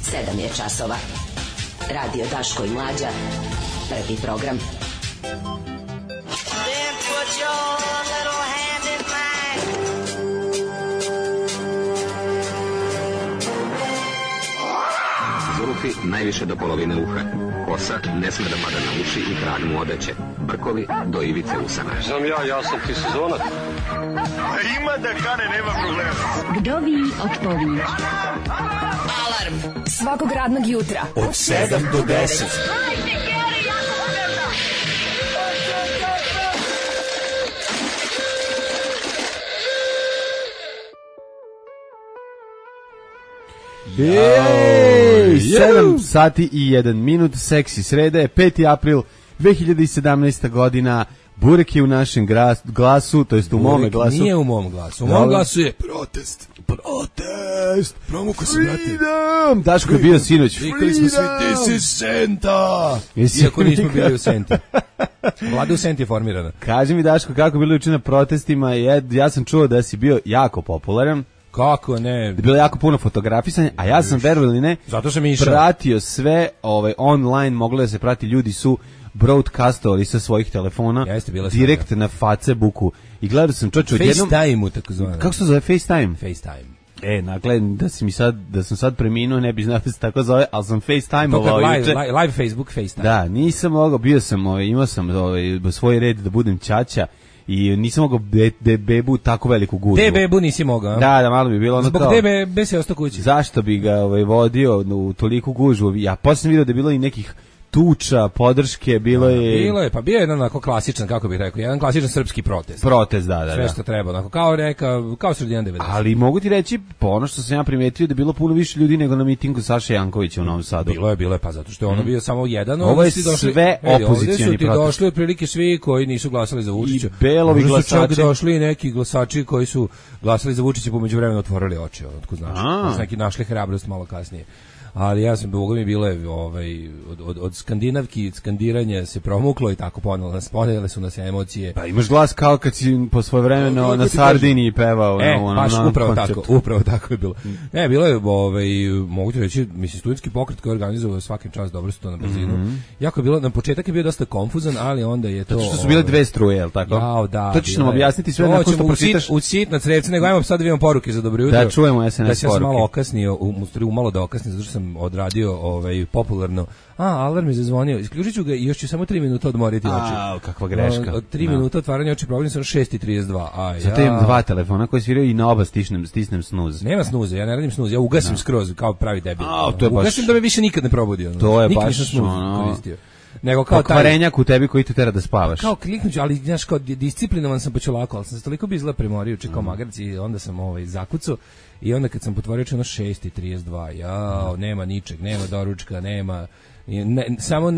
7 je časova. Radio Daško i Mlađa. Prvi program. Then put your little hand in mine. Zulufi najviše do polovine uha. Kosa ne sme da pada na uši i krag mu odeće. Brkovi do ivice usana. Znam ja sam ti sezonac. A ima da kane, nema problema. Kdo vi otpovi? Alarm Svakog radnog jutra Od 7 do 10. Jej, 7 sati i 1 minut, seksi sreda je 5. april 2017. godina. Burek je u našem glasu, to jest u mome glasu. Nije u mom glasu. U mom glasu je protest. promuko se, brate. Freedom! Daško je bio sinoć. Vikali smo svi, this is Senta. Iako nismo bili u Senti. Vlada u Senti je formirana. Kaži mi, Daško, kako je bilo juče na protestima? Ja sam čuo da si bio jako popularan. Kako ne? Bilo je jako puno fotografisanja, a ja sam, verovali ne, zato sam išao. Pratio sve online, moglo da se prati, ljudi su broadcastovali sa svojih telefona direkt na Facebooku i gledao sam čoče odjednom FaceTime-u takozvano. Kako se zove FaceTime? FaceTime. Dakle, da sam sad preminuo, ne bi znao da se tako zove, ali sam FaceTime-ovao juče. Live Facebook FaceTime. Da, nisam mogao, imao sam svoj red da budem ćaća i nisam mogao bebu tako veliku gužvu. Te bebu nisi mogao? Da, malo bi bilo ono zbog kao... Zbog te bebe si ostao kući. Zašto bi ga vodio u toliku gužvu? Ja posle sam vidio da je bilo i nekih tuča, podrške, bilo je, pa bio je jedan onako klasičan, kako bih rekao, jedan klasičan srpski protest. Protest, da. Sve što treba, onako, kao sredina 90. Ali mogu ti reći, po ono što sam ja primetio, da je bilo puno više ljudi nego na mitingu Saše Jankovića u Novom Sadu. Bilo je, pa zato što je ono bio samo jedan. Ovo je sve opozicioni protest. Ovdje su došli otprilike svi koji nisu glasali za Vučića. I belovi glasači. Su čak došli neki glasači koji su glasali za Vučića, po međuvremenu otvorili oči, otko znači. Neki našli hrabrost malo kasnije. Ali ja sam, Boga mi bilo je od skandinavki, skandiranja se promuklo i tako ponele su nas emocije. Pa imaš glas kao kad si po svoje vremeno na Sardiniji pevao. Upravo tako je bilo. Ne, bilo je, mogu ti reći, mislim, studentski pokret koji je organizovao svakim čas, dobro su to na brzinu. Jako je bilo, na početak je bio dosta konfuzan, ali onda je to... Zato što su bile dve struje, je li tako? Jao, da. To ćeš nam objasniti sve nakon što pročitaš. U sitna crevca, nego ajmo sad da vidimo poruke za dobro jutro. Da, čujemo SNS poruke. Da sam malo okasnio, umalo da okasnim, zato što sam odradio popularno. Alarm je zazvonio. Isključit ću ga i još ću samo 3 minuta odmoriti oči. Kakva greška. 3 minuta otvaranja oči, probudim sam 6:32. Zato imam 2 telefona koji sviraju i na oba stisnem snuz. Nema snuze, ja ne radim snuz, ja ugasim skroz kao pravi debil. Ugasim da me više nikad ne probudio. To je baš koristio. Nego kao pokvarenjak u tebi koji te tera da spavaš. Kao kliknuću, ali znaš, kao disciplinovan sam pa ću lako, ali sam se toliko bizla premorio, čekao magarci i onda sam zakucao. I onda kad sam potvorio ono 6:32, nema ničeg, nema doručka, nema samo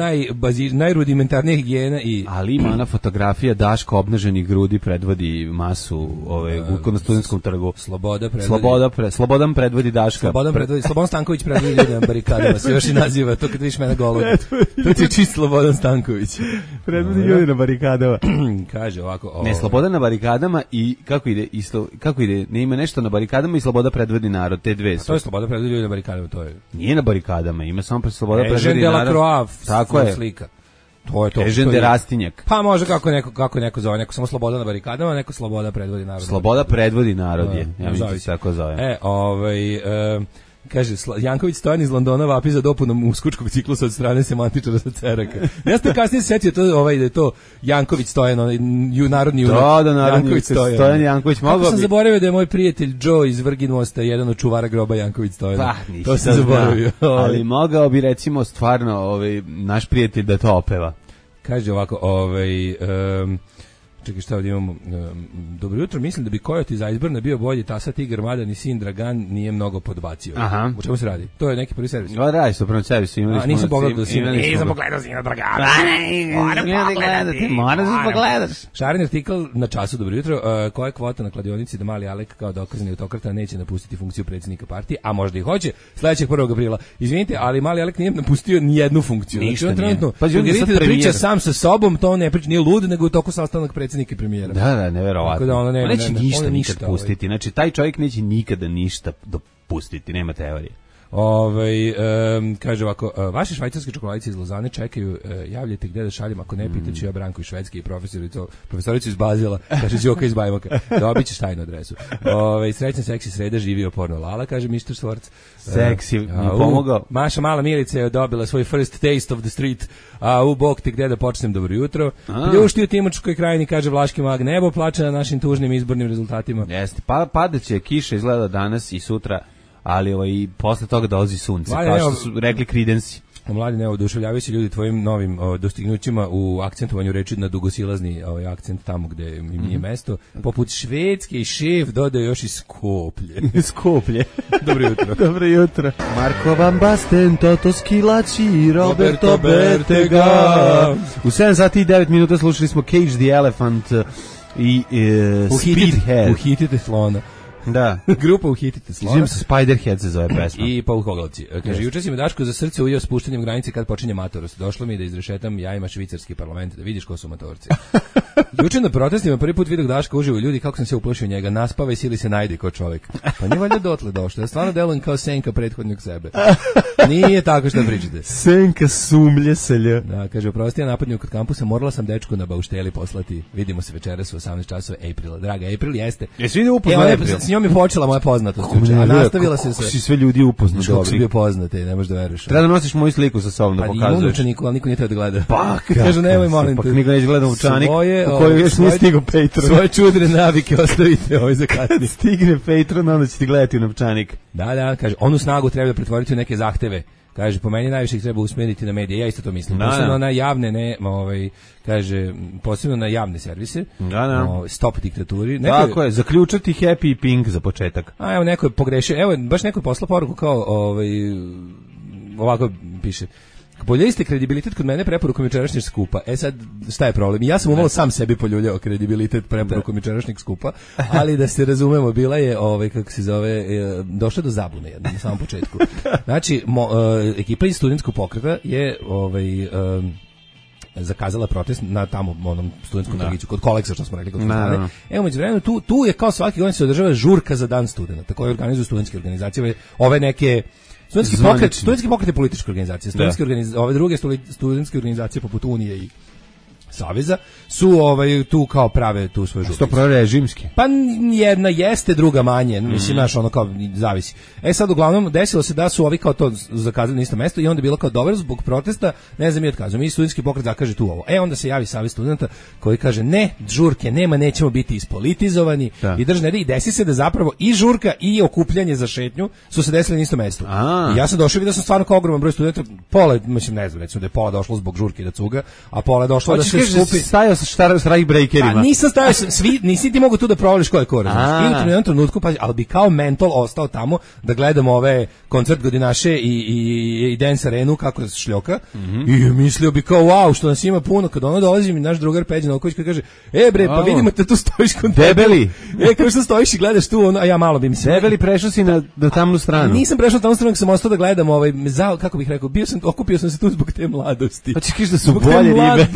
najrudimentarnije higijena i... Ali ima ona fotografija Daško obnaženih grudi predvodi masu na Studentskom trgu. Slobodan predvodi Daška. Slobodan Stanković predvodi ljude na barikadama, se još i naziva, to kad vidiš mene golog. To ti je čist Slobodan Stanković. Predvodi ljude na barikadama. Kaže ovako... Ne, Slobodan na barikadama i kako ide, ne ima nešto na barikadama i Sloboda predvodi narod, te dve su. To je Sloboda predvodi ljude na barikadama, to je... Nije na barikadama, ima samo Sloboda predvodi narod. Tako je slika. To je to. Ežen Rastinjak. Pa može kako neko zove, neko samo Sloboda na barikadama, neko Sloboda predvodi narod. Sloboda predvodi narod je. Ja mislim da se tako zove. Kaže, Janković Stojan iz Londona vapi za dopunom uskočkog ciklusa od strane semantičara sa Ceraka. Ja sam kasnije setio da je to Janković Stojan, narodni junak. Da, narodni Stojan Janković. Kako sam zaboravio da je moj prijatelj Joe iz Vrgin Mosta jedan od čuvara groba Janković Stojan. To sam zaboravio. Ali mogao bi recimo stvarno naš prijatelj da to opeva. Kaže ovako, čekaj, šta ovdje imamo? Dobro jutro, mislim da bi Kojot iz Iceburna bio bolji, Tasa Tigar, mada ni sin Dragan nije mnogo podbacio. Aha. U čemu se radi? To je neki prvi servis. Radi se o prvom servisu. Nisam pogledao sina Dragana. Moram se pogledaš. Šarin artikl na Času, dobro jutro. Koja je kvota na kladionici da Mali Alek kao dokazani autokrata neće napustiti funkciju predsjednika partije, a možda i hoće, sledećeg 1. aprila. Izvinite, ali Mali Alek nije napustio ni jednu funkciju. Ništa nije. Pa vidite da priča sam sa sobom, to ne priča, nije lud, nego u toku sastanak predsjednika i premijera. Da, neverovatno. On neće ništa nikad pustiti. Znači, taj čovjek neće nikada ništa dopustiti, nema teorije. Kaže ovako, vaše švajcarske čokoladice iz Lozane čekaju, javljajte gde da šaljem, ako ne, pitaću ja Branku iz Švedske i profesoricu iz Bazila, kaže Đoka iz Bajmoka, dobit ćeš tajnu adresu. Srećna seksi sreda, živio porno Lala, kaže Mr. Swartz. Seksi, mi pomogao. Maša Mala Milica je dobila svoj first taste of the street, a u bok ti gde da počnem, dobro jutro. Pljušti u Timočkoj krajini, kaže Vlaški mag, nebo plače na našim tužnim izbornim rezultatima. Jeste, padeće kiša izgleda danas i sutra, ali i posle toga dolazi sunce, kao što su rekli Creedence. Mladi, ne oduševljavaju se ljudi tvojim novim dostignućima u akcentovanju reči na dugosilazni akcent tamo gde im nije mesto. Poput Švedske i šef dodao još i Skoplje. Skoplje. Dobro jutro. Dobro jutro. Marko Van Basten, Toto Schillaci, Roberto Bettega. U 7 sati i 9 minuta slušali smo Cage the Elephant i Speedhead. Uhitite slona. Da. Grupa Uhitite slona. Živim se Spiderhead se zove pesma. I Paukoglavci. Kaže, juče si me Daško za srce ujeo spuštanjem granice kad počinje matorost. Došlo mi da izrešetam jajima švicarski parlament, da vidiš ko su matorci. Juče na protestima prvi put vidio Daška uživo ljudi, kako sam se uplašio njega. Naspava i sili se najde kao čovjek. Pa nije valjda dotle došlo. Ja stvarno delujem kao Senka prethodnog sebe. Nije tako što pričate. Senka sumlje selja. Da, kaže, oprosti, ja napadnju kod kampusa, morala sam dečku na baušteli poslati. Vidimo se večeras u 18 časova Aprila. Draga, April jeste. Jesi vidio upoznao April? S njom je počela moja poznatost juče, a nastavila se si sve ljudi upoznaš. Kako si bio poznate, ne možeš da veruješ. Treba da nosiš moju sliku sa sobom da pokazuješ. Pa imam učeniku, ali niko nije teo da gleda. Pa, kaže, nemoj, molim te. Pa niko neće gleda učanik u kojoj još nije stigao Patron. Svoje čudne navike ostavite za kasnije. Stigne Patron, onda će ti gledati u novčanik. Da, kaže, onu snagu treba da pretvoriti u neke zahteve. Kaže, po meni najviše ih treba usmjeriti na medije. Ja isto to mislim. Posebno na javne, kaže, posebno na javne servise. Stop diktaturi. Tako je, zaključati Happy i Pink za početak. A evo, neko je pogrešio. Evo, baš neko je poslao poruku kao, ovako piše. Bolje ste kredibilitet kod mene preporukom jučerašnjeg skupa. Sad, šta je problem? Ja sam umalo sam sebi poljuljao kredibilitet preporukom jučerašnjeg skupa, ali da se razumemo, bila je, kako se zove, došla do zabune jedno, na samom početku. Znači, ekipa iz studentskog pokreta je, zakazala protest na tamo onom studentskom trgiću kod Koleksa, što smo rekli kod Fontane. Evo, međuvremenu tu je kao svaki godin se održava žurka za dan studenta, koje organizuju studentske organizacije, ove neke studentski pokret je politička organizacija. Ove druge studentske organizacije poput Unije i Saveza su tu kao prave tu svoje žurke. Što prorežimski? Pa jedna jeste, druga manje. Mislim, naš ono kao zavisi. Sad uglavnom desilo se da su ovi kao to zakazali na isto mesto i onda je bilo kao dobro zbog protesta, ne znam, mi otkazujemo. Mi studentski pokret zakaže tu ovo. Onda se javi Savez studenta koji kaže ne, žurke nema, nećemo biti ispolitizovani i držne i desi se da zapravo i žurka i okupljanje za šetnju su se desili na isto mesto. I ja sam došao i vidio sam stvarno kao ogroman broj studenta, pola, mislim, ne znam, recimo da je pola došlo zbog žurke da cuga, a pola je došlo da se skupi. Stajao sa strike-breakerima. Nisam stajao, nisi ti mogu tu da provališ ko je ko, razumiješ. I u jednom trenutku, ali bi kao mentol ostao tamo da gledamo ove koncert Godinaše i Dance Arenu kako se šljoka. I mislio bi kao, wow, što nas ima puno. Kad ono dolazi mi naš drugar Peđa Novković koji kaže, bre, pa vidimo te tu stojiš kod debeli. Kao što stojiš i gledaš tu, a ja malo bi mi se... Debeli, prešao si na tamnu stranu. Nisam prešao na tamnu stranu, sam ostao da gledam, kako bih rekao, okupio sam se tu zbog te mladosti. Pa ćeš da su bolje ribe.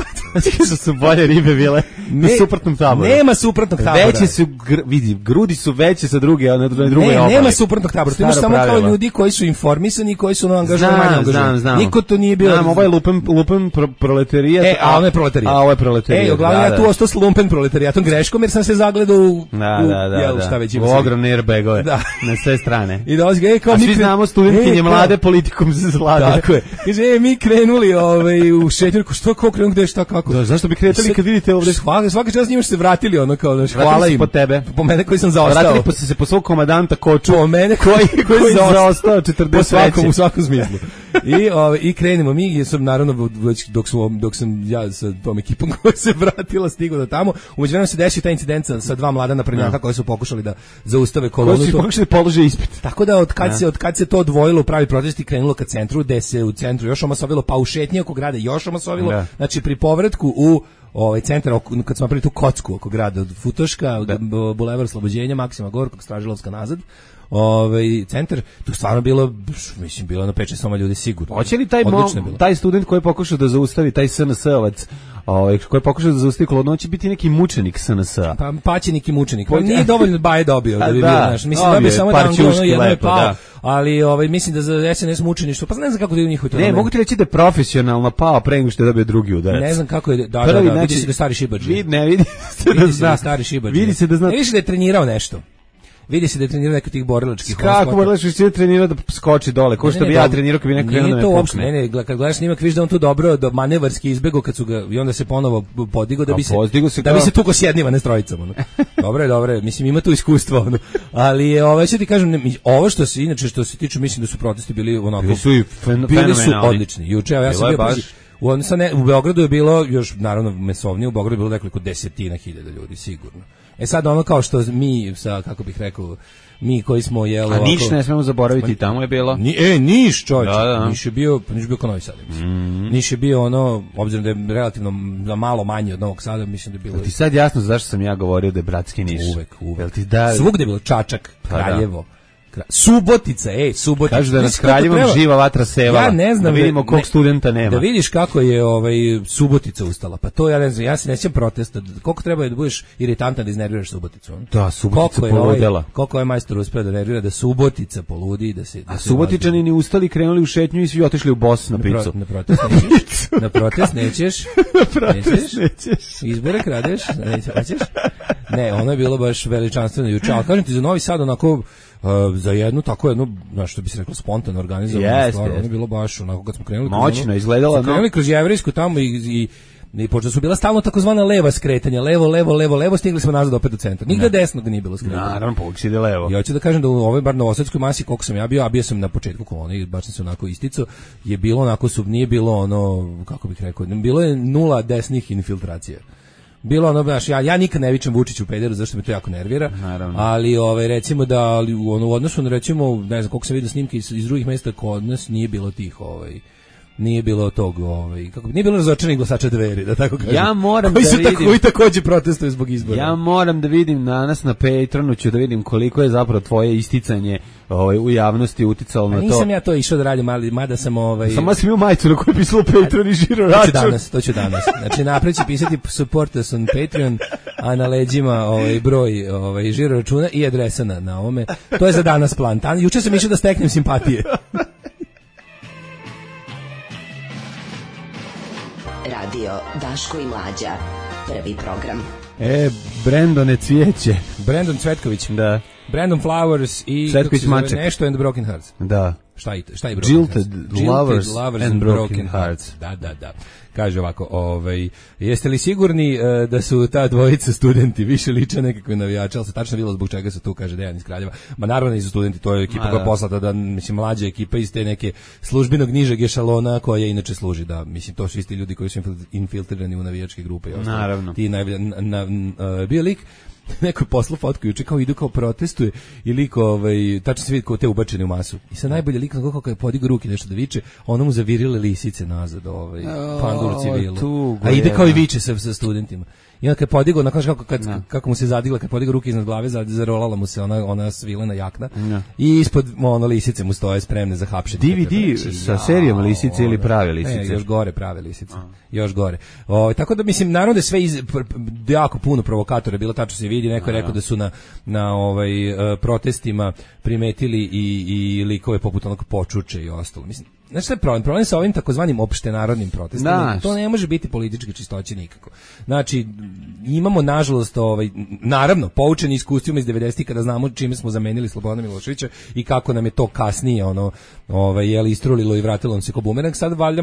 Su bolje ribe bile na suprotnom taboru. Nema suprotnog tabora. Veće su, vidi, grudi su veće sa druge, na drugoj obali. Nema suprotnog tabora. Ti imaš samo kao ljudi koji su informisani i koji su angažovani manje angažovani. Znam. Niko to nije bio. Ovo je lupen proletarijat. A ono je proletarijat. A ovo je proletarijat. Uglavnom ja tu ostao s lumpen proletarijatom greškom jer sam se zagledao u šta već ima. Ogromne airbagove na sve strane. I dolazi ga, kao mi svi znamo studentkinje mlade politikom se zlade. Tako je. Kaže, mi krenuli u šetnjurku, što kako krenuli, gde šta kako. Zašto bi kretali kad vidite ovdje? Svaki čas njima se vratili, ono kao, hvala im. Po tebe. Po mene koji sam zaostao. Vratili se po svog komandanta Koču. Po mene koji zaostao 40 u svakom smislu. I krenemo mi, jer sam naravno dok sam ja sa tom ekipom koja se vratila stigao do tamo, umeđuvremenu se desio taj incident sa dva mlada naprednjaka koji su pokušali da zaustave kolonu. Koji su pokušali položiti ispit. Tako da od kad se to odvojilo u pravi protest i krenulo ka centru, gde se u centru još omasovilo, pa u šetnji oko grada još omasovilo, znači pri povratku u centar, kad smo napravili tu kocku oko grada od Futoška, Bulevar Slobođenja, Maksima Gorkog, Stražilovska nazad, centar, tu stvarno bilo, mislim, bilo na 5-6 ljudi sigurno. Hoće li taj student koji je pokušao da zaustavi, taj SNS-ovac, koji je pokušao da zaustavi kolonu, će biti neki mučenik SNS-a? Pa paćenik i mučenik. Pa nije dovoljno baje dobio da bi bio, znaš. Mislim da bi samo da jedno je pao, ali mislim da za SNS mučeništvo, pa ne znam kako da je u njihovoj. Ne, mogu ti reći da je profesionalno pao pre nego što je dobio drugi udarac. Ne znam kako je, da, vidi se da stari šibadži. Vidi se da stari šibadži. Vidi se da zna. Ne vidiš da je trenirao nešto. Vidi se da je trenirao neko tih borilačkih. Kako borilački se trenirao da skoči dole? Ko što bi ja trenirao kad bi neko krenuo da me pukne. Ne, kad gledaš snimak vidiš da on tu dobro do manevarski izbegao kad su ga i onda se ponovo podigao da bi se tukao s jednim, a ne s trojicom. Dobro, mislim ima tu iskustvo. Ali će ti kažem, ovo što se inače što se tiče, mislim da su protesti bili onako bili su odlični. Juče ja sam bio u Beogradu je bilo još naravno mesovnije, u Beogradu je bilo nekoliko desetina hiljada ljudi sigurno. Sad ono kao što mi sa, kako bih rekao, mi koji smo jelo ovako... A Niš ne smemo zaboraviti, tamo je bilo. Niš, čovječe. Niš je bio kao Novi Sad, mislim. Niš je bio ono, obzirom da je relativno malo manje od Novog Sada, mislim da je bilo... Ti sad jasno zašto sam ja govorio da je bratski Niš? Uvek. Svugde je bilo Čačak, Kraljevo. Subotica. Kažu da nas Kraljevom živa vatra sevala. Ja ne znam, da vidimo kog studenta nema. Da vidiš kako je Subotica ustala. Pa to ja ne znam, ja se ne sjećam protesta. Koliko treba da budeš iritantan da iznerviraš Suboticu? Da, Subotica poludela. Koliko je majstor uspeo da nervira da Subotica poludi, a Subotičani ni ustali, krenuli u šetnju i svi otišli u Bos na picu. Na protest nećeš. Izbore kradeš, nećeš. Ne, ono je bilo baš veličanstveno juče. Ali kažem ti, za Novi Sad onako za jednu tako jednu, znaš što bi se reklo, spontano organizovano stvar, ono je bilo baš onako kad smo krenuli. Moćno izgledalo. Krenuli kroz Jevrejsku tamo i pošto su bila stalno takozvana leva skretanja, levo, stigli smo nazad opet do centra. Nigde desno da nije bilo skretanja. Naravno, povijek ide levo. Ja hoću da kažem da u ovoj bar novosadskoj masi, koliko sam ja bio, a bio sam na početku kolone i baš sam se onako isticao, je bilo onako, nije bilo ono, kako bih rekao, bilo je 0 desnih infiltracija. Bilo ono baš, ja nikad ne vičem Vučiću pederu, zašto me to jako nervira. Naravno. Ali recimo da u odnosu na recimo, ne znam koliko sam vidio snimke iz drugih mesta kod nas, nije bilo tih nije bilo tog, nije bilo razočaranih glasača Dveri, da tako kažem. Ja moram da vidim. Koji takođe protestuju zbog izbora. Ja moram da vidim danas na Patronu, ću da vidim koliko je zapravo tvoje isticanje u javnosti uticalo na to. Nisam ja to išao da radim, mada sam Samo sam imao majicu na kojoj je pisalo Patron i žiro račun. To ću danas. Znači napred će pisati support us on Patreon, a na leđima broj žiro računa i adresa na ovome. To je za danas plan. Juče sam išao da steknem simpatije. Radio Daško i Mlađa. Prvi program. Brandone Cvijeće. Brandon Cvetković. Da. Brandon Flowers i Cvetković Maček. Nešto and Broken Hearts. Da. Šta je Broken Jilted Hearts? Lovers and Broken Hearts. Da. Kaže ovako, jeste li sigurni da su ta dvojica studenti više liče nekakve navijače, ali se tačno vidjelo zbog čega su tu, kaže Dejan iz Kraljeva. Ma naravno nisu studenti, to je ekipa koja je poslata, da, mislim, mlađa ekipa iz te neke službenog nižeg ešalona koja inače služi, da, mislim, to su isti ljudi koji su infiltrirani u navijačke grupe. Naravno. Ti bio lik, neko je poslao fotku juče kao idu kao protestuje i lik tačno se vidi kao te ubačene u masu. I sad najbolje lik kako je podigao ruke nešto da viče, ono mu zavirile lisice nazad, pandur civilu. A ide kao i viče sa studentima. I onda kad je podigao, kako mu se zadigla, kad je podigao ruke iznad glave, zarolala mu se ona svilena jakna. I ispod lisice mu stoje spremne za hapšenje. DVD sa serijom lisice ili prave lisice? Još gore prave lisice. Još gore. Tako da mislim, naravno da je sve jako puno provokatora bilo, tačno se vidi, neko je rekao da su na protestima primetili i likove poput onog Počuče i ostalo. Mislim, znači šta je problem? Problem sa ovim takozvanim opštenarodnim protestima. To ne može biti političke čistoće nikako. Znači, imamo nažalost, naravno, poučeni iskustvima iz 90-ih kada znamo čime smo zamenili Slobodana Miloševića i kako nam je to kasnije istrulilo i vratilo nam se ko bumerang. Sad valjda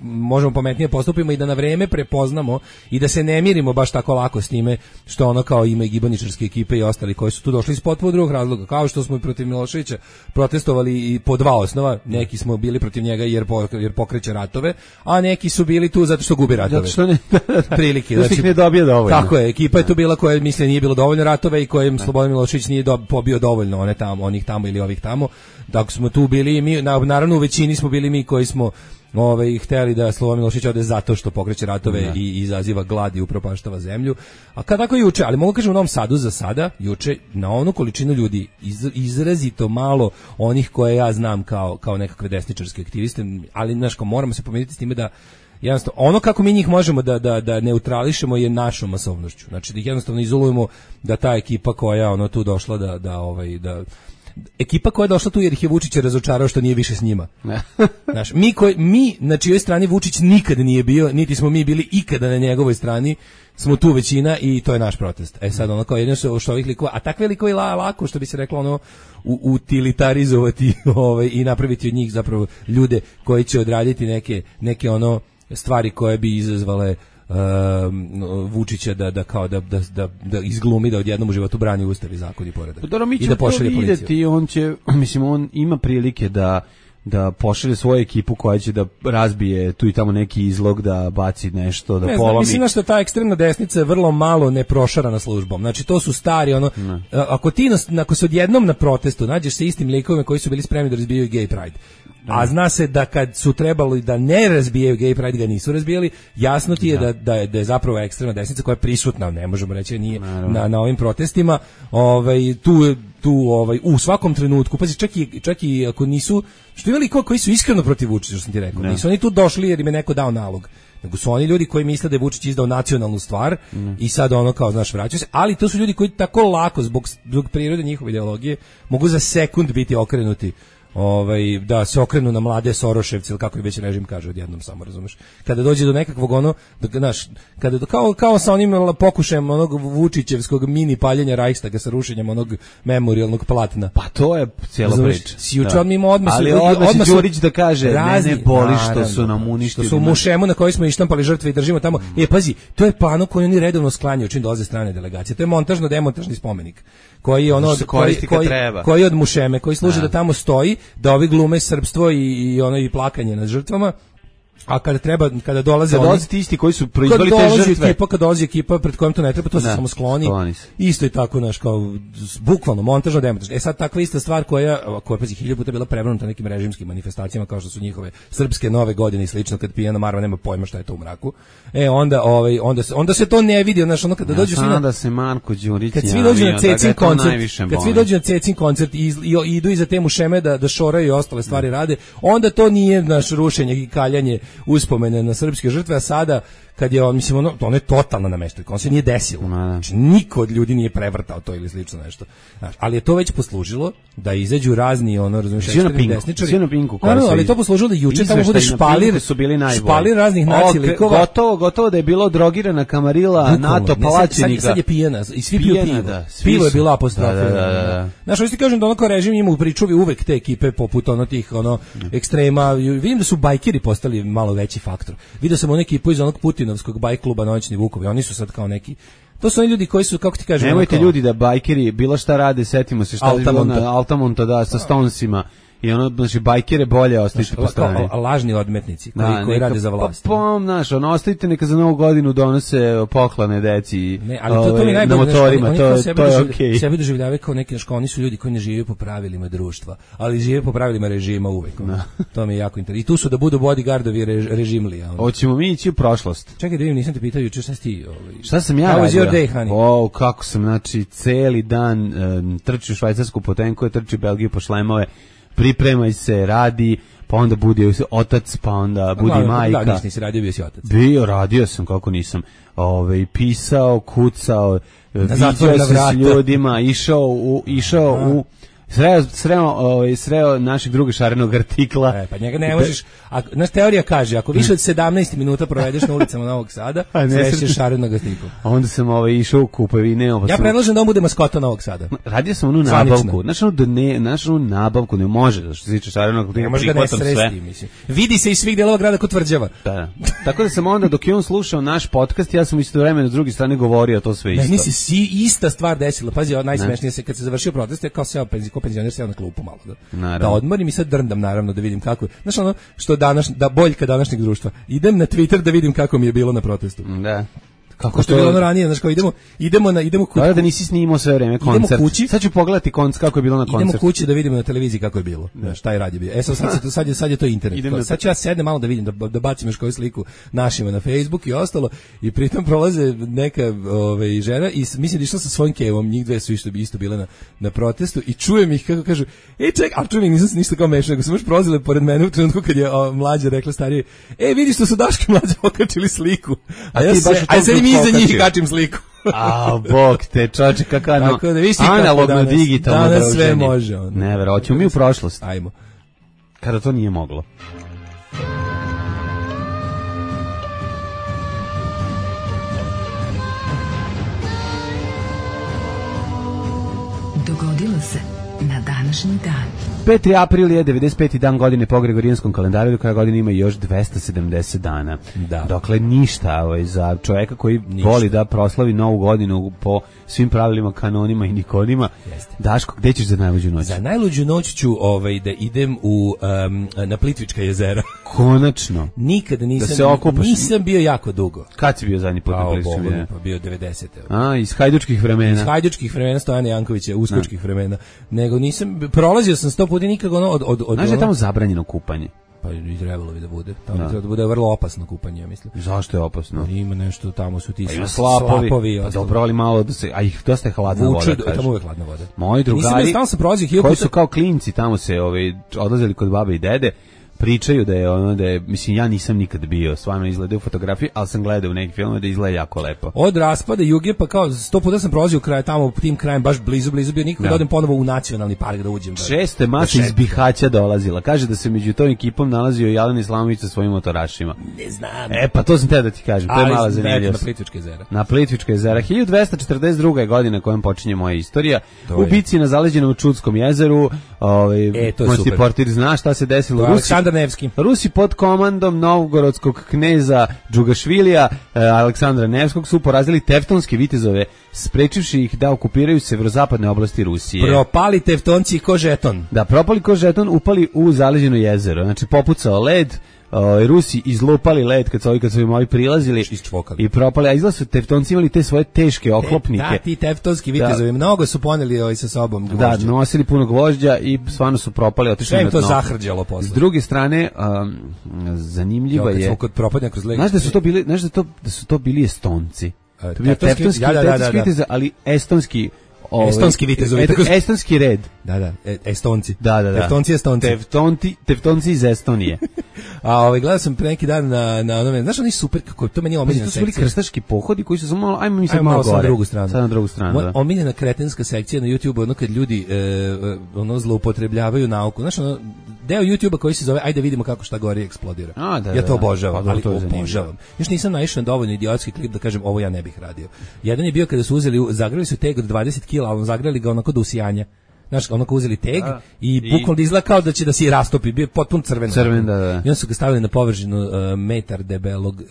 možemo pametnije postupimo i da na vreme prepoznamo i da se ne mirimo baš tako lako s time što ono kao ima i gibaničarske ekipe i ostali koji su tu došli iz potpuno drugog razloga. Kao što smo i protiv Miloševića protestovali i po dva osnova. Neki smo bili protiv njega jer pokreće ratove, a neki su bili tu zato što gubi ratove. Zato što ne prilike. Znači, ih ne dobije dovoljno. Tako je, ekipa je tu bila koja misle nije bilo dovoljno ratove i kojem Slobodan Milošević nije pobio dovoljno onih tamo ili ovih tamo. Dok smo tu bili mi, naravno u većini smo bili mi koji smo hteli da Slobodan Milošević ode zato što pokreće ratove i izaziva glad i upropaštava zemlju. A kad tako juče, ali mogu kažem u Novom Sadu za sada, juče na onu količinu ljudi izrazito malo onih koje ja znam kao nekakve desničarske aktiviste, ali znaš, moramo se pomiriti s time da jednostavno, ono kako mi njih možemo da neutrališemo je našom masovnošću. Znači da ih jednostavno izolujemo, da ta ekipa koja tu došla ekipa koja je došla tu jer ih je Vučić razočarao što nije više s njima. Znaš, mi na čijoj strani Vučić nikad nije bio, niti smo mi bili ikada na njegovoj strani, smo tu većina i to je naš protest. Sad ono kao jedino što ovih likova, a takve likove lako što bi se reklo utilitarizovati i napraviti od njih zapravo ljude koji će odraditi neke stvari koje bi izazvale Vučića da izglumi da odjednom u životu brani ustav i zakon i poredak. I da pošalje policiju. On će, on ima prilike da pošalje svoju ekipu koja će da razbije tu i tamo neki izlog, da baci nešto, da polomi. Mislim da ta ekstremna desnica je vrlo malo neprošarana službom. Znači to su stari ako se odjednom na protestu nađeš sa istim likovima koji su bili spremni da razbijaju gay pride. A zna se da kad su trebali da ne razbijaju gay pride, ga nisu razbijali, jasno ti je da je zapravo ekstremna desnica koja je prisutna, ne možemo reći nije na ovim protestima, u svakom trenutku, pazi, čak i ako nisu, što imali koji su iskreno protiv Vučića, što sam ti rekao, nisu oni tu došli jer im je neko dao nalog, nego su oni ljudi koji misle da je Vučić izdao nacionalnu stvar i sad vraćaju se, ali to su ljudi koji tako lako, zbog prirode njihove ideologije, mogu za sekund biti okrenuti da se okrenu na mlade Soroševci ili kako i već režim kaže odjednom, samo razumeš. Kada dođe do nekakvog kao sa onim pokušajem onog Vučićevskog mini paljenja Reichstaga sa rušenjem onog memorijalnog platna. Pa to je cijela priča. Juče on mimo odmah ali odmah Đurić da kaže ne boli što su nam uništili. Što su mušemu na kojoj smo ištampali žrtve i držimo tamo. Pazi, to je plano koji oni redovno sklanjaju čim dolaze strane delegacije. To je montažno-demontažni spomenik koji je koji od mušeme, koji služi da tamo stoji, da ovi glume srpstvo i plakanje nad žrtvama, a kada dolaze ti isti koji su proizveli te žrtve, kad dolazi ekipa pred kojom to ne treba, to se samo skloni. Isto je tako, kao bukvalno montažno demontažno. Sad takva ista stvar koja pazi 1000 puta bila prevrnuta nekim režimskim manifestacijama kao što su njihove srpske nove godine i slično, kad pijana Marva nema pojma šta je to u mraku. Onda se to ne vidi, kada dođu svi da se Marko Đurić kad svi dođu na Cecin koncert i idu iza te mušeme da šoraju i ostale stvari rade, onda to nije rušenje i kaljanje uspomene na srpske žrtve, a sada kad je ono je totalno namešteno, on se nije desilo. Znači, niko od ljudi nije prevrtao to ili slično nešto. Znači, ali je to već poslužilo da izađu razni ekstremni desničari. Ali to poslužilo da juče tamo bude špalir raznih nacilikova. Gotovo da je bilo drogirana kamarila NATO Palačenika. Sad je pijena i svi piju pivo. Pivo je bilo apostrofirano. Znaš, što ti kažem da kao režim ima u pričuvi uvek te ekipe poput tih ekstrema. Vidim da su bajkeri postali malo veći faktor. Vidio sam ekipu iz onog Putinovskog bajk kluba Noćni Vukovi, oni su sad kao neki. To su oni ljudi koji su, kako ti kažem, nemojte ljudi da bajkeri bilo šta rade, setimo se šta je bilo na Altamonta sa Stonesima. I znači bajkere bolje ostavite po strani. Lažni odmetnici koji rade za vlast. Ostavite neka za Novu godinu donose poklane deci na motorima, to je okej. Sebe doživljavaju kao neki, oni su ljudi koji ne žive po pravilima društva, ali žive po pravilima režima uvek. To mi je jako interesantno. I tu su da budu bodyguardovi režimlija. Hoćemo mi ići u prošlost. Čekaj da vidim, nisam te pitao juče šta si ti. Šta sam ja radio? Kako sam, znači, celi dan trči u švajcarsku potenku, trči Belgiju po šlemove, pripremaj se, radi, pa onda budi otac, pa onda budi majka. Da, nisi radio, bio si otac. Radio sam, kako nisam. Pisao, kucao, viđao se s ljudima, išao u sreo našeg drugog šarenog artikla. Pa njega ne možeš, naš teorija kaže, ako više od 17 minuta provedeš na ulicama Novog Sada, srećeš šarenog artikla. Onda sam išao u kupovine. Ja predlažem da on bude maskota Novog Sada. Radio sam onu nabavku. Znaš onu nabavku, ne može, što se tiče šarenog artikla, prihvatam sve. Vidi se iz svih delova grada kod Tvrđava. Da. Tako da sam onda, dok je on slušao naš podcast, ja sam istovremeno s druge strane govorio to sve isto. Ne, nisi ista stvar desila. Pazi, najsmešnije se kad se završio protest, kao seo penzioner seo na klupu malo da odmorim i sad drndam naravno da vidim kako. Znaš što boljka današnjeg društva. Idem na Twitter da vidim kako mi je bilo na protestu. Da. Kako što je bilo ono ranije, znači kao idemo kući. Da nisi snimao sve vreme koncert. Kući. Sad ću pogledati kako je bilo na koncertu. Idemo kući da vidimo na televiziji kako je bilo. Šta je radio bio. Sad je to internet. Sad ću ja sednem malo da vidim, da bacim još koju sliku našima na Facebook i ostalo. I pritom prolaze neka žena i mislim da išla sa svojim kevom, njih dve su isto bile na protestu i čujem ih kako kažu, ček, a čujem ih, nisam se ništa kao mešao, nego su baš prolazile pored mene u trenutku kad je mlađa rekla starije, vidi što su Daško i Mlađa okačili sliku. A ja se iza njih kačim sliku. A, bog te, čoče, kakano, analogno, digitalno, danas sve može. Ne, hoćemo mi u prošlost. Ajmo. Kada to nije moglo. Dogodilo se na današnji dan. 5. april je 95. dan godine po Gregorijanskom kalendaru, do kraja godine ima još 270 dana. Da. Dokle ništa za čoveka koji voli da proslavi novu godinu po svim pravilima, kanonima i nikonima. Jeste. Daško, gde ćeš za najluđu noć? Za najluđu noć ću da idem na Plitvička jezera. Konačno. Nikada nisam, da se okupaš. Nisam bio jako dugo. Kad si bio zadnji put na Plitvičkim jezera? Pa bio 90. A, iz hajdučkih vremena. Iz hajdučkih vremena Stojana Jankovića, uskočkih vremena. Nego nisam, prolazio sam 100 puta nikako od znaš da je tamo zabranjeno kupanje? Pa i trebalo bi da bude. Tamo treba da bude vrlo opasno kupanje, ja mislim. Zašto je opasno? Ima nešto, tamo su ti slapovi. Pa dobro, ali malo da se, a ih dosta je hladna voda. Tamo uvek hladna voda. Moji drugari, koji su kao klinci, tamo se odlazili kod babe i dede, pričaju da je mislim, ja nisam nikad bio, stvarno izgleda u fotografiji, ali sam gledao u neki film da izgleda jako lepo. Od raspada Juge, pa kao 100 puta sam prolazio kraj tamo, tim krajem baš blizu bio, nikako da odem ponovo u nacionalni park da uđem. Često je masa iz Bihaća dolazila. Kaže da se među tom ekipom nalazio i Jelen Islamović sa svojim motorašima. Ne znam. Pa to sam te da ti kažem, to je mala zanimljivost. Na Plitvička jezera. Na Plitvička jezera. 1242. je godina kojom počinje moja istorija. U bici na zaleđenom Čudskom jezeru, moćni portir zna šta se desilo. Aleksandar Nevski. Rusi pod komandom novgorodskog kneza Džugašvilija Aleksandra Nevskog su porazili tevtonske vitezove, sprečivši ih da okupiraju severozapadne oblasti Rusije. Propali tevtonci ko žeton. Da, propali ko žeton, upali u zaleđeno jezero. Znači, popucao led, Rusi izlupali led kad su im ovi prilazili i propali, a izgleda su tevtonci imali te svoje teške oklopnike. Da, ti tevtonski vitezovi mnogo su poneli sa sobom gvožđa. Da, nosili puno gvožđa i stvarno su propali, otišli na dno. Sve im to zahrđalo posle. S druge strane, zanimljiva je... Kad smo kod propadnja kroz leg... Znaš da su to bili Estonci. To je bio tevtonski vitez, ali estonski... Estonski vitezovi. Estonski red. Da, Estonci. Da. Tevtonci Estonci. Tevtonci iz Estonije. A gledao sam pre neki dan na onome, znaš oni super, kako to meni omiljena sekcija. To su bili krstaški pohodi koji su samo malo, ajmo mi sad malo gore. Sad na drugu stranu. Da. Omiljena kretenska sekcija na YouTube, ono kad ljudi zloupotrebljavaju nauku. Znaš, deo YouTube-a koji se zove ajde vidimo kako šta gori eksplodira. Ja to obožavam, ali obožavam. Još nisam naišao na dovoljno idiotski klip da kažem ovo ja ne bih radio. Jedan je bio kada su zagrali su teg od 20 kg, ali zagrali ga onako do usijanja. Znaš, onako uzeli teg i bukvalno izgleda kao da će da se rastopi, bio potpuno crven. Da. I onda su ga stavili na površinu metar debelog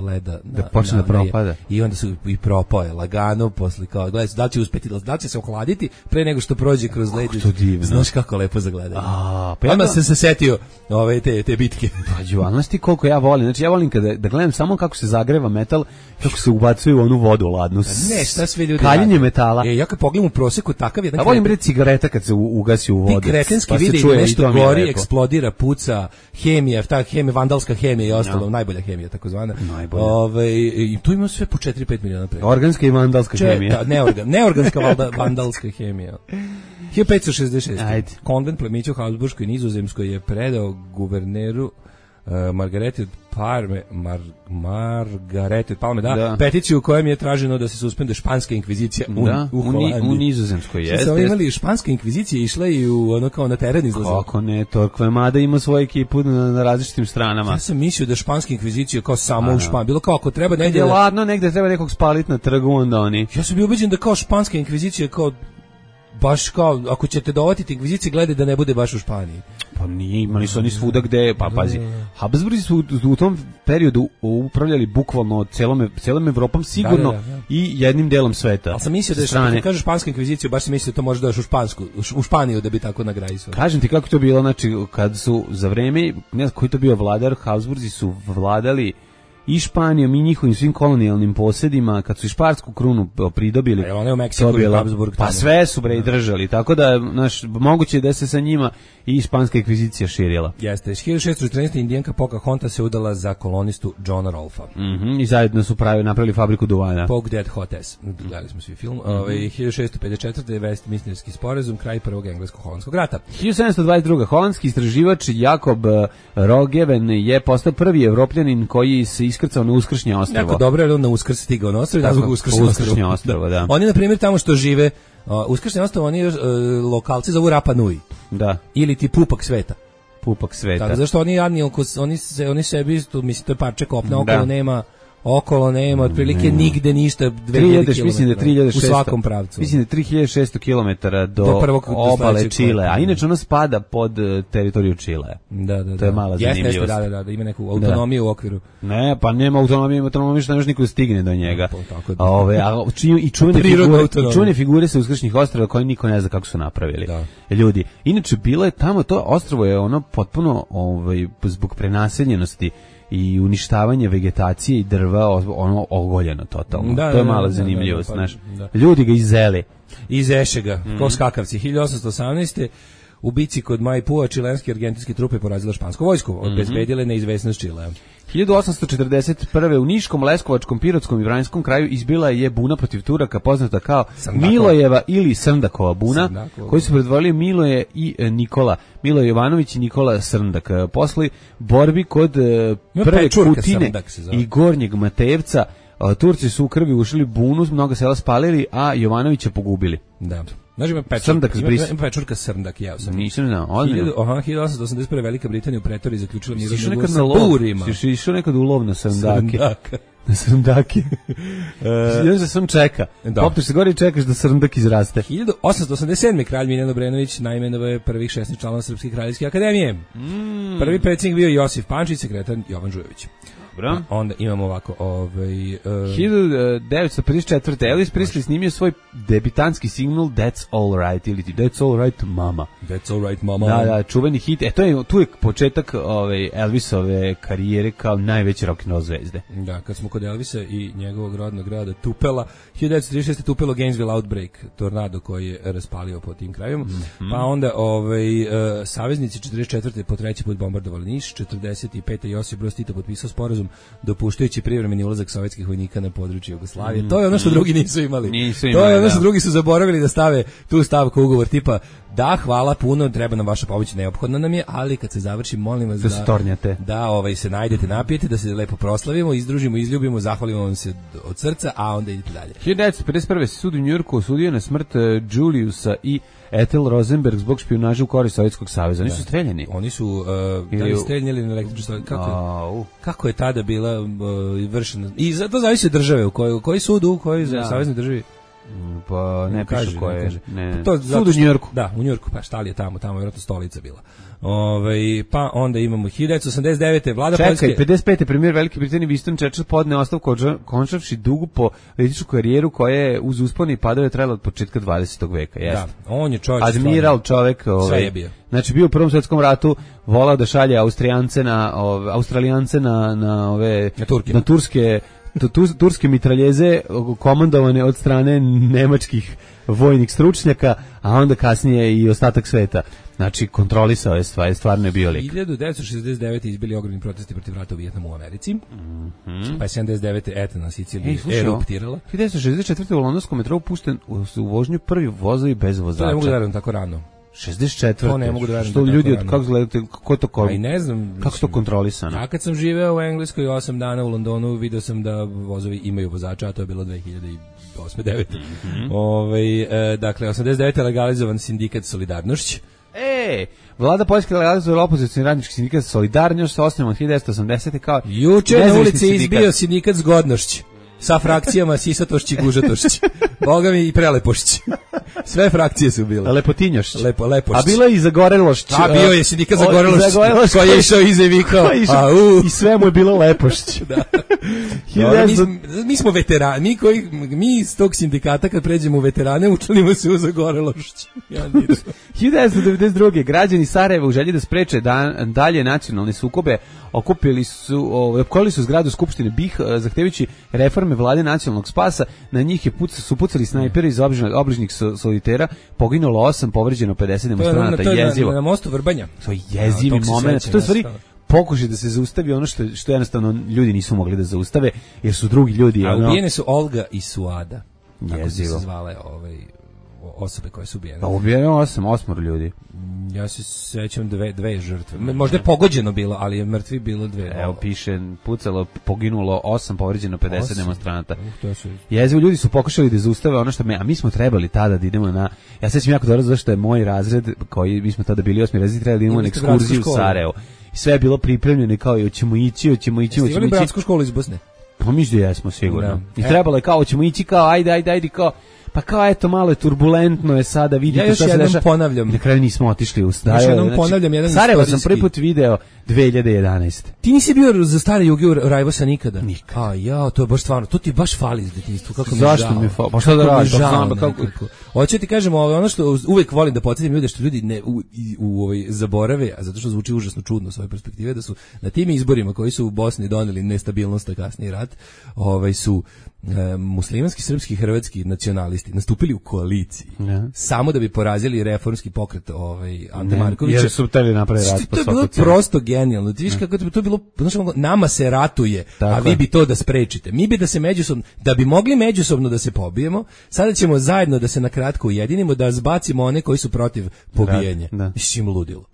leda. Da počne da propada. I onda su i propao je lagano, posle kao, gledaj, da li će uspeti, da li će se ohladiti pre nego što prođe kroz led. Znaš kako lepo za gledanje. Odmah sam se setio te bitke. Znaš ti koliko ja volim, znači ja volim da gledam samo kako se zagreva metal, kako se ubacuje u onu vodu ladnu. Ne, šta sve ljudi kaljenje metala. Ja kad pogledam u proseku takav jedan. A volim bre cigareta kad se ugasi u vodu. Ti kretenski vidi nešto gori, eksplodira, puca, hemija, vandalska hemija i ostalo, najbolja hemija takozvana. I tu ima sve po 4-5 miliona preko. Organska i vandalska hemija. Neorganska vandalska hemija. 1566. Konvent plemića u Habsburškoj Nizozemskoj je predao guverneru Margarete od Palme, peticiju u kojem je traženo da se suspenduje španska inkvizicija u Holandiji. U Nizozemskoj jeste. Samo imali španska inkvizicija, išla i kao na teren izlazila. Kako ne, Torquemada ima svoju ekipu na različitim stranama. Ja sam mislio da španska inkvizicija kao samo u Španiji, bilo kao ako treba negdje... Ladno, negdje treba nekog spaliti na trgu, onda oni... Ja sam bio ubeđen da kao španska inkvizicija kao baš kao, ako ćete dovatiti inkvizicije, gledaj da ne bude baš u Španiji. Pa nije, imali su oni svuda gde, pa pazi, Habsburgi su u tom periodu upravljali bukvalno celom Evropom sigurno i jednim delom sveta. Ali sam mislio da je, kad kažeš španska inkvizicija, baš sam mislio da to može doći u Španiju da bi tako nagrajisao. Kažem ti kako to bilo, znači, kad su za vreme, ne znam koji to bio vladar, Habsburgi su vladali i Španijom i njihovim svim kolonijalnim posjedima, kad su i šparsku krunu pridobili, A one u Meksiku i Habsburg pa tamo. sve su bre i držali, tako da moguće je da se sa njima i španska inkvizicija širila. Jeste, 1614. indijanka Pocahontas se udala za kolonistu Johna Rolfa. I zajedno su napravili fabriku duvana. Poke Dead Hotess. Gledali smo svi film. 1654. Westminsterski sporazum, kraj prvog englesko-holandskog rata. 1722. holandski istraživač Jakob Roggeveen je postao prvi Evropljanin koji se iskrcao na Uskršnje ostrvo. Jako dobro je on na Uskrs stigao na ostrvo, da zbog Uskršnje ostrvo, da. Oni na primjer tamo što žive Uskršnje ostrvo, oni lokalci zovu Rapa Nui. Da. Ili ti Pupak sveta. Pupak sveta. Tako zašto oni jadni, oni sebi, mislim to je parče kopna, okolo nema, otprilike nigde ništa, 2000 km. Mislim da 3600. U svakom pravcu. Mislim da 3600 km do obale Čile, a inače ono spada pod teritoriju Čile. Da. To je mala zanimljivost. Da, ima neku autonomiju u okviru. Ne, pa nema autonomije što ne može niko stigne do njega. I čuvene figure sa Uskršnjih ostrva koje niko ne zna kako su napravili. Ljudi, inače bilo je tamo, to ostrvo je ono potpuno zbog prenaseljenosti i uništavanje vegetacije i drva ono ogoljeno totalno. To je mala zanimljivost, znaš. Ljudi ga izeli. Izeše ga, kao skakavci. 1818. u bici kod Maipua čilenske i argentinske trupe porazile špansku vojsku, obezbedile neizvesnost Čilea. 1841. u Niškom, Leskovačkom, Pirotskom i Vranjskom kraju izbila je buna protiv Turaka poznata kao Srndakova. Milojeva ili Srndakova buna, koji su predvodili Miloje i Nikola. Miloje Jovanović i Nikola Srndak. Posle borbi kod prve Kutine i Gornjeg Matejevca Turci su u krvi ušli bunu, mnogo sela spalili, a Jovanovića pogubili. Da. Znači ima pečurka Srndak, ja sam. Nisam znao. 1881. Velika Britanija u Pretoriji zaključila mirovni ugovor sa Burima. Si išao nekad u lov na Srndake? Na Srndake. Još da sam čeka. Popneš se gore i čekaš da Srndak izraste. 1887. kralj Miljan Obrenović najmenovao je prvih 16 članova Srpske kraljevske akademije. Prvi predsjednik bio Josif Pančić, sekretar Jovan Žujović. Onda imamo ovako 1954. Elvis Presley snimio svoj debitanski single That's All Right ili That's All Right Mama. That's All Right Mama. Da, čuveni hit. Tu je početak Elvisove karijere kao najveće rock'n'roll zvezde. Da, kad smo kod Elvisa i njegovog rodnog grada Tupela, 1936. Tupelo Gainesville Outbreak, tornado koji je raspalio po tim krajima. Pa onda saveznici 44. po treći put bombardovali Niš, 45. Josip Broz Tito potpisao sporazum dopuštajući privremeni ulazak sovjetskih vojnika na područje Jugoslavije. To je ono što drugi nisu imali. To je ono što drugi su zaboravili da stave tu stavku u ugovor tipa da, hvala puno, treba nam vaša pomoć, neophodna nam je, ali kad se završi, molim vas da se najdete, napijete, da se lepo proslavimo, izdružimo, izljubimo, zahvalimo vam se od srca, a onda idete dalje. 1951. se sud u Njujorku osudio na smrt Juliusa i Ethel Rosenberg zbog špijunaže u korist Sovjetskog saveza. Oni su streljani. Oni su streljani na električnu stvar. Kako je tada bila vršena? I zato zavisi od države, u kojoj sudu, u kojoj saveznoj državi. Pa ne piše koje. Sud u Njujorku. Da, u Njujorku, pa šta li je tamo je vjerojatno stolica bila. Pa onda imamo 1989. vlada Poljske. Čekaj, 55. premijer Velike Britanije Winston Churchill podneo ostavku končavši dugu političku karijeru koja je uz uspone i padove trajala od početka 20. veka. Da, on je čovjek. Admiral čovjek. Sve je bio. Znači bio u Prvom svjetskom ratu, volao da šalje Australijance na turske mitraljeze komandovane od strane nemačkih vojnih stručnjaka, a onda kasnije i ostatak sveta. Znači, kontrolisao je stvarno je bio lik. 1969. izbili ogromni protesti protiv rata u Vijetnamu u Americi. Pa je 79. Etna na Siciliji eruptirala. 1964. u londonskom metrou pušten u vožnju prvi vozovi bez vozača. To ne mogu da verujem tako rano. 64. To ne mogu da verujem. Što ljudi, kako gledate, i ne znam. Kako to kontrolisano? Ja kad sam živeo u Engleskoj 8 dana u Londonu, vidio sam da vozovi imaju vozača, a to je bilo 2008-2009. Dakle, 89. legalizovan sindikat Solidarnošć. Vlada Poljske legalizovala opozicioni radnički sindikat Solidarnošć sa osnovom 1980. kao juče na ulici izbio sindikat Zgodnošć. sa frakcijama sisatošći, gužatošći. Boga mi i prelepošći. Sve frakcije su bile. Lepotinjošć. Lepošći. A bilo je i Zagorelošć. A bio je sindikat Zagorelošć. Koji je išao iza i vikao. I sve mu je bilo Lepošć. Da. Mi smo veterani, mi iz tog sindikata kad pređemo u veterane učlanimo se u Zagorelošć. 1992. građani Sarajeva u želji da spreče dalje nacionalne sukobe opkolili su zgradu Skupštine BiH zahtevajući reforme vlade nacionalnog spasa. Na njih su pucali snajperi iz obližnjih solitera, poginulo 8, povređeno 50 demonstranata. To je na mostu Vrbanja. To je jezivi moment. To je stvari pokušaj da se zaustavi ono što jednostavno ljudi nisu mogli da zaustave, jer su drugi ljudi. A ubijene su Olga i Suada. Jezivo. Tako su se zvale osobe koje su ubijene. Pa ubijeno 8 ljudi. Ja se sećam dve žrtve. Možda je pogođeno bilo, ali je mrtvi bilo 2. Evo piše, pucalo, poginulo 8, povređeno 50 demonstranata. Jezivo, ljudi su pokušali da zaustave ono što a mi smo trebali tada da idemo na, ja sećam jako dobro zašto je moj razred, mi smo tada bili 8. razred, trebali da idemo na ekskurziju u Sarajevo. I sve je bilo pripremljeno kao hoćemo ići. Jeste imali bratsku školu iz Bosne? Pa mi jesmo sigurno. I trebalo je kao hoćemo ići kao ajde kao pa kao eto malo je turbulentno je sada vidite šta se dešava. Ponavljam. Na kraju nismo otišli u Sarajevo. Još jednom ponavljam jedan Sarajevo sam prvi put video 2011. Ti nisi bio za stare Juge u Rajvosa nikada? Nikada. A ja, to je baš stvarno, to ti baš fali iz detinjstva, kako mi zašto mi fali? Pa šta da radiš? Hoće ti kažemo, ono što uvek volim da podsjetim ljude, što ljudi ne zaborave, a zato što zvuči užasno čudno s ove perspektive, da su na tim izborima koji su u Bosni doneli nestabilnost, a kasnije rat, su muslimanski, srpski, hrvatski nacionalisti nastupili u koaliciji samo da bi porazili reformski pokret Ante Markovića. Jer su hteli napraviti rat po svaku cenu. To je bilo prosto genijalno. Ti viš kako to je bilo, znači nama se ratuje, tako a vi bi to da sprečite. Mi bi da se međusobno, da bi mogli međusobno da se pobijemo, sada ćemo zajedno da se na kratko ujedinimo, da zbacimo one koji su protiv pobijenja. Mislim, ludilo.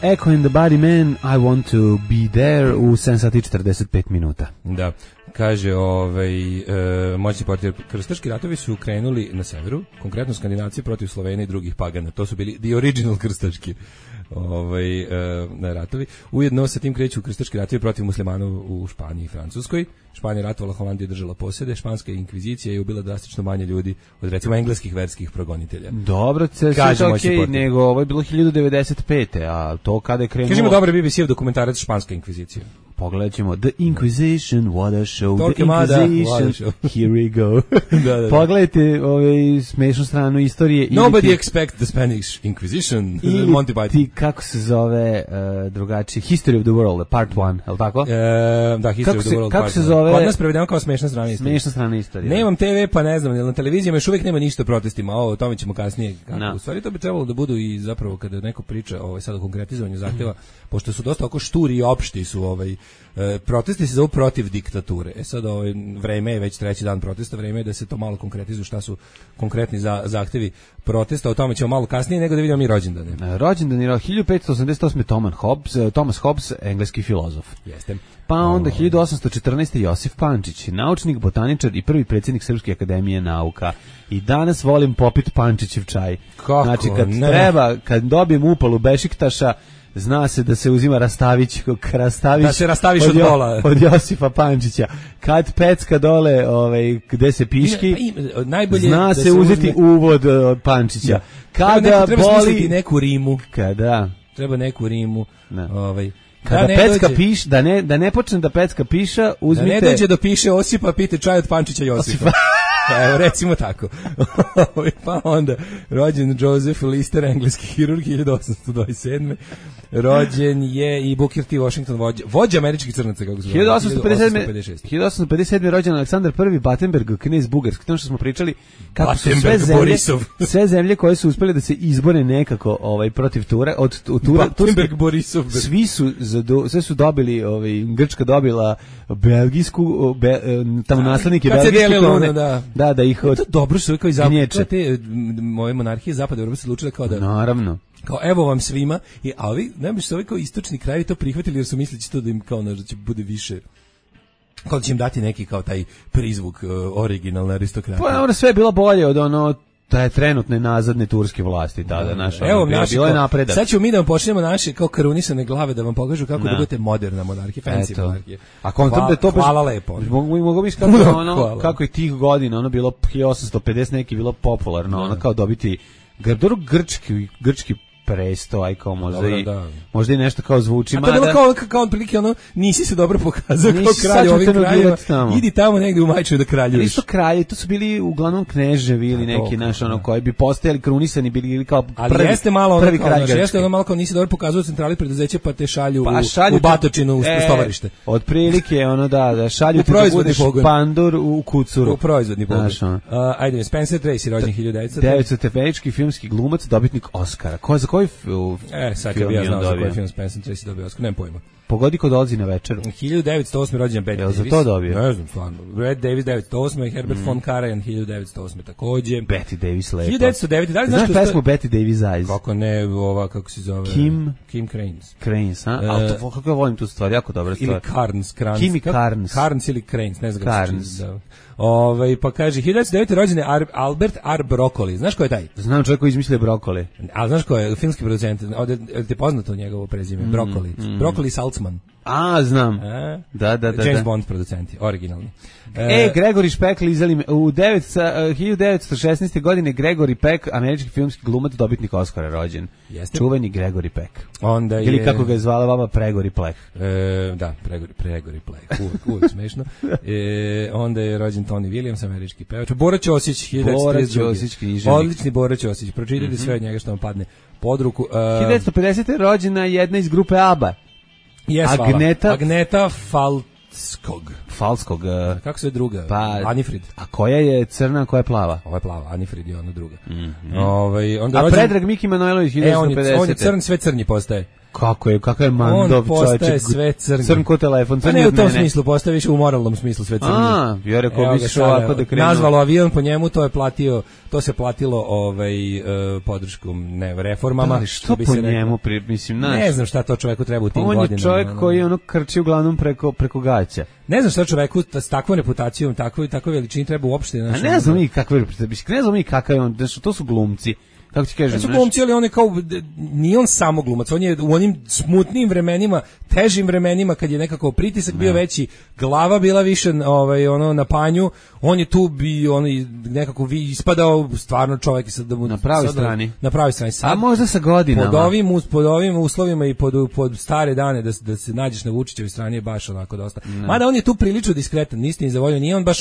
Echo and the Body Man, I want to be there u 7 sati 45 minuta. Da. Kaže, moćni portir, krstaški ratovi su krenuli na severu, konkretno Skandinavci protiv Slovenije i drugih pagana. To su bili the original krstaški ratovi. Ujedno sa tim kreću krstaški ratovi protiv muslimana u Španiji i Francuskoj. Španija ratovala, Holandija držala posjede, španska inkvizicija je ubila drastično manje ljudi od recimo engleskih verskih progonitelja. Dobro, sve okej, nego ovo je bilo 1095. A to kada je krenulo... Kažemo dobro BBC-ev dokumentarac španska inkvizicija. Pogledat ćemo The Inquisition, what a show, The Inquisition, here we go. da. Pogledajte smešnu stranu istorije. Nobody expect the Spanish Inquisition. Monty Python. Ti, kako se zove drugačije, History of the World, part 1, je li tako? Da, History of the World, kako se zove? Kod nas prevedemo kao smešna strana istorije. Smešna strana istorije. Nemam TV, pa ne znam, jer na televizijama još uvijek nema ništa o protestima, o tome ćemo kasnije. U stvari to bi trebalo da budu i zapravo kada neko priča sad o konkretizovanju zahtjeva, pošto su dosta oko šturi i opšti su protesti se zovu protiv diktature. Sad vreme je već 3. dan protesta, vreme je da se to malo konkretizuje šta su konkretni zahtevi protesta, o tome ćemo malo kasnije nego da vidimo mi rođendane. Rođendan je 1588. Thomas Hobbes, engleski filozof. Jeste. Pa onda 1814. Josif Pančić, naučnik, botaničar i prvi predsjednik Srpske akademije nauka. I danas volim popit Pančićev čaj. Kako? Znači kad dobijem upalu Bešiktaša, zna se da se uzima Rastavić, da se rastaviš od bola. Od Josifa Pančića. Kad pecka dole, gde se piški, zna se uzeti uvod od Pančića. Da. Kada treba smisliti neku rimu. Kada? Treba neku rimu. Kada pecka piš, da ne počne da pecka piša, uzmite... Da ne dođe do piše Osipa, pite čaj od Pančića Josipa. Evo, recimo tako. Pa onda, rođen Joseph Lister, engleski hirurg, 1827. Rođen je i Booker T. Washington, vođa američkih crnaca, kako se zove. 1857. rođen Aleksandar I. Battenberg, knez Bugarski. To što smo pričali, kako su sve zemlje koje su uspjeli da se izbore nekako protiv Tura, od Battenberg Borisov. Sve su dobili, Grčka dobila belgijsku, tamo naslednike belgijske krone. Da ih od... To dobro što je kao i te moje monarhije zapada Evrope se odlučile kao da... Naravno. Kao evo vam svima, a ovi, ne bi se ovi kao istočni krajevi to prihvatili jer su mislili će to da im kao da će bude više... Kao da će im dati neki kao taj prizvuk originalne aristokratije. Pa sve je bilo bolje od da je trenutne nazadne turske vlasti tada, Evo, bilo je napredak. Sad ćemo mi da vam počnemo naše kao karunisane glave da vam pokažu kako da budete moderna monarhija, fancy monarhija. A kontam da je to hvala lepo. Mogu bi kako je tih godina ono bilo 1850 neki bilo popularno, ono kao dobiti grčki presto, aj kao možda i nešto kao zvuči. A to je bilo kao otprilike ono, nisi se dobro pokazao kao kralj ovih kraljeva, idi tamo negdje u Majčinu da kraljuješ. Isto kralje, to su bili uglavnom kneževi ili neki naš ono koji bi postajali krunisani, bili kao prvi kralj Grčke. Jeste ono malo kao nisi dobro pokazao centrali preduzeća pa te šalju u batočinu, u stovarište. Otprilike ono da šalju ti da budeš pandur u kucuru. U proizvodni pogon. Ajde, Spencer Tracy, rođen 1900. Američki filmski glumac, dobitnik Oscara. Ko je za koji sad kad bi ja znao za koji film Spencer Tracy dobio Oscar, nemam pojma. Pogodi ko dolazi na večeru. 1908. rođen Bette Davis. Jel za to dobio? Ne znam, stvarno. Bette Davis 1908. i Herbert von Karajan 1908. takođe. Bette Davis lepo. 1909. Da li znaš pesmu Bette Davis Eyes? Kako ne, ova, kako se zove? Kim Cranes. Cranes, a? Ali to, kako ja volim tu stvar, jako dobra stvar. Ili Carnes. Kimi Carnes. Carnes ili Cranes, ne znam kako se čini. Pa kaže, 1909. rođen je Albert R. Broccoli. Znaš ko je taj? Znam čovjek koji izmislio brokoli. Ali znaš ko je? Filmski producent. Ovdje ti je poznato njegovo prezime? Broccoli. Broccoli Saltzman. A, znam. Da. James Bond producenti, originalni. Gregory Peck lizali me. U 1916. godine Gregory Peck, američki filmski glumac, dobitnik Oscara, rođen. Jeste? Čuveni Gregory Peck. Onda ili kako ga je zvala vama, Pregori Plek. Da, Pregori Plek, uvijek smešno. Onda je rođen Tony Williams, američki pevač. Bora Ćosić, 1932. Odlični Bora Ćosić, pročitajte sve od njega što vam padne pod ruku. 1950. rođena jedna iz grupe ABBA. Agneta Falskog. Kako se druga? Anifrid. A koja je crna, a koja je plava? Ova je plava, Anifrid je ona druga. A Predrag Miki Manojlović 1950. On je crn, sve crnji postaje. Kakav je mandov čovjek. On postaje sve crnji. Crn ko telefon, crnji ne u tom smislu, postaje više u moralnom smislu sve crnji. Ja rekao bi se ovako da krenuo. Nazvalo avion po njemu, to se platilo podrškom reformama. Da, što po njemu, mislim, ne znam šta to čoveku treba u tim godinama. On je čovjek koji ono krči uglavnom preko gaća. Ne znam šta čoveku s takvom reputacijom, takvoj veličini treba uopšte. Ne znam mi kakav je on, to su glumci. Kako ti kažem? Su glumci, ali on je kao, nije on samo glumac, on je u onim smutnim vremenima, težim vremenima, kad je nekako pritisak bio veći, glava bila više na panju, on je tu nekako ispadao stvarno čovjek da mu na pravoj strani. Na pravoj strani. A možda sa godinama. Pod ovim uslovima i pod stare dane da se nađeš na Vučićevoj strani je baš onako dosta. Mada on je tu prilično diskretan, istini za volju, nije on baš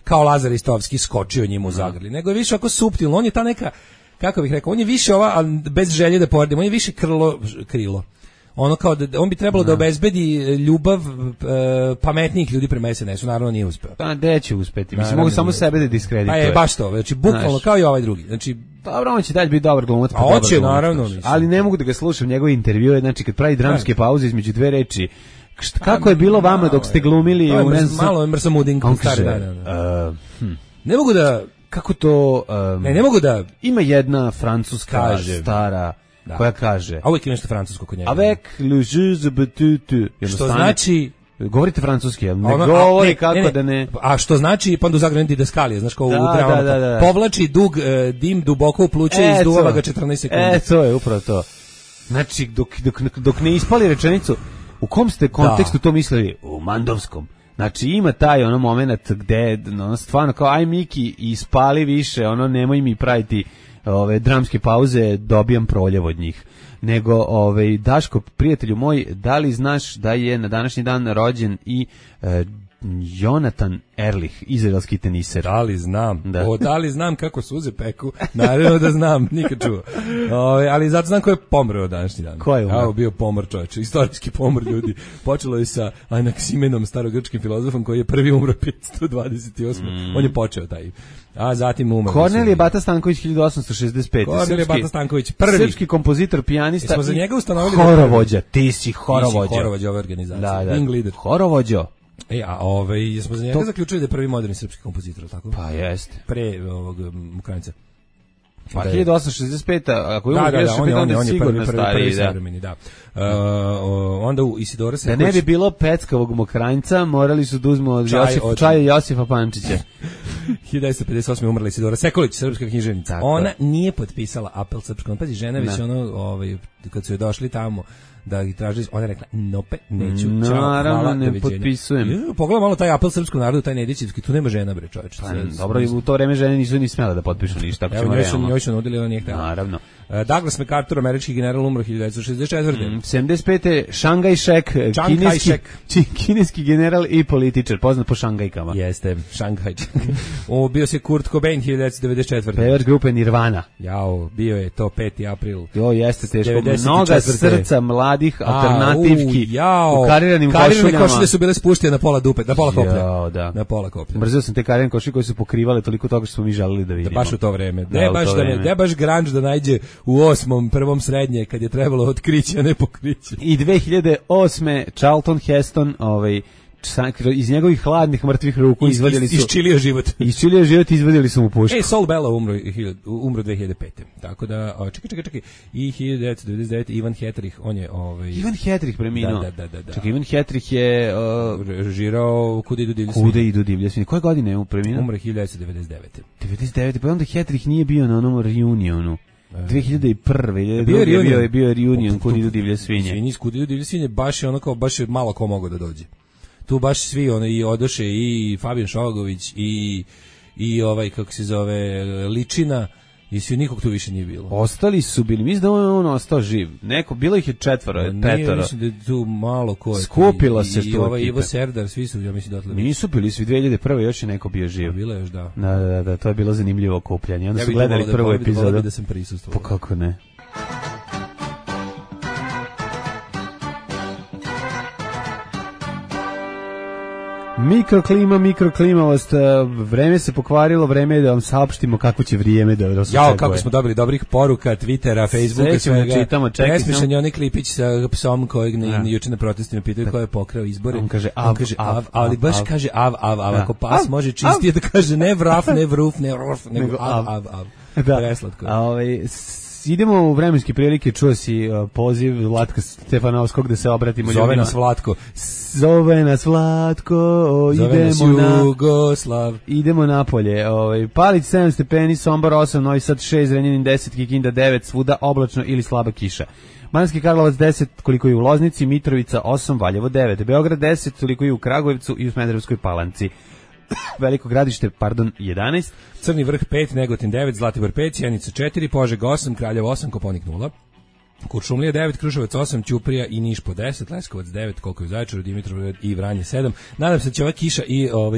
kao Lazar Istovski skočio njemu u zagrli, nego je više ako suptilno, on je ta neka, kako bih rekao, on je više ali bez želje da poredim, on je više krilo. Ono kao on bi trebalo da obezbedi ljubav pametnijih ljudi prema SNS-u, naravno nije uspeo. Pa gde će uspeti? Mislim, mogu samo sebe da diskredituje. Baš to, znači bukvalno kao i ovaj drugi. Znači, dobro, on će dalje biti dobar glumac, pa dobar glumac. Naravno, ali ne mogu da ga slušam, njegove intervjue, znači kad pravi dramske pauze između dve reči. Kako je bilo vama dok ste glumili? Malo je mrsamuding. Ne mogu da... Kako to... ne mogu da... Ima jedna francuska stara koja kaže... A uvijek je nešto francusko kod njega. Avec le jeu de betutu. Što znači... Govorite francuski, jel? Ne govori kako da ne... A što znači, pa do zagrani didaskalije, znaš kao u dramama. Povlači dug dim duboko u pluće i izduvava ga 14 sekundi. To je upravo to. Znači, dok ne ispali rečenicu, u kom ste kontekstu to mislili? U mandovskom. Znači ima taj moment gde stvarno kao aj Miki ispali više, nemoj mi praviti dramske pauze, dobijam proljev od njih. Nego Daško, prijatelju moj, da li znaš da je na današnji dan rođen i Jonathan Erlich, izraelski teniser? Da li znam? Da li znam kako suze peku? Naravno da znam, nikad čuo. Ali zato znam ko je pomreo današnji dan. Ko je umro? Bio pomor čovječe, istorijski pomor ljudi. Počelo je sa Anaksimenom, starogrčkim filozofom, koji je prvi umro 528. On je počeo taj. A zatim umro. Kornelije Bata Stanković 1865. Kornelije Bata Stanković, prvi srpski kompozitor, pijanista. Smo za njega ustanovili horovođa. Ti si horovođa. Horovođa ove organizacije. Wing leader. Horovođo. Smo za njega zaključili da je prvi moderni srpski kompozitor, tako? Pa jeste. Pre ovog Ukrajinca. Pa 1865, ako je on je sigurno stariji, savremeni, da. Onda u Isidora Sekuć... Da ne bi bilo peckavog Mokranjca, morali su da uzmu od čaja Josifa Pančića. 1958. umrla Isidora Sekulić, srpska književnica. Tako Ona je. nije potpisala apel srpskom. Pazi, žena već kad su joj došli tamo da ih tražili, ona je rekla, nope, neću, čao, hvala, ne doviđenja. potpisujem. Pogledaj malo taj apel srpskom narodu, taj Nedićevski, tu nema žena, bre, čoveče. Dobro, i u to vreme žene nisu ni smjela da potpišu ništa. Evo, njoj su nudili, ona nije htjela. Naravno. Douglas MacArthur, američki general, umro 1964. 75. Šangaj Šek, kineski general i političar, poznat po Šangajkama. Jeste, Šanghaj. Bio se Kurt Cobain 1994. Pevač grupe Nirvana. Jao, bio je to 5. april. Jo, jeste teško. 94. Mnoga srca mladih alternativki u kariranim karirane košuljama. košulje su bile spuštene na pola dupe, na pola koplja. Jao, da. Na pola koplja. Mrzio sam te karirane košulje koje su pokrivale toliko toga što smo mi želeli da vidimo. Da baš u to vreme. Da baš grunge da najde u 8. prvom srednje kad je trebalo otkriće, a ne pokriće. I 2008. Charlton Heston, iz njegovih hladnih mrtvih ruku izvadili su isčilio život. Isčilio život, izvadili su mu pušku. Saul Bellow umro 2005. Tako da čekaj. I 1999 Ivan Hetrich, on je Ivan Hetrich preminuo. Da. Čekaj, Ivan Hetrich je režirao Kuda idu divlje svinje. Koje godine je preminuo? Umro 1999. 99. Pa onda Hetrich nije bio na onom reunionu. 2001. je bio reunion Kuda idu divlje svinje. Svinji iz Kuda idu divlje svinje, baš je malo ko mogao da dođe. Tu baš svi i odoše i Fabijan Šogović i ovaj kako se zove Ličina i svi, nikog tu više nije bilo. Ostali su bili, mislim da on ostao živ. Bilo ih je 4, 5. Mislim da je tu malo ko je. Skupila se što i ovaj Ivo Serdar, svi su, ja mislim da nisu bili svi 2001. još je neko bio živ. Bilo je još, da. Da, to je bilo zanimljivo okupljanje. Onda su gledali prvu epizodu. Da sam prisustvovao. Pa kako ne? Mikroklimavost, vreme se pokvarilo, vreme je da vam saopštimo kako će vrijeme da vas očekuje. Kako smo dobili dobrih poruka, Twittera, Facebooka, svega. Čitamo, Nesmišan je onaj klipić sa psom kojeg juče na protestima pitaju ko je pokrao izbore. On kaže av, ali baš kaže av. Ako pas može čistije da kaže ne vraf, ne vruf, ne ruf, nego av. Preslatko. Idemo u vremenske prilike, čuo si poziv Vlatka Stefanovskog da se obratimo ljudima. Zove nas Vlatko, idemo napolje. Palić 7 stepeni, Sombor 8, Novi Sad 6, Zrenjanin 10, Kikinda 9, svuda oblačno ili slaba kiša. Banatski Karlovac 10, koliko je u Loznici, Mitrovica 8, Valjevo 9, Beograd 10, koliko je u Kragujevcu i u Smederevskoj Palanci. Veliko Gradište, 11. Crni Vrh 5, Negotin 9, Zlatibor 5, Sjenica 4, Požega 8, Kraljevo 8, Koponik 0. Kuršumlija 9, Kruševac 8, Ćuprija i Niš po 10, Leskovac 9, koliko je u Zaječaru, Dimitrovgrad i Vranje 7. Nadam se da će ova kiša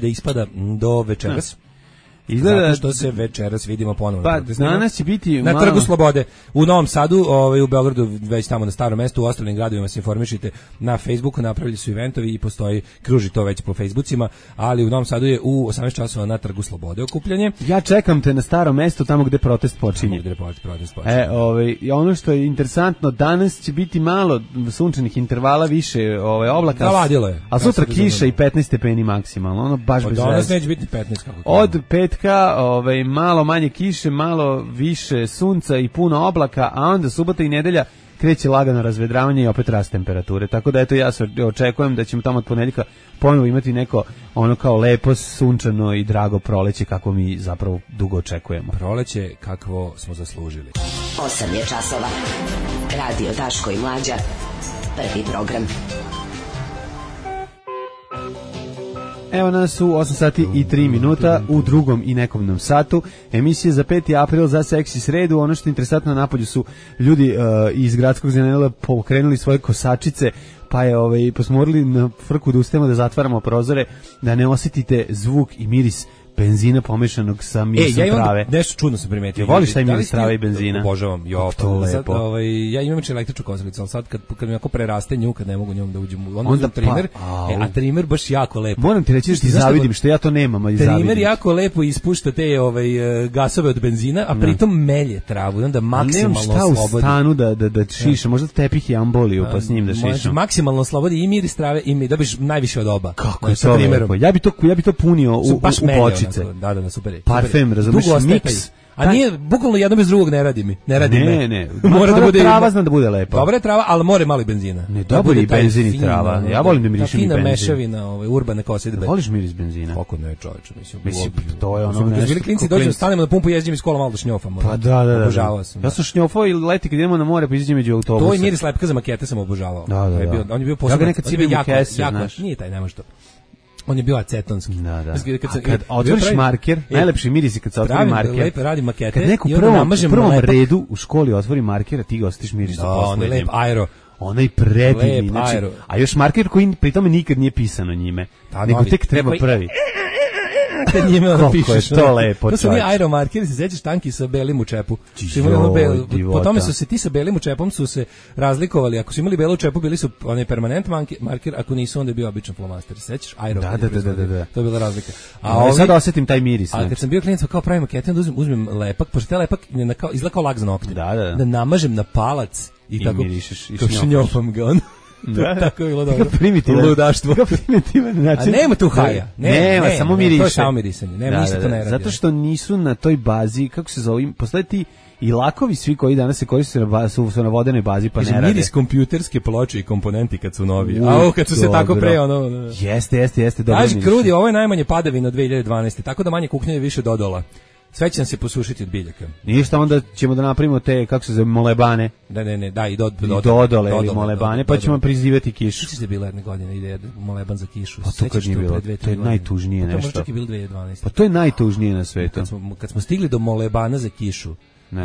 da ispada do večeras. Izgleda što se večeras vidimo ponovno. Pa danas će biti na Trgu Slobode u Novom Sadu, u Beogradu već tamo na Starom mestu, u ostalim gradovima se informišite na Facebooku, napravili su eventovi i kruži to već po Facebookima, ali u Novom Sadu je u 18 časova na Trgu Slobode okupljanje. Ja čekam te na Starom mestu, tamo gde protest počinje. Ono što je interesantno, danas će biti malo sunčanih intervala, više oblaka. Zavadilo je. A sutra kiša i 15 stepeni maksimalno, ono baš bez veze. Danas neće biti 15 kako. Od petka malo manje kiše, malo više sunca i puno oblaka, a onda subota i nedelja kreće lagano razvedravanje i opet rast temperature. Tako da ja se očekujem da ćemo tamo od ponedjeljka ponovo imati neko ono kao lepo, sunčano i drago proleće kako mi zapravo dugo očekujemo. Proleće kakvo smo zaslužili. 8 je časova. Radio Daško i Mlađa. Prvi program. Evo nas u 8 sati i 3 minuta u drugom i nekomnom satu. Emisije za 5. april za Seksi sredu. Ono što je interesantno, napolju su ljudi iz gradskog zanela pokrenuli svoje kosačice, pa smo morali na frku da ustajemo da zatvaramo prozore, da ne osjetite zvuk i miris benzina pomešanog sa mirisom trave. Nešto čudno sam primetio. Voliš taj miris trave i benzina? Obožavam. To lepo. Ja imam električnu kosilicu, ali sad kad mi jako preraste nju, kad ne mogu njom da uđem, onda trimer, a trimer baš jako lepo. Moram ti reći da ti zavidim što ja to nemam, ali zavidim. Trimer jako lepo ispušta te gasove od benzina, a pritom melje travu, onda maksimalno slobodi. Nemam šta u stanu da šišam, možda tepih i amboliju pa s njim da šišam. Maksimalno slobodi i miris trave i dobiš najviše od oba. Kako je to lepo. Ja bi to punio u bočice. Da, super. Parfem, razumiješ, mix A nije, bukvalno jedno bez drugog ne radi mi. Ne radi me. Ne. Mora da bude trava, zna da bude lepa. Dobra je trava, ali more malo i benzina. Ne, dobar i benzin i trava. Ja volim da mirišem i benzin. Fina mešavina, urbane kosidbe. Voliš miris benzina? Kako ne, čoveče, mislim. To je ono nešto. Bili klinci dođemo, stanemo na pumpu, jezdimo iz kola malo da šnjofamo. Pa da. Obožavao sam. Ja sam šnjofao i leti kad idemo na more, pa izađem među autobusa. To i miris lepka za makete sam obožavao. Da. On je bio posebno. Ja ga nekad cipim u kese, znaš. Nije taj, nema što. On je bio acetonski. Da. Kad otvoriš marker, najlepši miris je kad se otvori marker. Lepo radi makete. Kad neko u prvom redu u školi otvori marker, a ti ga osjetiš miris sa poslednjim. Lep aero. Onaj predivni, znači, a još marker koji pri tome nikad nije pisano njime, nego tek treba prvi. Kad njime ono pišeš. To lepo. To su oni aeromarkeri, se sećaš tanki sa belim u čepu. Po tome su se ti sa belim u čepom su se razlikovali. Ako su imali belu u čepu, bili su onaj permanent marker, ako nisu, onda je bio običan flomaster. Sećaš? Da. To je bila razlika. A sad osetim taj miris. A kad sam bio klinac, kao pravim makete, onda uzmem lepak, pošto taj lepak izgleda kao lak za nokte. Da namažem na palac i tako mirišeš i šnjofam ga on. Tako je bilo dobro. Ludaštvo. Primitivan način. A nema tu haja. Nema, samo miriše. To je samo mirisanje. Nema, ništa to ne radi. Zato što nisu na toj bazi, kako se zove, postoje ti i lakovi svi koji danas se koriste su na vodenoj bazi, pa ne rade. Miris kompjuterske ploče i komponenti kad su novi. Kad su se tako pre, ono... Jeste, dobro miris. Kaži, Krudi, ovo je najmanje padavina od 2012. Tako da manje kuknje više dodola. Sve će nam se posušiti od biljaka. Ništa, onda ćemo da napravimo te, kako se zove, molebane. Da, i dodole ili molebane, pa ćemo prizivati kišu. Sjećaš da bila jedne godine ideja moleban za kišu? Pa to kad nije bilo, to je najtužnije nešto. To možda čak i bilo 2012. Pa to je najtužnije na svetu. Kad smo stigli do molebana za kišu,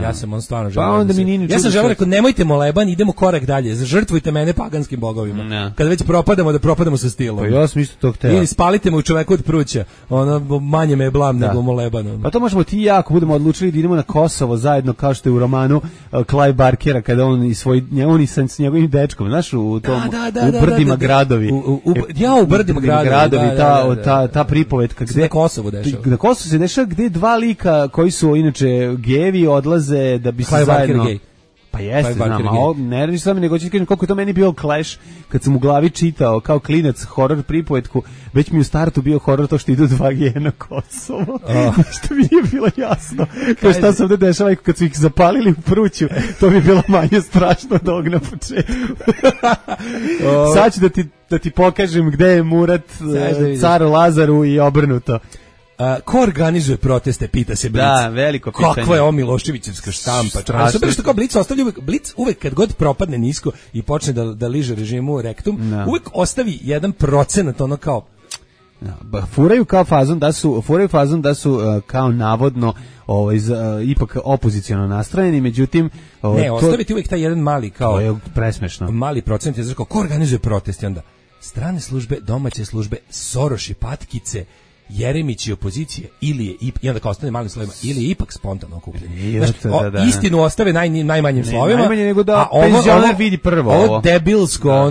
ja sam on stvarno želeo. Pa onda mi nije ja sam želeo, rekao, nemojte moleban, idemo korak dalje, žrtvujte mene paganskim bogovima. Kad već propadamo, da propadamo sa stilom. Pa ja sam isto to hteo. Ili spalite me u čoveku od pruća, ono, manje me je blam nego moleban. Pa to možemo ti i ja, ako budemo odlučili da idemo na Kosovo zajedno, kao što je u romanu Clive Barkera, kada on i s njegovim dečkom, znaš, u tom, u Brdima gradovi. U Brdima gradovi, ta pripovetka. Na Kosovu dešava. Na Kosovu se dešava gde dva lika koji su inače gevi odlaze da bi se Clive zajedno... Barker Pa jeste, znam, a ne radi samo, nego ću ti kažem koliko je to meni bio clash kad sam u glavi čitao kao klinac horor pripovetku, već mi u startu bio horor to što idu dva geja na Kosovo, što mi nije bilo jasno, kao šta se ovde dešava, kad su ih zapalili u pruću, to mi je bilo manje strašno od ovog na početku. Sad ću da ti pokažem gde je Murat, caru Lazaru i obrnuto. Ko organizuje proteste, pita se Blic. Da, veliko pitanje. Kakva je ovo Miloševićevska štampa. Super što kao Blic ostavlja Blic uvek kad god propadne nisko i počne da liže režimu rektum, uvek ostavi 1% ono kao furaju fazon da su kao navodno ipak opoziciono nastrojeni, međutim ostaviti uvek taj jedan mali kao to je presmešno. Mali procent je kao ko organizuje proteste, onda strane službe, domaće službe, Soroši, patkice, Jeremić i opozicije, i onda kao ostane malim slovima, ili je ipak spontano okupljanje. Istinu ostave najmanjim slovima, najmanje nego da penzioner vidi prvo ovo debilsko,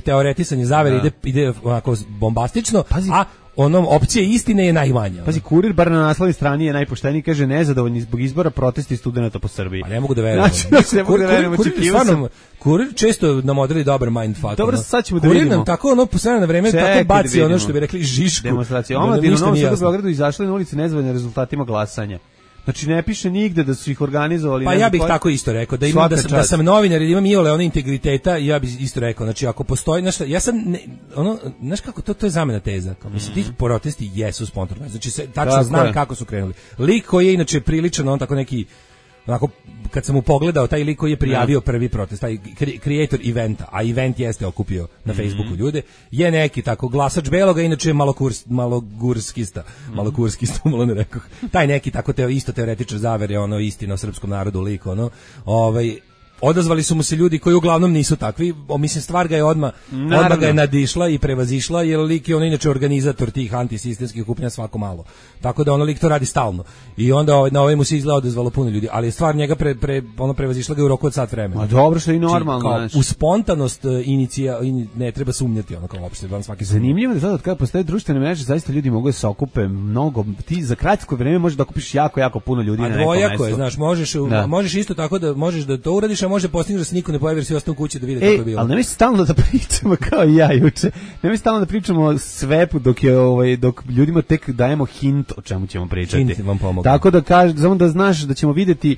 teoretisanje zavere ide onako bombastično, a onom opcije istine je najmanja. Pazi, Kurir bar na naslovnoj strani je najpošteniji, kaže nezadovoljni zbog izbora protesti studenata po Srbiji. Pa ne mogu da verujem. Znači, ne mogu da verujem, očekivao sam. Kurir često nam odredi dobar mindfuck. Dobro, sad ćemo da vidimo. Kurir nam tako po sve na vreme tako baci ono što bi rekli žišku. Demonstracija. Omladina u Novom Sadu u Beogradu izašla na ulici nezadovoljni rezultatima glasanja. Znači ne piše nigde da su ih organizovali. Pa ja bih tako isto rekao, da sam novinar, da imam iole ono integriteta, ja bih isto rekao, znači ako postoji nešto, ja sam znaš kako to je zamena teza. Kao mislim ti protesti jesu spontano. Znači tačno znam kako su krenuli. Lik koji je inače priličan on tako neki onako, kad sam mu pogledao taj lik koji je prijavio prvi protest, taj creator eventa, a event jeste okupio na Facebooku ljude, je neki tako glasač beloga, inače malogurskista, malo ne rekoh. Taj neki tako isto teoretičar zavere, ono istina o srpskom narodu lik, odazvali su mu se ljudi koji uglavnom nisu takvi, mislim stvar ga je odmah ga je nadišla i prevazišla, jer lik je inače organizator tih antisistemskih okupljanja svako malo. Tako da lik to radi stalno. I onda na ovaj mu se izgleda odazvalo puno ljudi, ali je stvar njega prevazišla ga u roku od sat vremena. Ma dobro, što je i normalno. U spontanost ne treba sumnjati kao uopšte van svaki. Zanimljivo je da kada postoje društvene mreže, zaista ljudi mogu da se okupe mnogo. Ti za kratko vreme možeš da okupiš jako puno ljudi na nekom mestu. A dvojako je, znaš, možeš isto tako da možeš da to uradiš, može postići da se niko ne pojavi jer svi ostanu kući da vide kako je bilo. Ali nemoj stalno da pričamo kao i ja juče. Nemoj stalno da pričamo o svepu dok ljudima tek dajemo hint o čemu ćemo pričati. Hint vam pomogu. Tako da samo da znaš da ćemo vidjeti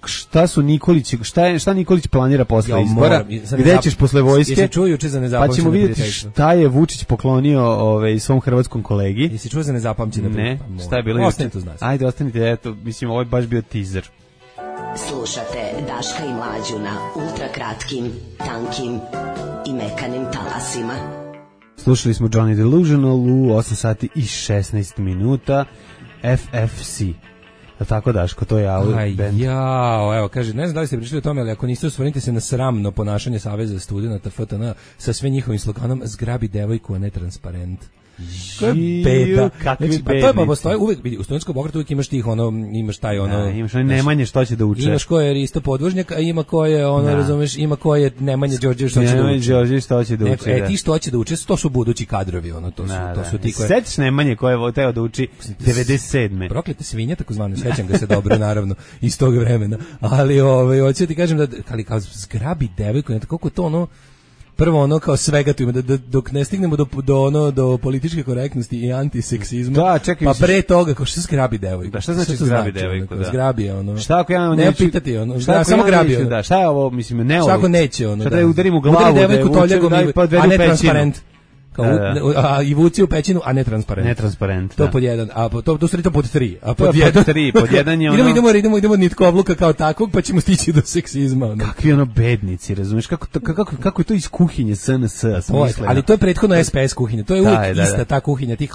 šta su Nikolić, šta Nikolić planira posle izbora. Gde ćeš posle vojske? Jesi čuo juče za nezapamćeno? Pa ćemo vidjeti šta je Vučić poklonio svom hrvatskom kolegi. Jesi čuo za nezapamćeno? Ne, šta je bilo juče? Ajde, ostanite, eto, mislim, ovo je baš bio teaser. Slušate Daška i Mlađu na ultrakratkim, tankim i mekanim talasima. Slušali smo Johnny Delusional u 8 sati i 16 minuta. FFC. Tako, Daško, to je band. Evo, kaže, ne znam da li ste pričali o tome, ali ako niste, osvrnite se na sramno ponašanje Saveza studenata FTN sa sve njihovim sloganom "Zgrabi devojku, a ne transparent". Kako je beda. Znači, pa to je pa postoji uvek, vidi, u studentskom pokretu uvek imaš tih imaš taj imaš Nemanje što će da uče. Imaš ko je Risto Podvožnjak, a ima ko je razumeš, ima ko je Nemanja Đorđević što će da uče. Nemanja Đorđević što će da uče. Ti što će da uče, to su budući kadrovi, to su ti koji. Setiš Nemanje ko je teo da uči 97. Proklete svinje takozvane, sećam ga se dobro naravno iz tog vremena. Ali hoću ti kažem da ali kao zgrabi devojku, koliko to prvo kao svega tu ima dok ne stignemo do političke korektnosti i antiseksizma. Da, čekaj, pa pre toga kao što zgrabi devojku. Da, šta znači zgrabi devojku? Da. Zgrabi Šta ako ja ne pitati samo grabi Da, šta je ovo, mislim, ne ovo. Šta ako neće Šta da je udarim u glavu, udari devojku toljagom, a ne transparent. I vuci u pećinu, a ne transparent. Netransparent. To pod jedan, a to su pod 3. A pod 3, pod jedan je idemo nitkovluka kao takvog, pa ćemo stići do seksizma. Kakvi bednici, razumiješ? Kako je to iz kuhinje SNS smisleno? Ali to je prethodno SPS kuhinja. To je uvijek ista ta kuhinja tih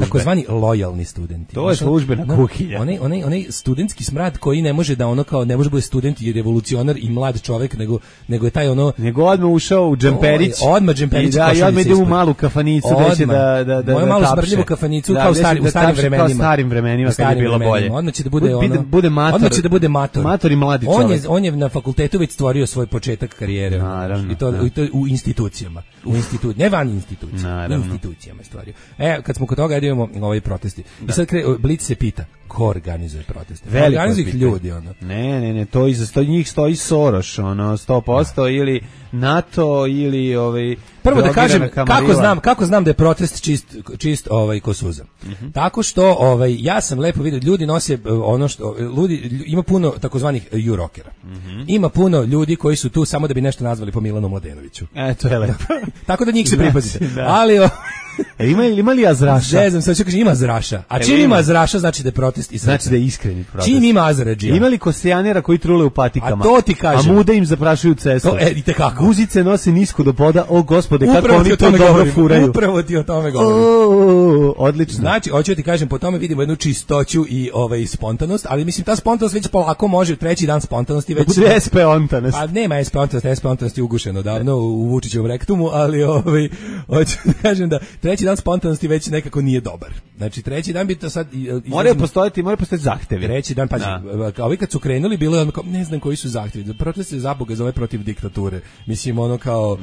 takozvani lojalni studenti. To je službena kuhinja. Onaj studentski smrad koji ne može da ne može bude student i revolucionar i mlad čovjek, nego je taj nego odmah ušao u džemperić. Odmah džemperić. Malu kafanicu gde da moju malu smrdljivu kafanicu kao u starim vremenima kad je bilo bolje. Odmah će da bude mator. Odmah će da bude mator. Mator i mladi čovjek. On je na fakultetu već stvorio svoj početak karijere. Naravno. I to u institucijama. Ne van institucija. U institucijama je stvorio. Kad smo kod toga idemo ovi protesti. I sad Blic se pita ko organizuje proteste. Organizuju ih ljudi. Ne, to iza njih stoji Soros, 100% ili NATO ili prvo da kažem kako znam da je protest čist ko suza. Tako što ja sam lepo vidio ljudi nose ima puno takozvanih jurokera. Ima puno ljudi koji su tu samo da bi nešto nazvali po Milanu Mladenoviću. To je lepo. Tako da njih se pripazite. Ali ima li azraša? Ne znam, sad ću kažem ima azraša. A čim ima azraša znači da je protest i znači da je iskreni protest. Čim ima azrađija. Ima li kosijanera koji trule u patikama? A to ti kažem. A mude im zaprašuju cestu. I tekako. Guzice nose nisko do poda. O gospode, kako oni to dobro furaju. Upravo ti o tome govorim. Odlično. Znači, hoću ti kažem, po tome vidimo jednu čistoću i spontanost, ali mislim ta spontanost već polako može treći dan spontanosti već. Bude SP ontanost. A nema SP ontanost je ugušeno davno u Vučićevom rektumu, ali hoću da kažem da treći dan spontanosti već nekako nije dobar. Znači treći dan bi to sad moraju postojati zahtevi. Treći dan ovi kad su krenuli bilo je ne znam koji su zahtevi. Protest se zaboga zove protiv diktature. Mislim kao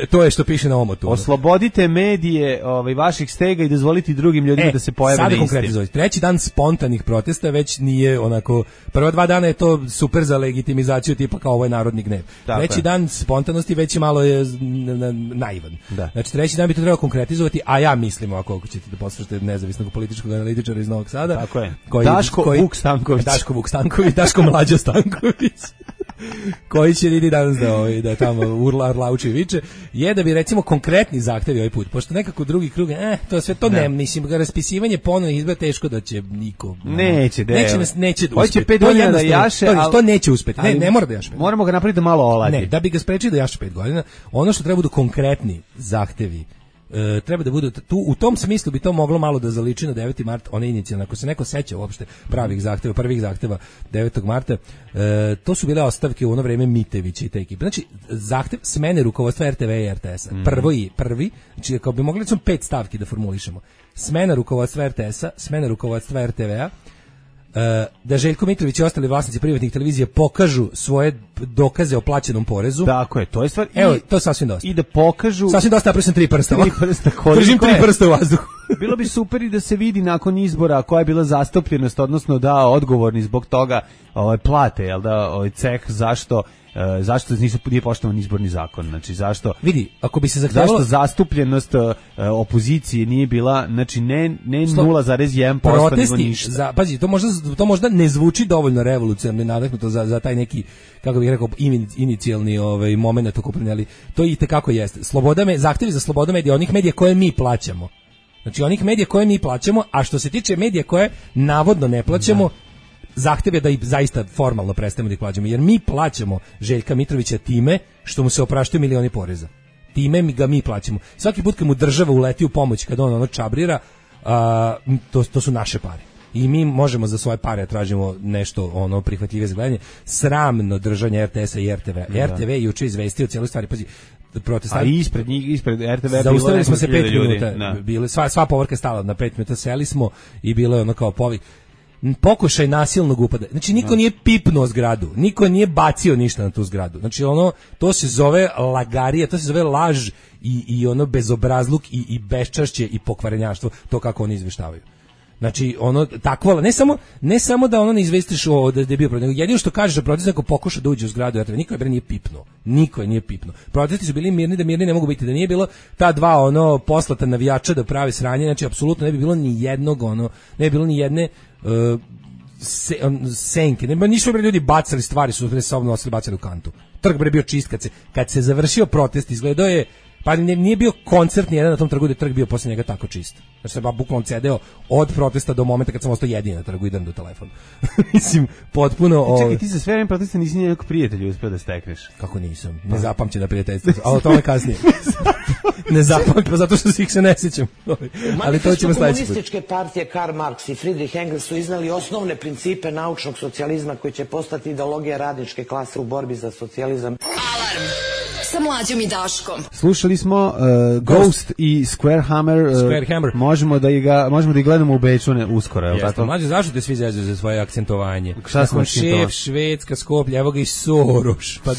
to je što piše na omotu. Oslobodite medije vaših stega i dozvolite drugim ljudima da se pojave na isti. Treći dan spontanih protesta već nije onako, prva 2 dana je to super za legitimizaciju tipa kao ovo je narodni gnev. Treći dan spontanosti već je malo naivan. Znači treći dan bi to trebalo konkretizovati, a ja mislim ako ćete da poslušate nezavisnog političkog analitičara iz Novog Sada. Tako je. Daško Vuk Stanković. Daško Mlađa Stanković. koji će idi danas da tamo urlauči i viče, je da bi recimo konkretni zahtevi ovaj put, pošto nekako drugi krug, to sve to ne, mislim, raspisivanje ponovnih izbora teško da će niko. Neće uspeti. Hoće 5 godina da jaše, ali to neće uspeti. Ne mora da jaše. Moramo ga napraviti da malo oladi. Ne, da bi ga sprečili da jaše 5 godina, ono što treba budu konkretni zahtevi. Treba da budu tu, u tom smislu bi to moglo malo da zaliči na 9. mart, one inicijalne, ako se neko seća uopšte prvih zahteva 9. marta, to su bile ostavke u ono vreme Mitevića i te ekipe. Znači, zahtev smene rukovodstva RTV i RTS-a. Prvi, znači, kao bi mogli recimo 5 stavki da formulišemo. Smena rukovodstva RTS-a, smena rukovodstva RTV-a, da Željko Mitrović i ostali vlasnici privatnih televizija pokažu svoje dokaze o plaćenom porezu. Tako je, to je stvar. Evo, to sasvim dosta. I da pokažu... Sasvim dosta, napravio sam 3 prsta. Držim 3 prsta u vazduhu. Bilo bi super i da se vidi nakon izbora koja je bila zastupljenost, odnosno da odgovorni zbog toga plate, jel da, ceh zašto nije poštovan izborni zakon, znači zašto vidi, ako bi se zahtevalo, zašto zastupljenost opozicije nije bila, znači ne 0,1%, nego ništa. Pazi, to možda ne zvuči dovoljno revolucionarno i nadahnuto za taj neki, kako bih rekao, inicijalni momenat okupljanja, ali to i tekako jeste. Zahtevi za slobodu medija, onih medija koje mi plaćamo. Znači onih medija koje mi plaćamo, a što se tiče medija koje navodno ne plaćamo, zahtev je da i zaista formalno prestanemo da ih plaćamo, jer mi plaćamo Željka Mitrovića time što mu se opraštaju milioni poreza. Time ga mi plaćamo. Svaki put kad mu država uleti u pomoć, kad on čabrira, to su naše pare. I mi možemo za svoje pare tražimo nešto prihvatljive za gledanje. Sramno držanje RTS-a i RTV. RTV je juče izvestio cijelu stvari. Pazi, protestanti. A ispred RTV zaustavili smo se 5 minuta. Bile, sva povorka je stala na 5 minuta, seli smo i bilo je kao povik. Pokušaj nasilnog upada. Znači niko nije pipnuo zgradu, niko nije bacio ništa na tu zgradu. Znači to se zove lagarijat, to se zove laž i bezobrazluk i beščašće i pokvarenjaštvo, to kako oni izveštavaju. Znači takvo, ne samo da ne izvestiš da je bio protiv, nego jedino što kažeš da protest neko pokuša da uđe u zgradu, niko je nije pipnuo. Niko je nije pipnuo. Protesti su bili mirni, da mirni ne mogu biti, da nije bilo ta dva poslata navijača da prave sranje, znači apsolutno ne bi bilo ni jednog ne bi bilo ni jedne senke. Nisu ljudi bacali stvari, su se nosili, bacali u kantu. Trg bio čist kad se završio protest, izgledao je, pa nije bio koncert ni jedan na tom trgu, da je trg bio posle njega tako čist. Znači se bukvalno cedeo od protesta do momenta kad sam ostao jedini na trgu i idem do telefona. Mislim, potpuno... Čekaj, ti za sve vreme protesta nisi nijednog prijatelja uspio da stekneš. Kako nisam? Ne zapamćem da prijateljstvo, ali o tome kasnije. Ne zapamćem, zato što ih se ne sjećam. Ali to ćemo sledeći put. Komunističke partije Karl Marx i Friedrich Engels su iznali osnovne principe naučnog socijalizma koji će postati ideologija radničke klase u borbi za socijalizam. Alarm sa Mlađom i Daškom. Slušali smo Ghost i Square Hammer. Možemo da ih gledamo u Beču uskoro, je li tako? Mlađe, zašto te svi zezuju za svoje akcentovanje? Šta smo šef, Švedska, Skoplje, evo ga i Soroš. Pa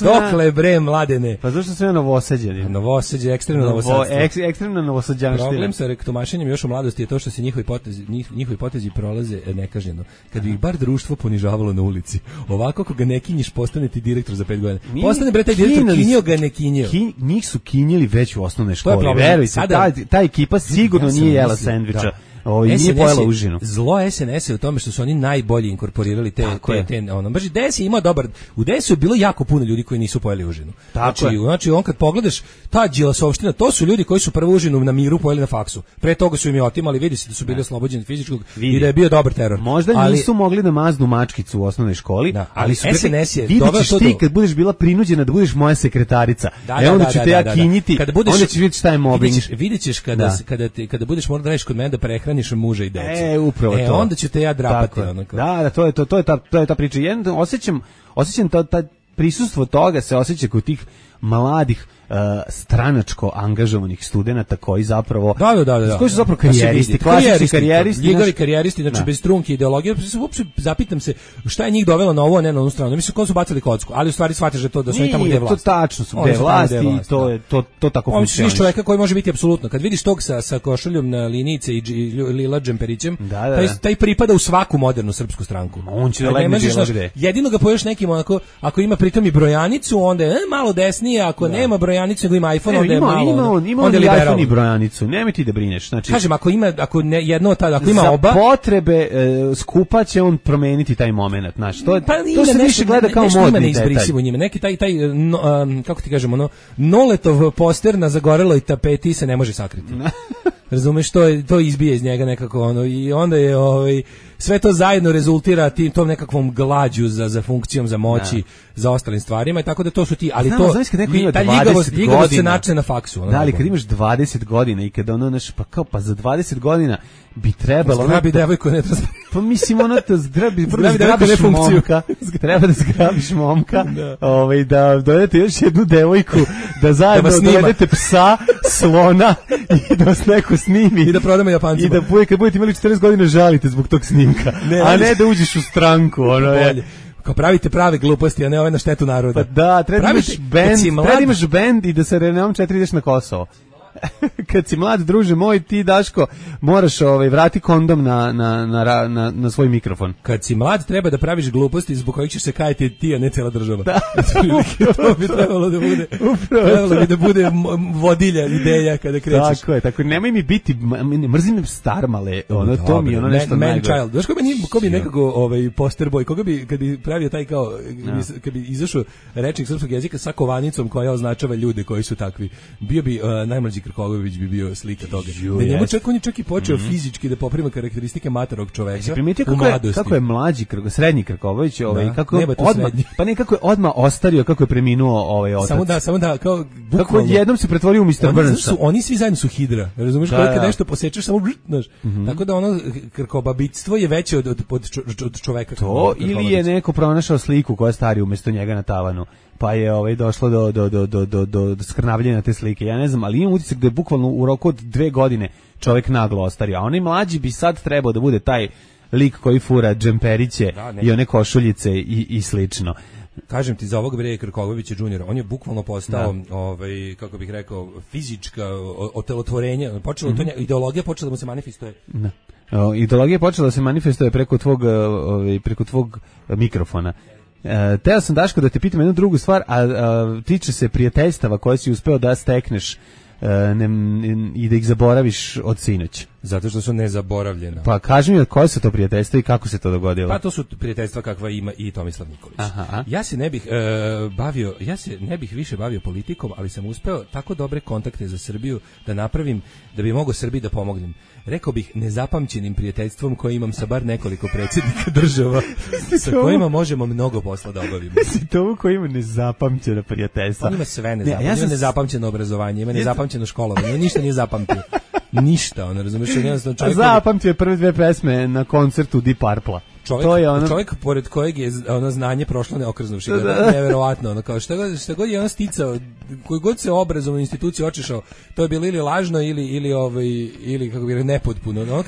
dokle bre, mladene? Pa zašto sve novosađeni? Novosađe, ekstremno novosadstvo. Ekstremno novosađanština. Problem sa rektumašenjem još u mladosti je to što se njihovi potezi prolaze nekažnjeno. Kad bi ih bar društvo ponižavalo na ulici. Ovako ako ga ne kinjiš, postane ti direktor za 5 godina. Postane bre taj direktor, kinjio ga, ne kinjio. Njih su kinjili već u osnovnoj školi. Verujte, ta ekipa sigurno nije jela sendviča. Nije pojela užinu. Zlo SNS je u tome što su oni najbolje inkorporirali baš DS je imao dobar. U DS-u je bilo jako puno ljudi koji nisu pojeli užinu. Znači on kad pogledaš ta Đilasovština, to su ljudi koji su prvu užinu na miru pojeli na faksu. Pre toga su im je otimali, vidi se da su bili oslobođeni fizičkog i da je bio dobar teror. Možda nisu mogli da maznu mačkicu u osnovnoj školi, ali SNS je doveo to. Ti kad budeš bila prinuđena da budeš moja sekretarica, onda ću te ja kinjiti, onda ćeš vidjeti šta je mobbing. Videćeš kada budeš morao da radiš kod mene da prehraniš muža i decu. Upravo to. Onda ću te ja drapati. Da, to je ta priča. Osjećam ta prisustvo toga se osjeća kod tih mladih stranačko angažovanih studenata koji zapravo koji su zapravo karijeristi, klasični karijeristi, njegovi karijeristi, znači bez trunke ideologije. Uopšte zapitam se šta je njih dovelo na ovo, a ne na onu stranu. Mislim ko su bacili kocku, ali u stvari shvatiš da su oni tamo gde je vlast. To tačno su gde je vlast i to tako funkcioniše. On čovjeka koji može biti apsolutno. Kad vidiš tog sa košuljom na linijice i lila džemperićem, taj pripada u svaku modernu srpsku stranku. On će da legne gde. Jedino ga poješ nekim onako, ako ima pritom i brojanicu, onda je malo desnije, ako nema brojanicu, nego ima iPhone, onda je malo. Ima iPhone i brojanicu. Nemoj ti da brineš. Znači, kažem, ako ima oba, za potrebe skupa će on promeniti taj momenat, znači to se više gleda kao modni detalj. Njime. Neki taj kako ti kažemo, Noletov poster na zagoreloj tapeti se ne može sakriti. Razumeš, to izbije iz njega nekako i onda je sve to zajedno rezultira tom nekakvom glađu za funkcijom, za moći, za ostalim stvarima i tako da to su ti, ali ta ljigavost se načne na faksu. Da, ali kad imaš 20 godina i kad pa za 20 godina bi trebalo... Zgrabi devojku, ne treba... Pa mislim, treba da zgrabiš momka, da dovedete još jednu devojku, da zajedno dovedete psa, slona i da vas neko snimi. I da prodamo Japancima. I da kad budete imali 40 godina žalite zbog tog snimka, a ne da uđeš u stranku. Kao pravite prave gluposti, a ne ove na štetu naroda. Pa da, treba imaš bend i da se Reneom 4 ideš na Kosovo. Kad si mlad, druže moj, ti, Daško, moraš vrati kondom na svoj mikrofon. Kad si mlad, treba da praviš gluposti zbog kojih ćeš se kajati ti, a ne cela država. Da. To bi trebalo da bude. Trebalo bi da bude vodilja ideja kada krećeš. Tako je. Nemoj mi biti, mrzim starmale, to mi je nešto najgore. Man child. Znaš ko bi nekako poster boy, koga bi, kad bi pravio taj kao, kad bi izašao rečnik srpskog jezika sa kovanicom koja označava ljude koji su takvi, bio bi najmlađi Krkobabić bi bio slika toga. Da njemu on je čak i počeo fizički da poprima karakteristike matorog čoveka u mladosti. Kako je mlađi, srednji Krkobabić, kako je odmah ostario, kako je preminuo otac. Samo da, kao kako jednom se pretvorio u Mr. Burnsa. Oni svi zajedno su hidra, razumeš, kad nešto posečeš samo znaš. Tako da ono Krkobabićstvo je veće od čoveka. To ili je neko pronašao sliku koja stari umjesto njega na tavanu, pa je došlo do skrnavljenja te slike. Ja ne znam, ali imam utisak da je bukvalno u roku od 2 godine čovjek naglo ostario, a onaj mlađi bi sad trebao da bude taj lik koji fura džemperiće i one košuljice i slično. Kažem ti, za ovog Vreje Krkobabića juniora, on je bukvalno postao, kako bih rekao, fizička otelotvorenje, ideologija počela da mu se manifestuje. Da. Ideologija počela da se manifestuje preko tvog mikrofona. Teo sam, Daško, da te pitam jednu drugu stvar, a tiče se prijateljstava koje si uspeo da stekneš i da ih zaboraviš od sinoć. Zato što su nezaboravljena. Pa kaži mi koje su to prijateljstva i kako se to dogodilo? Pa to su prijateljstva kakva ima i Tomislav Nikolić. Aha. Ja se ne bih više bavio politikom, ali sam uspeo tako dobre kontakte za Srbiju da napravim da bi mogao Srbiji da pomognem. Rekao bih nezapamćenim prijateljstvom koje imam sa bar nekoliko predsjednika država sa kojima možemo mnogo posla da obavimo. To koji ima nezapamćena prijateljstva. On ima sve nezapamćeno. Ima nezapamćeno obrazovanje, ima nezapamćeno školovanje, ništa nije zapamtio. Ništa, ono, razumiješ, jednostavno čovjek... Zapamtio je prve 2 pesme na koncertu Deep Purple-a. Čovjek pored kojeg je znanje prošlo neokrznuvši, neverovatno, ono, kao šta god je ono sticao, koji god se obrazovnu instituciju očešao, to je bilo ili lažno ili kako bi nepotpuno. Ono,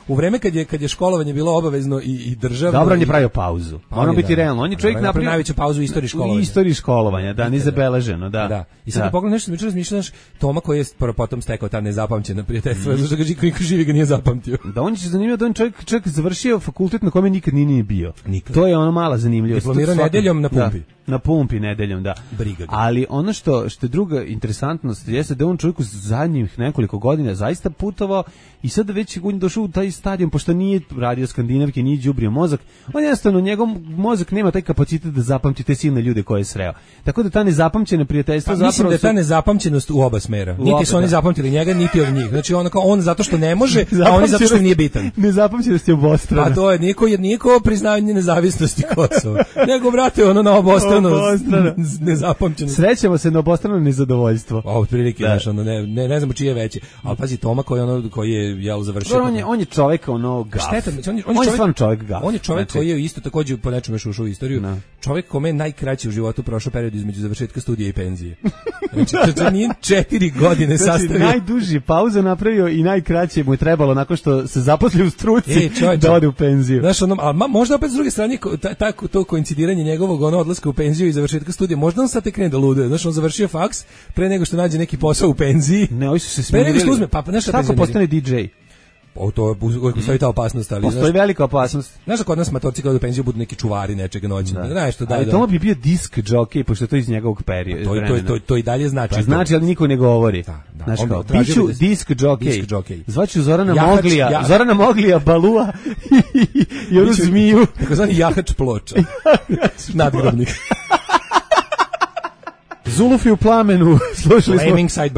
u vreme kad je školovanje bilo obavezno i državno. Dobro, on je pravio pauzu. Ono biti realno. On je čovjek napravio najveću pauzu u istoriji školovanja. U istoriji školovanja, da, nezabeleženo, da. I sad pogledaj nešto, mi razmišljaš Toma koji je potom stekao ta nezapamćena prijateljstva, zato što ga niko živi ga nije zapamtio. Da, on je zanimljivo da on čovjek završio fakultet na kome nikad nije bio. Nikad. To je ono mala zanimljivost. Diplomirao nedeljom na pumpi. Na pumpi nedeljom, da. Briga ga. Ali ono što je druga interesantnost jeste da on čovjek u zadnjih nekoliko godina zaista putovao i sad već je došao u taj stadion, pošto nije radio skandinavke, nije đubrio mozak, on jednostavno, njegov mozak nema taj kapacitet da zapamti te silne ljude koje je sreo. Tako da ta nezapamćena prijateljstva zapravo... Mislim da je ta nezapamćenost u oba smera. Niti su oni zapamtili njega, niti od njih. Znači on zato što ne može, a oni zato što nije bitan. Nezapamćenost je obostrana. Pa to je niko priznavanje nezavisnosti Kosova. Nego, brate, ono na obostrano nezapamćenost. Srećemo se na obostrano nezadovoljstvo. Otprilike, znaš, ne znamo čije veće. Ali pazi, Toma koji je završio. On je čovjek gaf. On je stvarno čovjek gaf. On je čovjek koji je isto također po nečemu ušao u istoriju. Čovjek kome je najkraći u životu prošao period između završetka studija i penzije. Znači, to nije 4 godine sastavio. Najduži pauza napravio i najkraće mu je trebalo nakon što se zaposlio u struci da ode u penziju. Znaš, možda opet s druge strane to koincidiranje njegovog odlaska u penziju i završetka studija, možda on sad tek krene da luduje. Znaš, on završio faks pre nego što nađe neki posao u penziji. Ne, ovi su se smirili. Kako postane DJ? To uvijek postoji ta opasnost, ali postoji velika opasnost. Znaš da kod nas matorci kada do penziju budu neki čuvari nečega noćnog. Ali to bi bio disk jockey, pošto je to iz njegovog perioda. To i dalje znači. Pa znači, ali niko ne govori. Znaš kao, biću disk jockey. Zvaću Zorana Moglija, Balua i onu zmiju. Tako zvani jahač ploča. Nadgrobnik. Zulufi u plamenu, slušali smo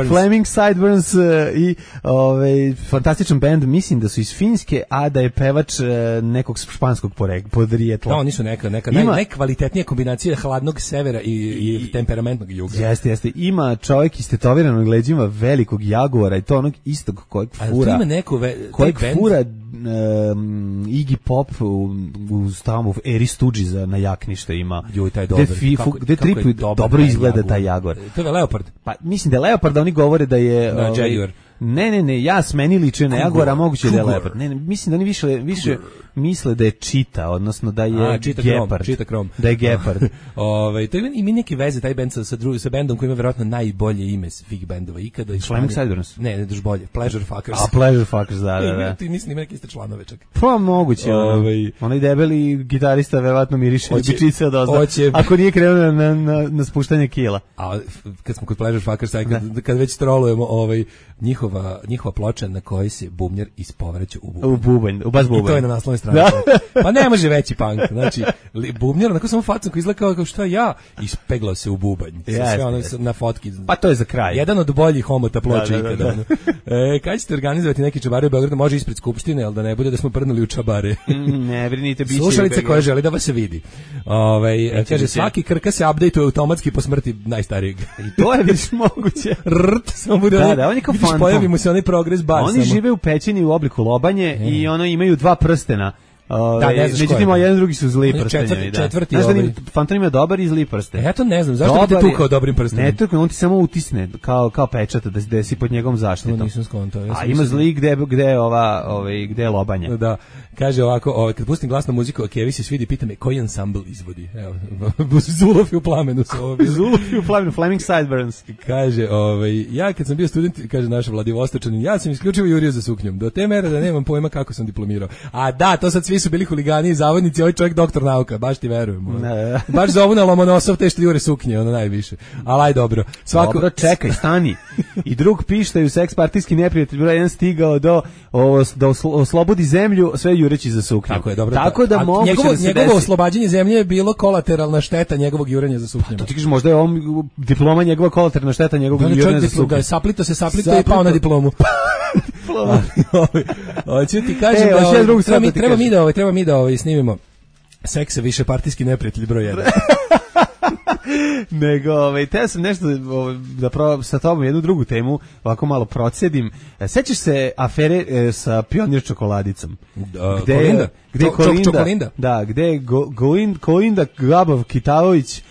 Flaming Sideburns i fantastičan band, mislim da su iz Finske, a da je pevač nekog španskog podrijetla. Da, oni su neka najkvalitetnija kombinacija hladnog severa i temperamentnog juga. Jeste. Ima čovjek istetoviran leđima velikog jaguara i to onog istog kojeg fura. Kojeg fura Iggy Pop u eri Stooges na jaknište ima. Joj, taj dobar. Gde tripuju dobro izgleda taj jaguar. To je Leopard. Pa mislim da je Leopard, da oni govore da je Jaguar. Ne, jas meni liče na jagora, moguće da je leopard. Ne, mislim da oni više misle da je čita, odnosno da je gepard. Čita krom. Da je gepard. To ima neke veze taj bend sa bendom koji ima verovatno najbolje ime svih bendova ikada. Flaming Sideburns. Ne, još bolje. Pleasure Fuckers. A Pleasure Fuckers, da. Ti mislim ima neke iste članove čak. Pa moguće. Onaj debeli gitarista verovatno miriše ljubičice od ozda. Ako nije krenuo na spuštanje kila. A kad smo kod Pleasure Fuckers, kad već trolujemo njihova ploča na kojoj se bubnjar ispovraća u bubanj. U bas bubanj. I to je na naslovnoj strani. Pa ne može veći punk. Znači, bubnjar, onako samo facom koji izgleda kao šta ja, ispeglao se u bubanj. Sve ono na fotki. Pa to je za kraj. Jedan od boljih homota ploča ikada. Kad ćete organizovati neki čabare u Beogradu, može ispred Skupštine, ali da ne bude da smo prdnuli u čabare. Ne, brinite, biće. Slušalice koje želi da vas se vidi. Kaže, svaki krka se update-uje automatski po smrti najstarijeg. I to je više moguće. Samo bude on je kao fantom. Pojavimo se onaj progres bar. Oni žive u pećini u obliku lobanje i ono imaju dva prstena. Međutim, jedan drugi su zli prstenjevi. Četvrti. Znaš da Fantom ima dobar i zli prsten. Ja to ne znam, zašto bi te tukao dobrim prstenom? Ne tukao, on ti samo utisne kao pečat da si pod njegovom zaštitom. To nisam skontao. A ima zli gde je lobanje. Da, kaže ovako, kad pustim glasnu muziku, Kevi se svidi, pita me koji ansambl izvodi. Evo, Zuluf i u plamenu. Zuluf i u plamenu, Flaming Sideburns. Kaže, ja kad sam bio student, kaže naš Vladivostočanin, ja sam isključivo jurio za suknjom. Do te mere da nemam pojma kako sam diplomirao. A da, to sad svi su bili huligani i zavodnici, ovaj čovjek doktor nauka, baš ti verujem. Baš za ovu na Lomonosov te što jure suknje, ono najviše. Ali aj dobro. Dobro, čekaj, stani. I drug pištaju seks partijski neprijatelj broj 1 stigao da oslobodi zemlju, sve jureći za suknju. Tako je, dobro. Tako da moguće da se njegovo oslobađanje zemlje je bilo kolateralna šteta njegovog jurenja za suknjama. To ti kažeš, možda je diploma njegova kolateralna šteta njegovog jurenja za suknju. Da, saplito i pao na diplomu. Hoću ti kažem treba mi da snimimo Seks je više partijski neprijatelj broj 1. Nego, teo sam nešto da sa tobom jednu drugu temu ovako malo procedim. Sećaš se afere sa Pionir čokoladicom? Gde Kolinda? Da, gde je Kolinda Gabav Kitavović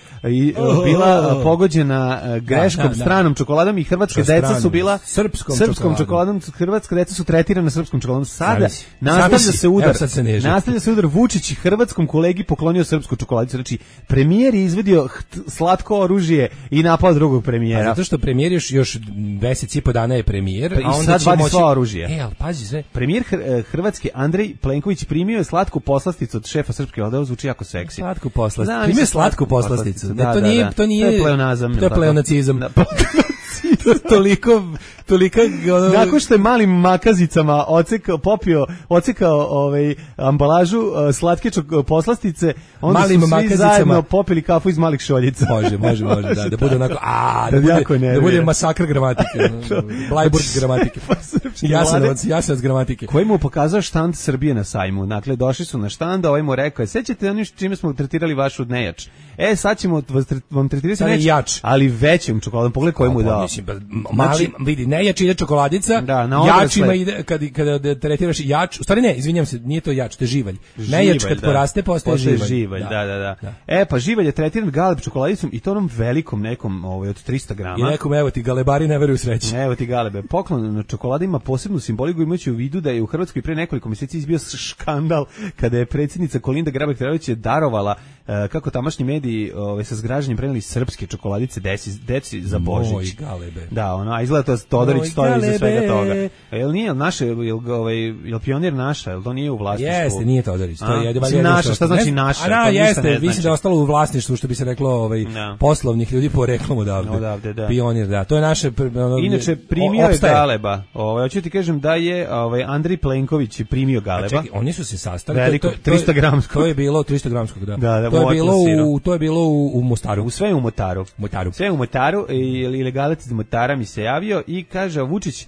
bila pogođena greškom stranom čokoladom i hrvatska deca su bila srpskom čokoladom. Hrvatska deca su tretirana srpskom čokoladom. Sada nastavlja se udar Vučić i hrvatskom kolegi poklonio srpsku čokoladicu. Znači, premijer je izvedio slatko oružje i napao drugog premijera. Zato što premijer još mesec i po dana je premijer, a onda sad vadi sva oružje. Ali pazi sve. Premijer Hrvatske Andrej Plenković primio je slatku poslasticu od šefa srpske odeo, zvuči jako seksi. Slatku poslasticu. Primio slatku poslasticu. To nije pleonazam. To je pleonacizam. Toliko nakon što je malim makazicama ocekao ambalažu slatke poslastice, onda su svi zajedno popili kafu iz malih šoljica. Može, da bude onako, da bude masakr gramatike, Blajburg gramatike, Jasenovac gramatike. Koji mu pokazao štand Srbije na sajmu. Dakle, došli su na štand, ovaj mu rekao, sećate oni čime smo tretirali vašu nejač? Sad ćemo vam tretirati nejač, ali većim čokoladom. Pogledaj koji mu dao. Mali, vidi, nejač ide čokoladica, jačima ide, kada tretiraš jač, u stvari ne, izvinjam se, nije to jač, to je živalj. Nejač kad poraste, postaje živalj. Da. Pa živalj je tretiran galeb čokoladicom i to onom velikom nekom od 300 grama. I nekom, evo ti, galebari ne veruju sreći. Evo ti galebe. Poklon na čokoladi ima posebnu simboliku, imajući u vidu da je u Hrvatskoj pre nekoliko mjeseci izbio škandal kada je predsjednica Kolinda Grabar-Kitarović darovala, kako tamašnji mediji sa zgražanjem preneli srpske čokoladice deci za Božić. Da, a izgleda to Todorić stoji iza svega toga. Jel nije naše, jel Pionir naša, jel to nije u vlasništvu? Jeste, nije Todorić, to je naša, šta znači naša? Jeste, mislim da je ostalo u vlasništvu, što bi se reklo poslovnih ljudi po reklamu odavde. Pionir, da, to je naše. Inače, primio je galeba. Hoću ti kažem da je Andrej Plenković primio galeba. Čekaj, oni su se sastali. Veliko, 300 gramskog. To je bilo 300 gramskog, da. To je bilo u Mostaru. Sve u Motaru. Sve u Motaru i ilegalac iz Motara mi se javio i kaže Vučić,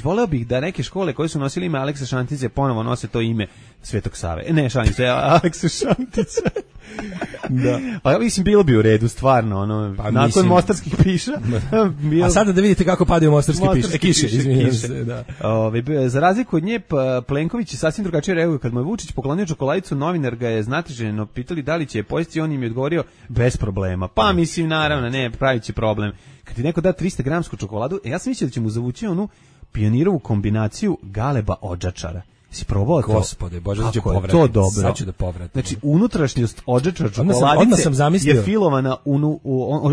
voleo bih da neke škole koje su nosili ime Aleksa Šantića ponovo nose to ime Svetog Save. Ne, šalim se, Aleksa Šantića. Da. Pa mislim, bilo bi u redu, stvarno, nakon mostarskih piša. A sada da vidite kako padaju mostarske kiše, izvinjam se. Da. Za razliku od nje, Plenković je sasvim drugačije reaguje. Kad mu je Vučić poklonio čokoladicu, novinar ga je znatiželjno pitali da li će je pojesti, on im je odgovorio bez problema. Pa mislim, naravno, ne, pravit će problem. kad ti neko da 300 gramsku čokoladu, ja sam mislio da će mu zavući onu pionirovu kombinaciju galeba odžačara. Si probao to? Gospode, Bože, da će povratiti. To dobro. Sad ću da povratim. Znači, unutrašnjost odžačar čokoladice je filovana,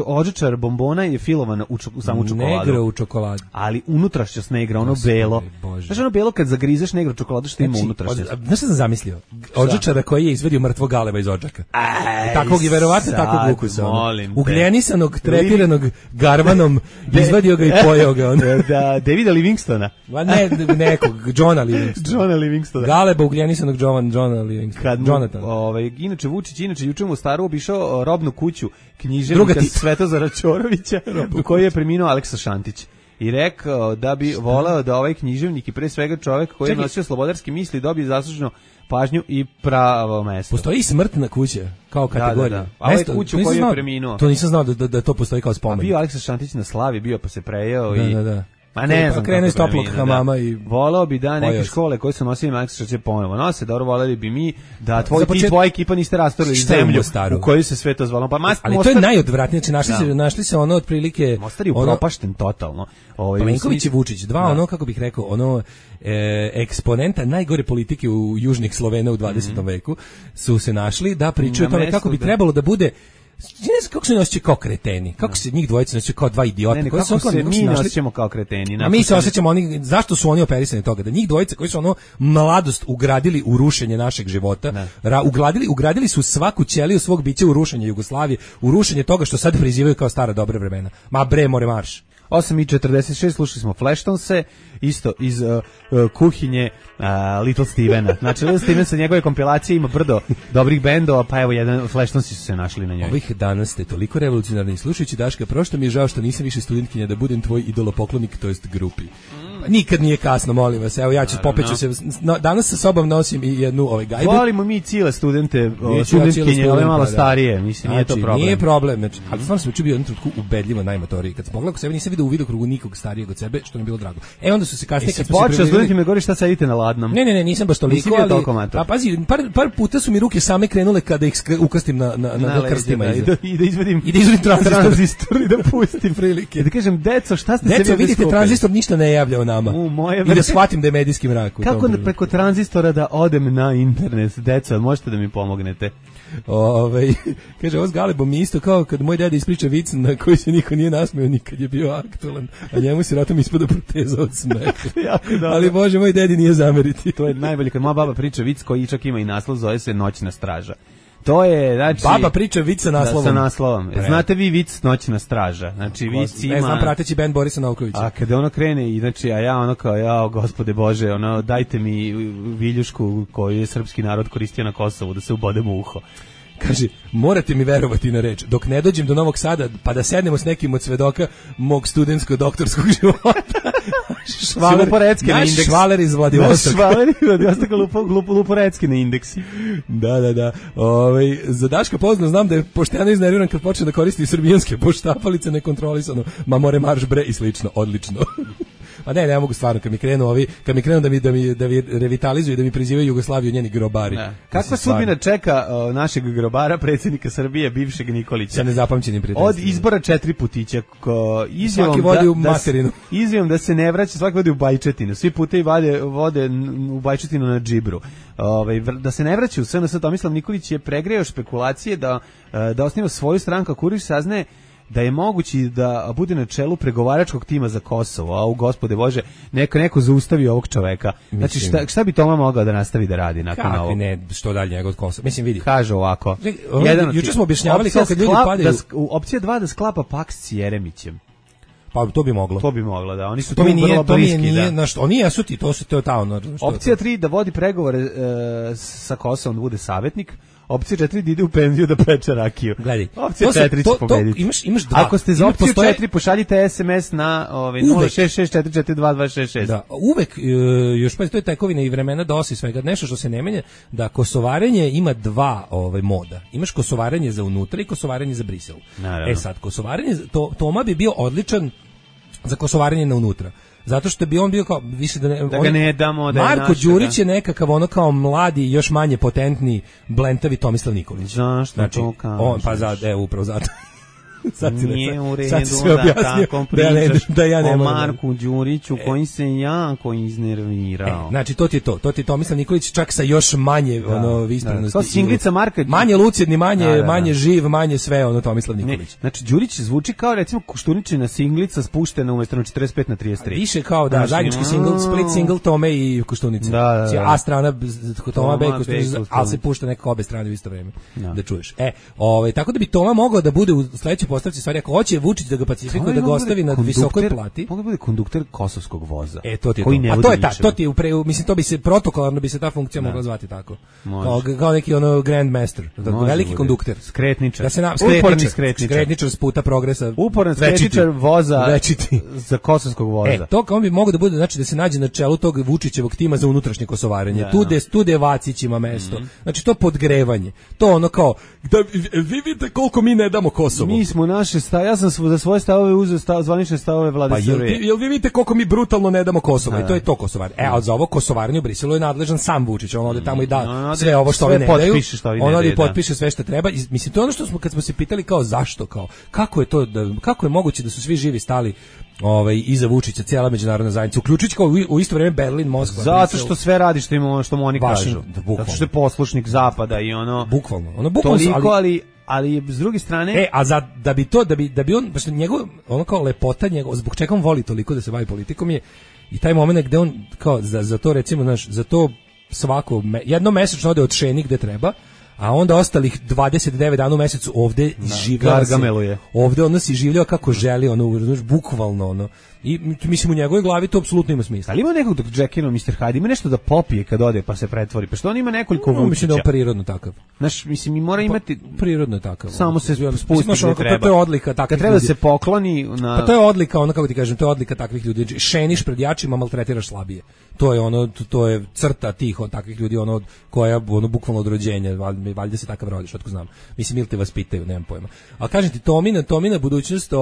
odžačar bombona je filovana u samu čokoladu. Negra u čokoladu. Ali unutrašnjost negra, ono belo. Znaš ono belo kad zagrizeš negro čokoladu što ima unutrašnjost. Znaš što sam zamislio? Odžačara koji je izvedio mrtvog galeba iz odžaka. Takvog i verovatno takvog ukusa. Ugljenisanog, trepiranog garvanom, izvadio ga i pojeo ga. Da, Davida Livingstona. Ne, nekog, Johna Livingstona. Galeba ugljenisanog Johna Livingstona. Jonathan. Inače Vučić juče mu Staru obišao robnu kuću književnika Svetozara Ćorovića u kojoj je preminuo Aleksa Šantić. I rekao da bi voleo da ovaj književnik i pre svega čovjek koji je nosio slobodarske misli dobije zasluženu pažnju i pravo mesto. Postoji i smrtna kuća kao kategorija. Da. A ovaj kuću koji je preminuo. To nisam znao da to postoji kao spomenik. A bio Aleksa Šantić na slavi, bio pa se prejeo i... Da. Ma ne znam, krene iz toplog hamama i voleo bi da neke škole koje su nosili Aleksa Šantića ponovo nose, dobro, voleli bi mi da tvoja ekipa niste rastorili zemlju u kojoj se sve to zvalo. Ali to je najodvratnije, znači našli se ono otprilike... Mostar je upropašten totalno. Plenković i Vučić, ono, kako bih rekao, ono eksponenta najgore politike u južnih Slovena u 20. veku su se našli da pričaju o tome kako bi trebalo da bude. Ne znam kako se osjećaju kao kreteni, kako se njih dvojica osjećaju kao dva idiota. Kako se mi osjećamo kao kreteni. A mi se osjećamo, zašto su oni operisani toga? Da njih dvojica koji su ono mladost ugradili u rušenje našeg života, ugradili su svaku ćeliju svog bića u rušenje Jugoslavije, u rušenje toga što sad prizivaju kao stara dobra vremena. Ma bre, more marš. 8:46 slušali smo Flashtonse, isto iz kuhinje Little Stevena. Znači, Little Steven sa njegove kompilacije ima brdo dobrih bendova, pa evo jedan Flashtonsi su se našli na njoj. Ovih danas ste toliko revolucionarni. Slušajući Daška, prošto mi je žao što nisam više studentkinja da budem tvoj idolopoklonik, to jest grupi. Nikad nije kasno, molim vas. Evo ja ću popeću se. Danas sa sobom nosim i jednu gajbu. Volimo mi cijele studentkinje, ove malo starije, mislim, nije to problem. Nije problem, znači, ali stvarno sam bio u jednom trenutku ubedljivo najmatoriji. Kad sam pogledao sebe, nisam vidio u vidokrugu nikog starijeg od sebe, što mi je bilo drago. Onda su se kasnije kad smo se počeo studenti me govori šta sedite na ladnom. Ne, nisam baš toliko, ali a pazi, par puta su mi ruke same krenule kada ih ukrstim na krstima i da izvedim tranzistor i da pustim prilike. Da kažem, deco, šta ste se Deco, vidite, tranzistor ništa ne javlja o nama. I da shvatim da je medijski mrak. Kako preko tranzistora da odem na internet? Deco, možete da mi pomognete? Kaže, ovo s Galebom mi isto kao kad moj deda ispriča vic na koji se niko nije nasmeo nikad je bio aktualan, a njemu se ratom ispada proteza od smeha. Ali Bože, moj dedi nije zameriti. To je najbolje kad moja baba priča vic koji čak ima i naslov, zove se Noćna straža. To je, znači... Baba priča vic sa naslovom. Sa naslovom. Znate vi vic Noćna straža? Znači, vic ima... Ne znam, prateći bend Borisa Novkovića. A kada ono krene, znači, a ja ono kao, jao, gospode Bože, ono, dajte mi viljušku koju je srpski narod koristio na Kosovu, da se ubodem u uho. Kaže, morate mi verovati na reč, dok ne dođem do Novog Sada, pa da sednemo s nekim od svedoka mog studentsko-doktorskog života. Naš Švaler iz Vladivostoka. Švaler iz Vladivostoka Luporecki na indeksi. Da. Za Daška poznao znam da je pošteno iznerviran kad počne da koristi srbijanske poštapalice nekontrolisano, ma more marš bre i slično, odlično. A ne mogu stvarno, kad mi krenu da mi revitalizuju, da mi prizivaju Jugoslaviju njeni grobari. Kakva sudbina čeka našeg grobara, predsjednika Srbije, bivšeg Nikolića? Sa nezapamćenim prijateljstvom. Od izbora 4 putića, svaki vodi u materinu. Izjavom da se ne vraća, svaki vodi u Bajčetinu. Svi putevi vode u Bajčetinu na džibru. Da se ne vraća u SNS, Tomislav Nikolić je pregreo špekulacije da osniva svoju stranku, Kuriš saznaje da je mogući da bude na čelu pregovaračkog tima za Kosovo, a u gospode Bože, neko zaustavi ovog čoveka. Znači, šta bi Toma mogao da nastavi da radi nakon ovog? Kakvi ne, što dalje njegov od Kosova? Mislim, vidi. Kaže ovako. Juče smo objašnjavali kao kad ljudi padaju. Opcija 2 da sklapa pakt s Jeremićem. Pa to bi moglo. To bi moglo, da. Oni su tu vrlo bliski, da. Oni jesu ti, to je ta ono. Opcija 3 da vodi pregovore sa Kosovom, da bude savjetnik. Opcija 4 da ide u penziju da peče rakiju. Gledaj. Opcija 4 će pobediti. Imaš dva. Ako ste za opciju 4, pošaljite SMS na 066442266. Da, uvek, još pa to je tekovina i vremena DOS i svega, nešto što se ne menja, da kosovarenje ima dva moda. Imaš kosovarenje za unutra i kosovarenje za Brisel. Naravno. Sad, kosovarenje, Toma bi bio odličan za kosovarenje na unutra. Zato što bi on bio kao više da ga ne damo da Marko Đurić je nekakav ono kao mladi, još manje potentni, blentavi Tomislav Nikolić. Zašto znači, to kažeš? On pa upravo zato. Nije u redu sad si sve objasnio tako pričaš da ja ne o moram. Marku Đuriću koji se jako iznervirao. Znači to ti je Tomislav Nikolić čak sa još manje visprenosti. To singlica Marka, manje lucidni, manje živ, manje sve Tomislav Nikolić. Znači Đurić zvuči kao recimo Koštuničina singlica spuštena umesto na 45 na 33. Više kao zajednički single, split single Tome i Koštunice. A strana Toma B i Koštunica, ali se pušta nekako obe strane u isto vreme da čuješ. Tako da bi Toma mogao da bude u sledećoj postavci, stvari ako hoće Vučić da ga pacifikuje, da ga ostavi na visokoj plati. Mogu bude kondukter kosovskog voza. To ti je to ti je mislim to bi se protokolarno bi se ta funkcija mogla zvati tako. Kao neki Grand Master, veliki kondukter, skretničar. Da se uporni skretničar s puta progresa. Uporni skretničar voza za kosovskog voza. To kao on bi mogao da bude, znači da se nađe na čelu tog Vučićevog tima za unutrašnje kosovarenje. Tu gde Vacić ima mesto. Znači to podgrevanje. To kao da vi vidite koliko mi ne damo Kosovo. Mi smo naše ja sam za svoje stavove uzeo zvanične stavove vlade Srbije. Jel vi vidite koliko mi brutalno ne damo Kosovo i to je to kosovarenje. A za ovo kosovarenje u Briselu je nadležan sam Vučić. On ode tamo i da sve ovo što oni ne daju. On ode i potpiše sve što treba. Mislim to je ono što smo kad smo se pitali kao zašto, kao kako je to kako je moguće da su svi živi stali iza Vučića, cijela međunarodna zajednica, uključujući kao u isto vrijeme Berlin, Moskva. Zato što sve radi što mu oni kažu. Zato što je poslušnik zapada i bukvalno toliko, ali s druge strane da bi on baš njegov kao lepota njegov, zbog čega on voli toliko da se bavi politikom je i taj moment gde on kao za to recimo za to svako jedno mesečno ode od Šeni gde treba, a onda ostalih 29 dana u mesecu ovde življava se. Ovde ono si življava kako želi, bukvalno I mislim u njegovoj glavi to apsolutno ima smisla. Ali ima nekog dok Jackino, Mr. Hyde, ima nešto da popije kad ode pa se pretvori. Pa što on ima nekoliko Vučića. Mislim da je prirodno takav. Znaš, mislim i mora imati prirodno takav. Samo se spusti gde treba. To je odlika takvih ljudi. Kad treba se pokloni na Pa to je odlika, kako ti kažem, to je odlika takvih ljudi. Šeniš pred jačima, maltretiraš slabije. To je to je crta tih od takvih ljudi, koja bukvalno od rođenja, valjda se takav rodiš, otko znam. Mislim ili te vaspitaju, nemam pojma. A kažem ti Tomina budućnost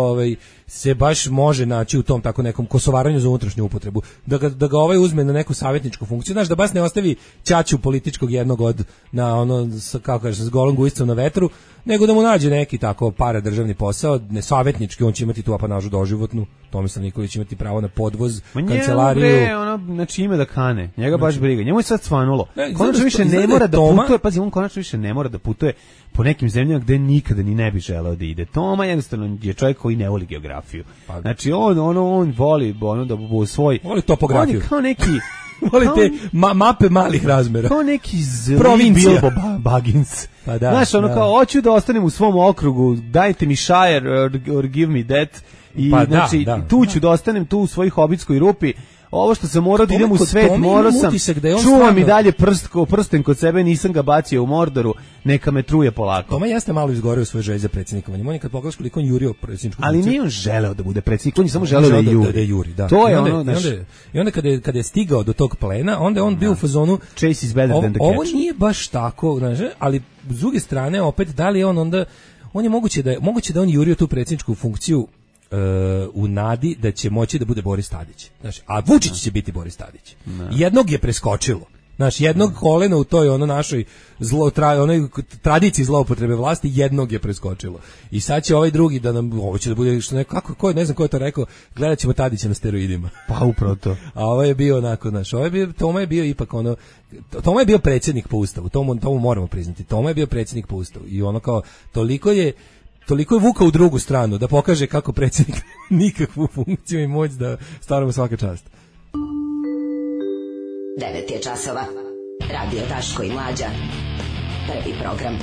se baš može naći u tom tako nekom kosovaranju za unutrašnju upotrebu, da ga uzme na neku savjetničku funkciju, znaš, da baš ne ostavi ćaću političkog jednog kako kažeš, s golom gujicom na vetru, nego da mu nađe neki tako paradržavni posao, ne savjetnički, on će imati tu apanažu doživotnu, Tomislav Nikolić će imati pravo na podvoz, kancelariju. Znači ime da kane, njega baš briga, njemu je sad svanulo. Konačno više ne mora da putuje, pazi, on konačno više ne mora da putuje po nekim zemljama gde nikada ni ne bi želeo da ide. Toma jednostavno je čovjek koji ne voli geografiju. Znači on voli da bu svoj... Voli topografiju. On je kao neki... Voli te mape malih razmera. Kao neki zli Bilbo Baggins. Pa da, znaš, kao, hoću da ostanem u svom okrugu, dajte mi Shire or give me that. I znači, tu ću da ostanem tu u svojoj hobitskoj rupi. Ovo što sam morao da idem u svet, morao sam, čuvam i dalje prsten kod sebe, nisam ga bacio u Mordoru, neka me truje polako. Toma jeste malo izgorio svoje želje za predsjednikovanje. On je kad pogledaš koliko on jurio predsjedničku funkciju. Ali nije on želeo da bude predsjednik, on je samo želeo da juri. Da. To je I onda kada je stigao do tog plena, onda on bio u fazonu Chase is better than the catch. Ovo nije baš tako, znaš, ali s druge strane opet da li on je moguće da on jurio tu predsjedničku funkciju u nadi da će moći da bude Boris Tadić. Znaš, a Vučić će biti Boris Tadić. Jednog je preskočilo. Znaš, jednog kolena u toj našoj tradiciji zloupotrebe vlasti, jednog je preskočilo. I sad će ovaj drugi da nam, ovo će da bude što neko, ne znam ko je to rekao, gledat ćemo Tadića na steroidima. Pa upravo to. A ovo je bio onako, znaš, Toma je bio ipak Toma je bio predsjednik po ustavu, tomu moramo priznati. Toma je bio predsjednik po ustavu. I kao, toliko je vukao u drugu stranu da pokaže kako predsjednik nikakvu funkciju i moć da stvaramo svaka čast. 9 je časova. Radio Daško i Mlađa. Prvi program.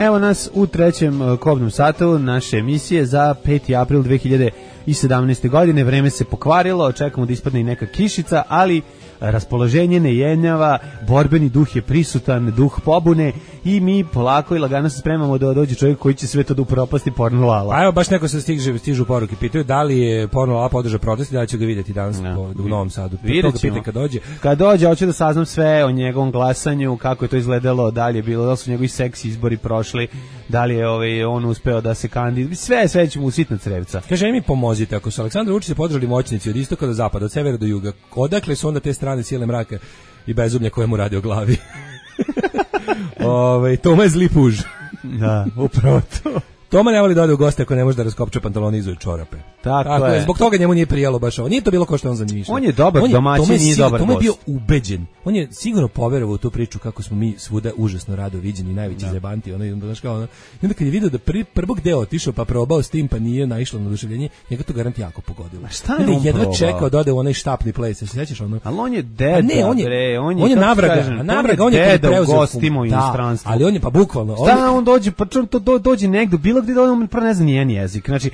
Evo nas u trećem kobnom satu naše emisije za 5. april 2017. godine. Vreme se pokvarilo, čekamo da ispadne i neka kišica, ali raspoloženje ne jenjava, borbeni duh je prisutan, duh pobune i mi polako i lagano se spremamo da dođe čovjek koji će sve to da upropasti Porno Lala. A evo baš neko se stižu poruke, pitaju da li je Porno Lala podržao protest i da li će ga vidjeti danas u Novom Sadu. Vidjet ćemo. Kad dođe, hoću da saznam sve o njegovom glasanju, kako je to izgledalo, da li je bilo, da li su njegovi seksi izbori prošli, da li je on uspeo da se kandiduje, sve ćemo u sitna crevca. Kaže mi pomozite, ako su Aleksandar Vučić podržali moćnici od istoka do zapada, od severa do juga, odakle su onda te strane sile mraka i bezumlja koje mu radi o glavi? Toma je zli puž. Da, upravo to. Toma ne voli da ode u goste ako ne može da raskopče pantalone iza čorape. Tako je. Zbog toga njemu nije prijelo baš ovo. Nije to bilo kao što on zamišljao. On je dobar domaćin, nije dobar Toma je bio gost. ubeđen. On je sigurno poverovao u tu priču kako smo mi svuda užasno rado viđeni, najveći zebanti. I onda kad je video da prvog deo otišao pa probao s tim pa nije naišlo na oduševljenje, njega to garant jako pogodilo. Šta je on jedva probao? čekao da ode u onaj štapni ples. Se sećaš ono? Ali on je deda, on je navraga, on je deda u gostima u inostranstvu. Ali on je pa bukvalno. Šta on dođe, pa dođe negde, bilo gde on prvo ne zna nijedan jezik. Znači,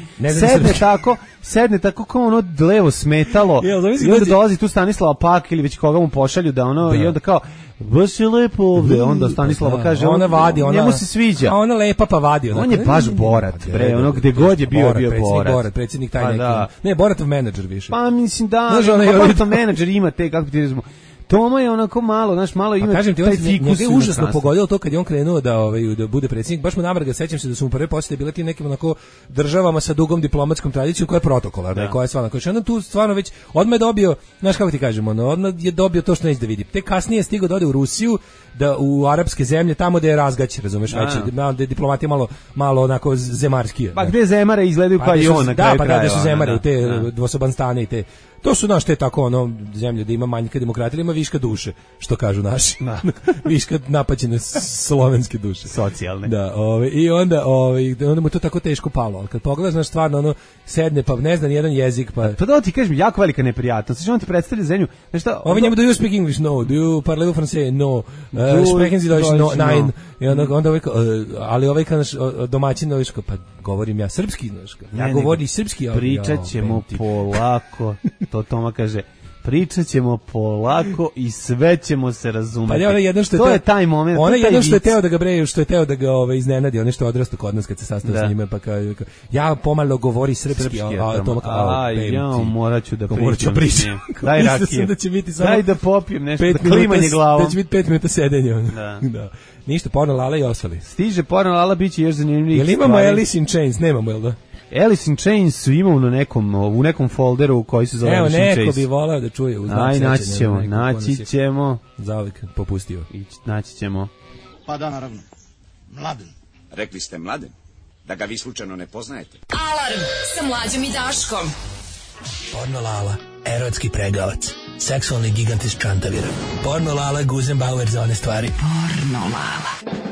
sedne tako kao ono levo smetalo i onda dolazi tu Stanislava Pak ili već koga mu pošalju da ono i onda kao baš je lepo ovde, onda Stanislava kaže ona vadi, njemu se sviđa. A ona lepa pa vadi. On je baš Borat, bre, ono gde god je bio Borat. Predsjednik taj neki. Ne, Boratov menadžer više. Pa mislim da, Boratov menadžer ima te, kako ti rezimo. Toma je onako malo, znaš, malo ima kažem ti, taj fikus. Njega je užasno pogodilo to kad je on krenuo da bude predsjednik. Baš mu navrga, sećam se da su mu prve posete bile tim nekim onako državama sa dugom diplomatskom tradicijom koja je protokolarna, koja je stvarno. Koji je tu stvarno već odmah je dobio, znaš kako ti kažemo, odmah je dobio to što neće da vidi. Te kasnije je stigao da ode u Rusiju, da u arapske zemlje, tamo da je razgać, razumeš, već da je diplomatija malo onako zemarskija. Pa gde zemare izgledaju kao i on na kraju krajeva. Da, pa da su zemare u te dvosobanstane i te. To su naš te tako ono zemlje da ima manjka demokratije, ima viška duše, što kažu naši. Viška napaćene slovenske duše. Socijalne. Da, i onda mu to tako teško palo. Al kad pogledaš, znaš, stvarno ono sedne pa ne zna ni jedan jezik, pa da ti kažem, jako velika neprijatnost. Znači on ti predstavlja zemlju, znači šta? Ovi njemu do you speak English? No. Do you parlez français? No. Sprechen Sie Deutsch? No. Nein. I onda ali ovaj kao domaćin pa govorim ja srpski, znaš. Ja govorim srpski, pričat ćemo polako. To Toma kaže, pričat ćemo polako i sve ćemo se razumeti. Pa to je taj moment. Ona jedno što je teo da ga breju, što je teo da ga iznenadi, ono što je odrastao kod nas kad se sastao s njime, pa ja pomalo govori srpski, a Toma kao, morat ću da pričam. Daj rakije. Daj da popijem nešto, da klimanje glavom. Da će biti 5 minuta sedenja. Da. Ništa, porno Lala i ostali. Stiže porno Lala, bit će još zanimljivih stvari. Jel imamo Alice in Chains? Nemamo, jel da? Alice in Chains su imao u nekom folderu koji se zove Alice in Chains. Evo, neko bi volao da čuje. Naći ćemo. Zauvijek popustio. Naći ćemo. Pa da, naravno. Mladen. Rekli ste Mladen? Da ga vi slučajno ne poznajete? Alarm sa Mlađom i Daškom. Porno Lala, erotski pregavac. Seksualni gigant iz Čantavira. Porno Lala, Guzenbauer za one stvari. Porno Lala.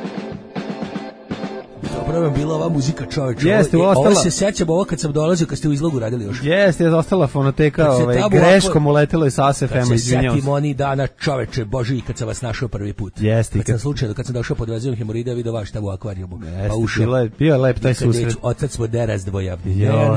Dobro vam bila ova muzika, čoveče. Ovo se sećam, ovo kad sam dolazio, kad ste u izlogu radili još. Jeste, ostala fonoteka, greškom uletelo iz ASFM-a, izvinjavam se. Setim oni dana, čoveče, Boži, kad sam vas našao prvi put. Jeste. Kad sam došao pod vezijom hemorida, vidio vaš tamo u akvarijumu. Pa ušao. Bio je lep taj susret. Odsad smo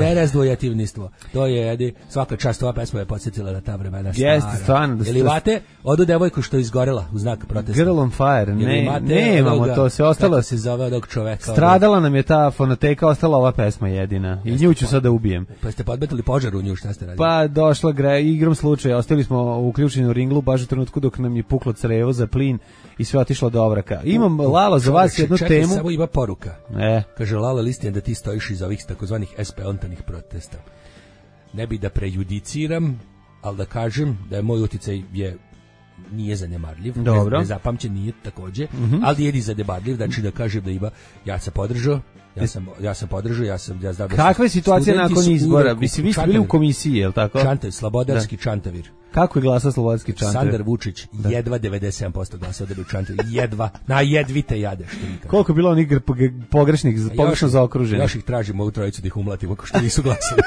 nerazdvojativnistvo. To je, svaka čast, ova pesma je podsjetila na ta vremena stara. Jeste, stvarno. Jel imate odu devojku što je izgorela u znak protesta? Girl on fire, nemamo to, sve ostalo. Kako se zove odog čoveka? Stradala nam je ta fonoteka, ostala ova pesma jedina. I nju ću sad da ubijem. Pa ste podmetili požar u nju, šta ste radili? Pa došla igrom slučaja, ostali smo uključeni u ringlu baš u trenutku dok nam je puklo crevo za plin i sve otišlo do ovraka. Imam, Lalo, za vas jednu temu. Čekaj, samo ima poruka. Kaže, Lalo, listin da ti stojiš iza ovih takozvanih SP-ontanih protesta. Ne bi da prejudiciram, ali da kažem da je moj uticaj nije zanemarljiv, nezapamćen nije takođe, ali je zanemarljiv, znači da kažem da ima, ja sam podržao, Kakva je situacija nakon izbora? Vi ste bili u komisiji, je li tako? Slobodarski Čantavir. Kako je glasao Slobodarski Čantavir? Sandar Vučić, jedva 97% glasao da bi u Čantavir. Jedvite jade. Koliko je bilo onih pogrešno zaokruženih? Još ih tražimo u trojicu da ih umlatimo, ako što nisu glasali.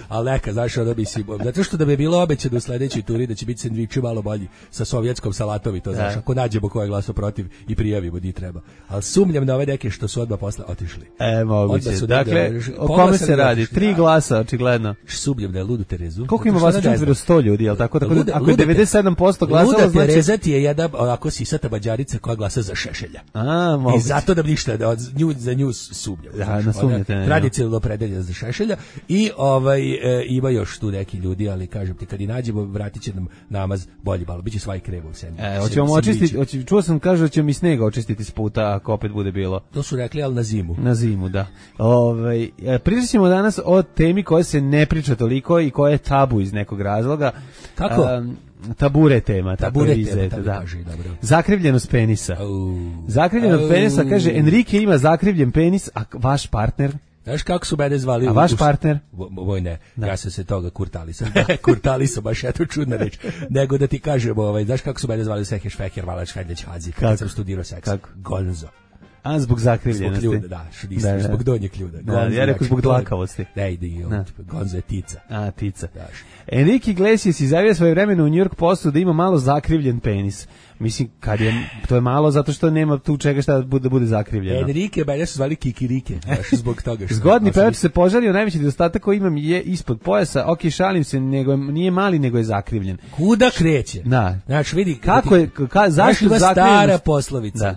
Ali neka, znaš, ono bi si... Zato što da bi bilo obećano u sledećoj turi da će biti sendviči malo bolji sa sovjetskom salatom i to, znaš, ako nađemo ko je glasao protiv i prijavimo di treba. Ali sumnjam na ove neke što su odmah posle otišli. Moguće. Dakle, o kome se radi? 3 glasa, očigledno. Sumnjam da je Ludu Terezu. Koliko ima vas u Čantviru? 100 ljudi, jel tako? Ako je 97% glasalo, znači... Luda Tereza ti je jedna, onako sisata bađarica koja glasa za Šešelja. Moguće. I zato da bi ništa, za nju sumnjam. Tradicionalno opredelja za Šešelja i ima još tu neki ljudi, ali kažem ti, kad i nađemo, vratit će nam namaz bolji malo, biće svaj krevo u seni. Hoćemo očistiti, čuo sam, kaže da ćemo i snega očistiti s puta, ako opet bude bilo. To su rekli, ali na zimu. Na zimu, da. Pričat ćemo danas o temi koja se ne priča toliko i koja je tabu iz nekog razloga. Kako? Tabure tema, Tabure vi tema, zete, tako da. kaže, dobro. Zakrivljenost penisa. Zakrivljenost penisa, kaže, Enrique ima zakrivljen penis, a vaš partner? Znaš kako su mene zvali? A vaš partner? Moj ne, ja sam se toga kurtalisao. Kurtalisao, baš eto čudna reč. Nego da ti kažem, znaš kako su mene zvali Seher Šveher, Valač Hajdeć Hadzi, kad sam studirao seks? Gonzo. A, zbog zakrivljenosti. Zbog ljuda, da, zbog donjeg ljuda. Da, ja rekao zbog dlakavosti. Ne ide i Gonzo je tica. A, tica. Enrique Iglesias izjavio svoje vremena u New York Postu da ima malo zakrivljen penis. Mislim, to je malo zato što nema tu čega šta da bude zakrivljeno. Enrique, mene su zvali Kikirike, zbog toga što... Zgodni pevač se požalio, najveći nedostatak koji imam je ispod pojasa, ok, šalim se, nije mali, nego je zakrivljen. Kuda kreće? Da. Znači, vidi... Kako je, zašto zakrivljenost? Stara poslovica,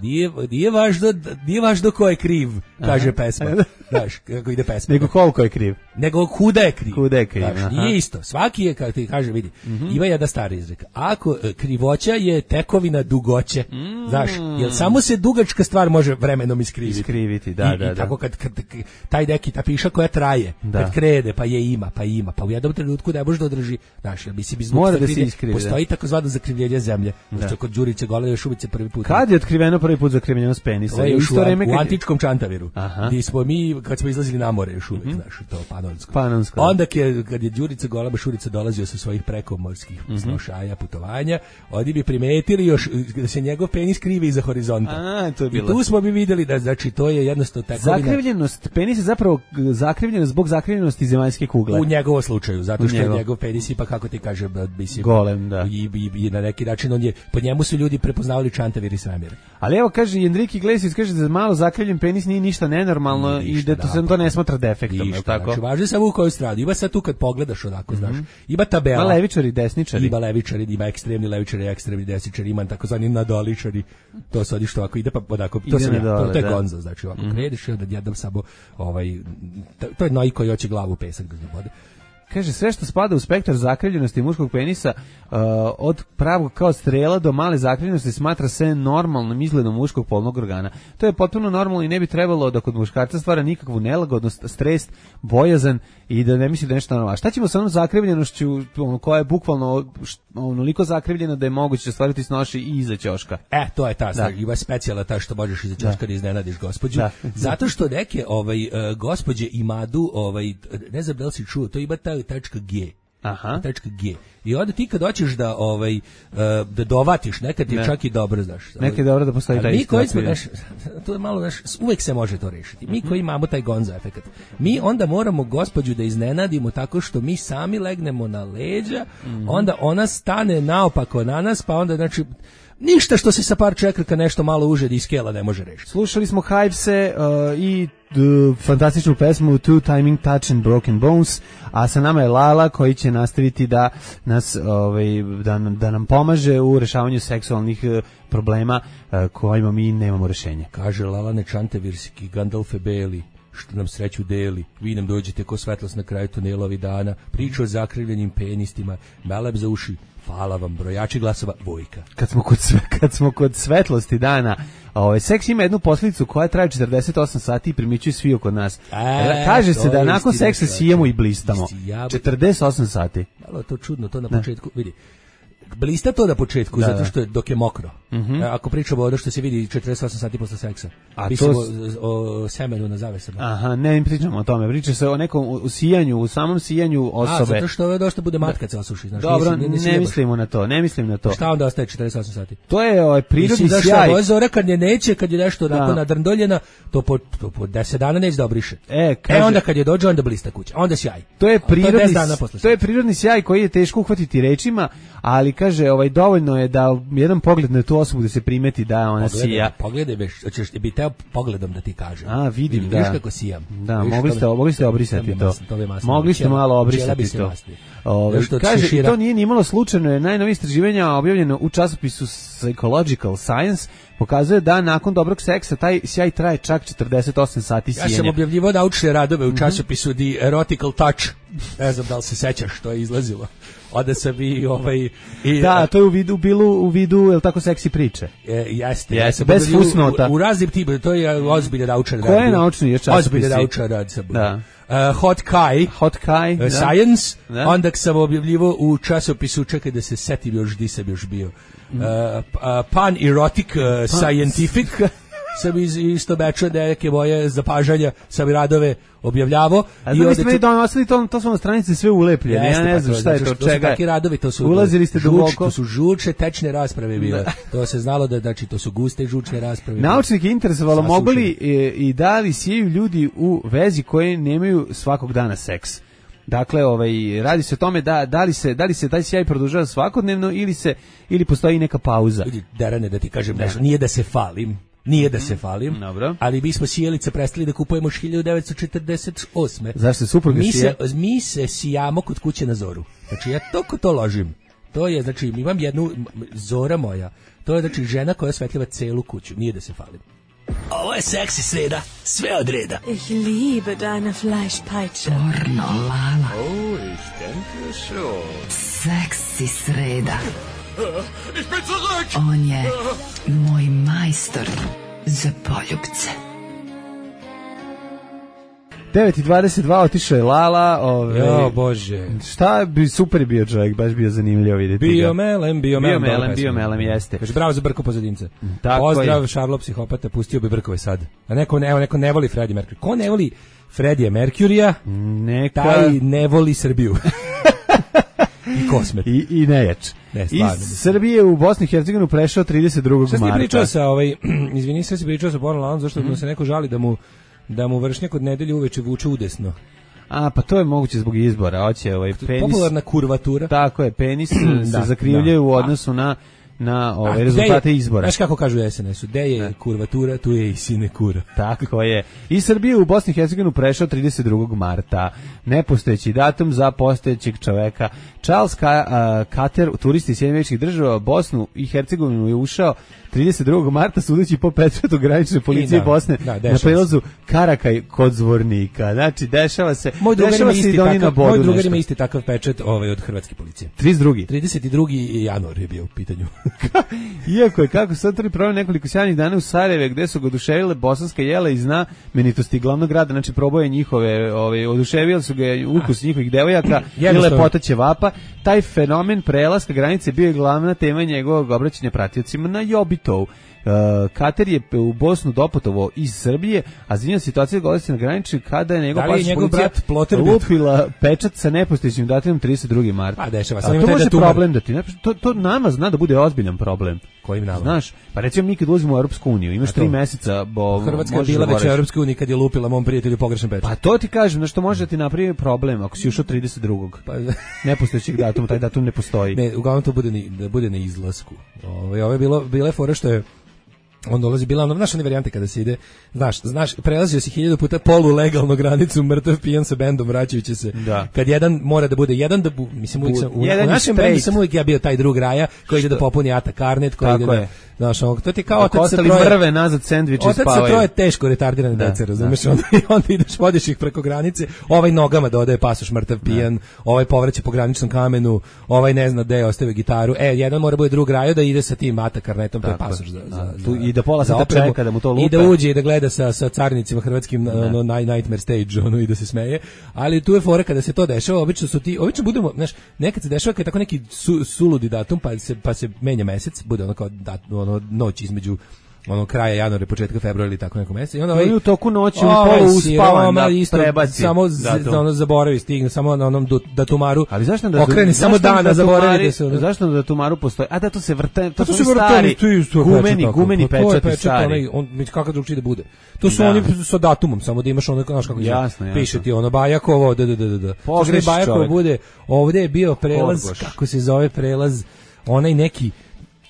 nije važno ko je kriv, kaže pesma. Znaš, kako ide pesma. Nego koliko je kriv. Nego kuda je kriv. Kuda je kriv, znaš, nije isto. Svaki je, kako ti kaže, vidi, ima jedna stara izreka. Ako krivoća je tekovina dugoće, znaš, jer samo se dugačka stvar može vremenom iskriviti. Da. I tako kad taj neki, ta piša koja traje, kad krede, pa ima, pa u jednom trenutku ne može da održi, znaš, jer mislim, iz mora da se iskrivi. Postoji takozvano zakrivljenje zemlje, što kod Đurice Goleve još uvijek prvi put. Kad je otkriveno prvi put zakrivljenost penisa? U antičkom Čantaviru, gdje smo mi, kad smo izlazili na more još uvijek, znaš, to Panonsko. Onda kad je Đurica Goleba Šurica dolazio sa svojih prekomorskih snošaja, putovanja, oni bi primetili još da se njegov penis krivi iza horizonta. I tu smo bi vidjeli da, znači, to je jednostavno tekovina. Zakrivljenost, penis je zapravo zakrivljenost zbog zakrivljenosti zemaljske kugle. U njegovom slučaju, zato što je njegov penis ipak, kako ti kažem, golem, da. I na neki način po njemu su ljudi prepoznavali Čantavir i svemir. Ali evo, kaže Enrique Iglesias, kaže da malo zakrivljen penis nije ništa nenormalno i da to ne smatra defektom, je tako? Znači, važno je samo u kojoj strani. Ima sad tu kad pogledaš onako, znaš, ima tabela. Ima levičari, desničari. Ima levičari, ima ekstremni levičari, ekstremni desničari, ima takozvani nadoličari. To sad što ako ide pa onako, to sam ja, to je gonzo, znači ovako krediš i onda jednom samo to je noj koji hoće glavu u pesak da vode. Kaže, sve što spada u spektar zakrivljenosti muškog penisa, od pravog kao strela do male zakrivljenosti, smatra se normalnim izgledom muškog polnog organa. To je potpuno normalno i ne bi trebalo da kod muškarca stvara nikakvu nelagodnost, stres, bojazan i da ne misli da nešto normalno. Šta ćemo sa onom zakrivljenošću koja je bukvalno onoliko zakrivljena da je moguće stvariti snoši i iza ćoška? To je ta stvar, ima specijala ta što možeš iza ćoška da iznenadiš gospođu. Zato što neke gospođe imadu, ne znam da li si čuo, to ima ta tačka G. Tačka G. I onda ti kad hoćeš da dovatiš, nekad je čak i dobro, znaš. Nekad je dobro da postoji taj isto. To je malo, znaš, uvek se može to rešiti. Mi koji imamo taj gonzo efekat, mi onda moramo gospođu da iznenadimo tako što mi sami legnemo na leđa, onda ona stane naopako na nas, pa onda, znači, ništa što se sa par čekrka nešto malo uže i skela ne može rešiti. Slušali smo Hivese i fantastičnu pesmu Two Timing Touch and Broken Bones, a sa nama je Lala koji će nastaviti da nas da nam pomaže u rešavanju seksualnih problema kojima mi nemamo rešenja. Kaže Lala Nečantevirski, Gandalfe Beli, što nam sreću deli, vi nam dođete ko svetlost na kraju tunela ovih dana, priča o zakrivljenim penistima, meleb za uši, hvala vam, brojači glasova, Vojka. Kad smo kod svetlosti dana, seks ima jednu posljedicu koja traje 48 sati i primičuju svi oko nas. Kaže se da nakon seksa sijemo i blistamo. 48 sati. Malo to čudno, to na početku, vidi. Blista to na početku, zato što je dok je mokro. Ako pričamo o ono što se vidi 48 sati posle seksa. Pričamo o semenu na zavesama. Ne pričamo o tome. Priča se o nekom usijanju, u samom sijanju osobe. Zato što je došlo bude matka se osuši. Dobro, ne mislimo na to. Šta onda ostaje 48 sati? To je prirodni sjaj. Ovo zora kad je neće, kad je nešto onako nadrndoljena, to po 10 dana neće da obriše. Onda kad je dođe, onda blista kuća. Onda sjaj. To je prirodni sjaj koji je teško uhvatiti rečima, ali kaže, dovoljno je da jedan pogled na tu osobu da se primeti da ona sija. Pogledaj, hoćeš bi teo pogledom da ti kažem. Vidim, da. Vidiš kako sijam. Da, mogli ste obrisati to. Mogli ste malo obrisati to. Kaže, to nije ni malo slučajno, je najnovije istraživanja objavljeno u časopisu Psychological Science pokazuje da nakon dobrog seksa taj sjaj traje čak 48 sati sijenja. Ja sam objavljivao naučne radove u časopisu The Erotical Touch. Ne znam da li se sećaš što je izlazilo. Onda sam da, to je u vidu, jel tako, seksi priče? Jeste. Bez fusnota. U raznim tipu, to je ozbiljno naučan rad. Ko je naučni časopis? Ozbiljno naučan rad sam. Hot Kai, Science, da. onda sam objavljivo u časopisu, čekaj da se setim još gdje sam još bio, Pan Erotic Scientific, sam isto bečao neke moje zapažanja, sam i radove objavljavao. A znam ste mi donosili to su na stranici sve ulepljene, ja ne znam šta je to, čega. To su takvi radovi, to su ulazili ste duboko. To su žučne, tečne rasprave bile. To se znalo da, znači, to su guste žučne rasprave. Naučnike interesovalo mogu li i da li sjeju ljudi u vezi koje nemaju svakog dana seks. Dakle, radi se o tome da li se taj sjaj produžava svakodnevno ili postoji neka pauza. Derane, da ti kažem nešto, nije da se falim. Nije da se falim, dobro. Ali mi smo sijalice prestali da kupujemo 1948. Zašto se supruga sije? Mi se sijamo kod kuće na zoru. Znači, ja to ložim. To je, znači, imam jednu Zora moja. To je, znači, žena koja osvetljava celu kuću. Nije da se falim. Ovo je seksi sreda, sve od reda. Ich liebe deine Fleischpeitsche. Pornolala. Oh, ich denke schon. Seksi sreda. Ich bin zurück! On je moj majstor za poljubce. 9:22 otišao je Lala. Jo, Bože. Šta bi super bio čovjek, baš bio zanimljivo vidjeti. Bio melem, jeste. Kaže, bravo za Brko pozadince. Tako pozdrav, je. Šarlo psihopata, pustio bi Brkove sad. A neko ne voli Freddie Mercury. Ko ne voli Freddie Mercurya, taj ne voli Srbiju. I Kosmet. I nejač. Iz Srbije u Bosni i Hercegovinu prešao 32. marta. Šta si pričao sa izvini, sve si pričao sa Pornolalom, zašto mu se neko žali da mu vršnjak od nedelje uveče vuče udesno. A, pa to je moguće zbog izbora. Hoće penis. Popularna kurvatura. Tako je, penis se zakrivljaju u odnosu na rezultate izbora. Znaš kako kažu u SNS-u, gde je kurvatura, tu je i sinekura. Tako je. Iz Srbije u Bosni i Hercegovinu prešao 32. marta. Nepostojeći datum za postojećeg čoveka. Charles Carter, turist iz Sjedinjenih Država, Bosnu i Hercegovinu je ušao 32. marta sudeći po Petretu granične policije Bosne na prelazu Karakaj kod Zvornika. Znači, dešava se i doni na bodu. Moj drugar ima isti takav pečet od hrvatske policije. 32. januar je bio u pitanju. Iako je, kako sad problem nekoliko sjajnih dana u Sarajeve, gde su ga oduševile bosanska jela i znamenitosti glavnog grada, znači proboje njihove, oduševili su ga ukus njihovih devojaka i lepota ćevapa. Taj fenomen prelaska granice bio je glavna tema njegovog obraćanja pratiocima na Jobitovu. Kater je u Bosnu doputovao iz Srbije, a zanimljiva situacija govori se na granici kada je njegov brat lupila pečat sa nepostojećim datumom 32. marta. A dešava se. To može problem da ti to nama zna da bude ozbiljan problem. Kojim nama? Znaš, pa recimo mi kad ulazimo u Europsku uniju, imaš 3 meseca, Hrvatska je bila već u Europskoj uniji kad je lupila mom prijatelju pogrešan pečat. Pa to ti kažem, znači što može da ti napravi problem ako si ušao 32. Pa nepostojećeg datuma, taj datum ne postoji. Ne, uglavnom to bude na izlasku. Ovo je bila fora što je on dolazi, bila ono, znaš one varijante kada se ide, znaš, prelazio si 1000 puta polulegalno granicu, mrtav pijan sa bendom, vraćajući se. Da. Kad jedan mora da bude, mislim, u našem bendu sam uvijek ja bio taj drug raja, koji ide da popuni ATA karnet, koji ide da, znaš, to ti kao otac sa troje, mrve nazad sendviče spavaju. Otac sa troje teško retardirane dece, razumeš, onda ideš, vodiš ih preko granice, ovaj nogama dodaje pasoš mrtav pijan, ovaj povraća po graničnom kamenu, ovaj ne zna gde ostavio gitaru, jedan mora bude drug raja da ide sa tim ATA karnetom, to je pasoš i da pola sata čeka da mu to lupe. I da uđe i da gleda sa carnicima hrvatskim Nightmare Stage, i da se smeje. Ali tu je fora kada se to dešava, obično budemo, znaš, nekad se dešava kad je tako neki suludi datum, pa se menja mesec, bude ono kao noć između kraja januara i početka februara ili tako neko mesec. I onda u toku noći u polu uspavan da prebaci. Samo zaboravi, stigne, samo na onom datumaru. Ali zašto okreni samo dana, zaboravi. Zašto na datumaru postoji? A da, to se vrte, to su stari gumeni pečati stari. Kako drugčije da bude? To su oni sa datumom, samo da imaš ono, znaš kako piše ti ono Bajakovo, Pogreš Bajakovo bude, ovdje je bio prelaz, kako se zove prelaz, onaj neki,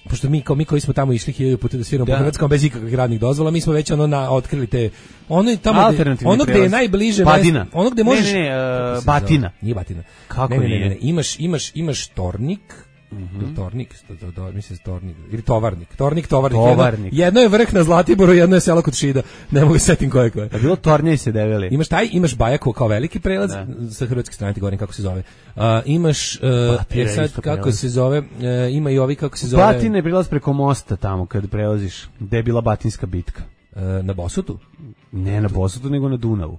pošto mi koji smo tamo išli 1000 puta da sviramo po Hrvatskom bez ikakvih radnih dozvola, mi smo već otkrili te ono gde je najbliže Badina. Ono gde možeš Batina. Nije Batina. Kako nije? Imaš Tornik, Tornik, mislim Tornik ili Tovarnik. Tornik. Jedno je vrh na Zlatiboru, jedno je selo kod Šida. Ne mogu setim koje. A bilo Tornje i se develi. Imaš Bajakovo kao veliki prelaz sa hrvatske strane, ti govorim kako se zove. Imaš sad kako se zove, ima i ovi kako se zove. Batin je prilaz preko mosta tamo kad prelaziš, gde je bila Batinska bitka. Na Bosutu? Ne na Bosutu, nego na Dunavu.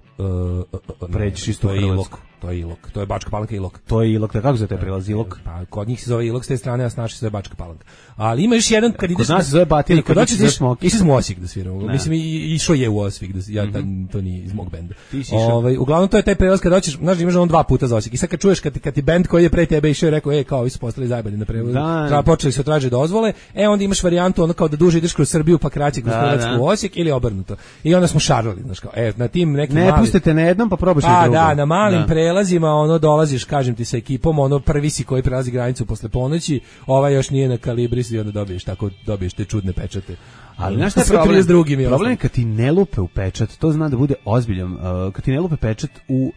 Pređeš isto u Hrvatsku. To je Ilok, to je Bačka Palanka Ilok. To je Ilok, kako se te prelazi Ilok? Pa kod njih se zove Ilok s te strane, a s naše se zove Bačka Palanka. Ali ima još jedan kad ideš... Kod nas se zove Batina, kod ideš za Smokvicu. Išli smo u Osijek da sviramo. Mislim, išao je u Osijek, to nije iz mog benda. Uglavnom, to je taj prelaz kad hoćeš, znaš, imaš on 2 puta za Osijek. I sad kad čuješ, kad ti bend koji je pre tebe išao i rekao, kao, vi su postali zajebani na prevozu, počeli se traže dozvole, onda imaš varijantu ono kao da duže ideš kroz Srbiju pa kraće kroz Hrvatsku u Osijek ili obrnuto. I onda smo šarali, znaš kao, na tim nekim ne pustite na jednom pa probaš na drugom. Da, na malim prelazima dolaziš, kažem ti, sa ekipom, prvi si koji prelazi granicu posle ponoći, još nije na kalibri i onda dobiješ te čudne pečate. Ali znaš šta je problem je kad ti ne lupe u pečat, to zna da bude ozbiljan, kad ti ne lupe pečat u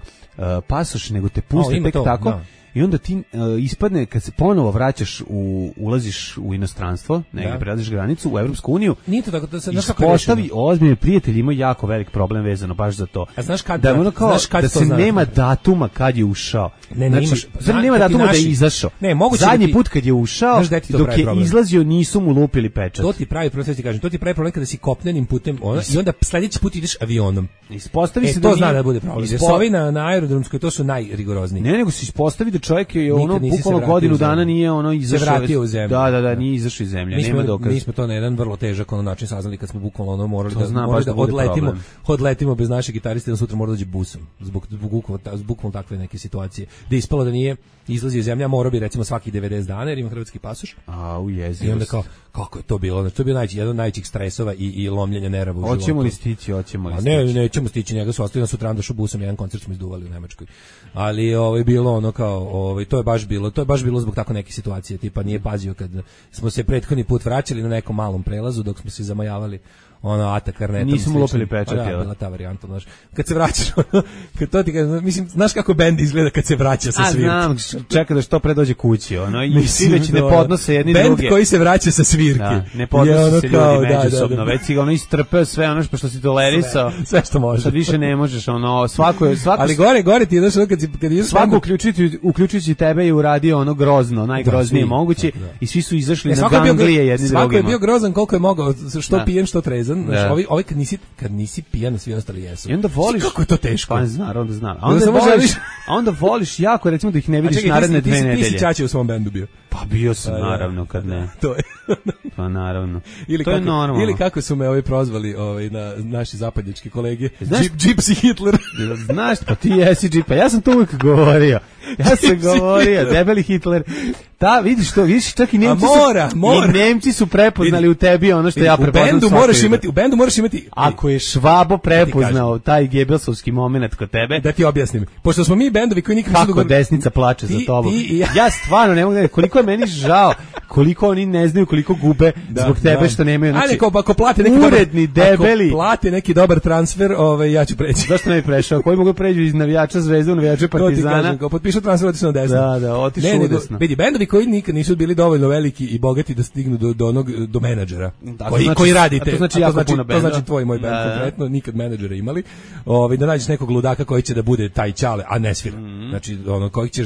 pasoš, nego te puste tek tako, da. I onda ti ispadne, kad se ponovo vraćaš, ulaziš u inostranstvo, negdje prelaziš granicu, u Evropsku uniju, nije to tako, ispostavi ozbiljni prijatelji, imaju jako velik problem vezano baš za to. A znaš kad, da se nema datuma kad je ušao. Nema datuma da je izašao. Zadnji put kad je ušao, dok je izlazio, nisu mu lupili pečat. To ti pravi problem, ti kažem, to ti pravi problem kada si kopnenim putem, i onda sljedeći put ideš avionom. Ispostavi se to zna da bude problem. Jer ovi na aerodromskoj, to su najrigorozniji. Ne, nego se ispostavi da čovjek je bukvalno godinu dana nije izašao. Se vratio u zemlju. Da, nije izašao iz zemlje, nema dokaza. Mi smo to na jedan vrlo težak način saznali kad smo bukvalno morali da odletimo bez našeg gitariste, da sutra mora dođe busom zbog bukvalno takve neke situacije. Da je ispalo da nije izlazio iz zemlje, morao bi recimo svakih 90 dana jer ima hrvatski pasoš. Ujezio. I onda kako je to bilo? Znači, to je bio jedan od najvećih stresova i lomljenja nerava u životu. Hoćemo li stići? Nećemo stići, njega su ostavili na sutra došao busom, jedan koncert smo izduvali u Nemačkoj. Ali bilo to je baš bilo zbog tako neke situacije, tipa nije pazio kad smo se prethodni put vraćali na nekom malom prelazu dok smo se zamajavali Ata Karnetom. Nismo lupili pečat, jel? Da, bila ta varijanta, znaš. Kad se vraćaš, kad to ti kažem, mislim, znaš kako bend izgleda kad se vraća sa svirke? Znam, čeka da što pre dođe kući, i svi već ne podnose jedni druge. Bend koji se vraća sa svirke. Da, ne podnose se ljudi međusobno, već si ga istrpeo sve što si tolerisao. Sve što možeš. Sad više ne možeš, svako. Ali gore ti, znaš, kad ideš... Svako uključujući tebe je uradio grozno, najgroznije moguće, i svi su izašli na ganglije jedni drugima. Svako je bio grozan koliko je mogao, što pijen, što trezan. Ovi kad nisi pijan, svi ostali jesu. I onda voliš... Kako je to teško? Pa znam. A onda voliš jako, recimo, da ih ne vidiš naredne 2 nedelje. Ti si Ćaće u svom bendu bio. Pa bio sam, naravno, kad ne. To je. Pa naravno. To je normalno. Ili kako su me prozvali na naši zapadnjački kolege. Gypsy Hitler. Znaš, pa ti jesi Gypsy. Ja sam to uvijek govorio. Debeli Hitler. Vidiš, čak i Nemci su prepoznali u tebi ono što ja prepoznam svaki. U bendu moraš imati... Ako je Švabo prepoznao taj gebelsovski moment kod tebe... Da ti objasnim. Pošto smo mi bendovi koji nikad... Kako desnica plače za tobom. Ja stvarno ne mogu da... Koliko je meni žao, koliko oni ne znaju, koliko gube zbog tebe što nemaju... Ajde, ako plate neki uredni, debeli... Ako plate neki dobar transfer, ja ću preći. Zašto ne bi prešao? Koji mogu pređu iz navijača Zvezde u navijača Partizana? Potpišu transfer, otišu na desno. Da, otišu u desno. Vidi, bendovi koji nikad nisu bili dovoljno veliki i bogati da stignu do menadžera. Koji radite. To znači jako puno benda. To znači tvoj moj bend konkretno, nikad menadžera imali. Da nađeš nekog ludaka koji će da bude taj Ćale, a ne svira. Znači,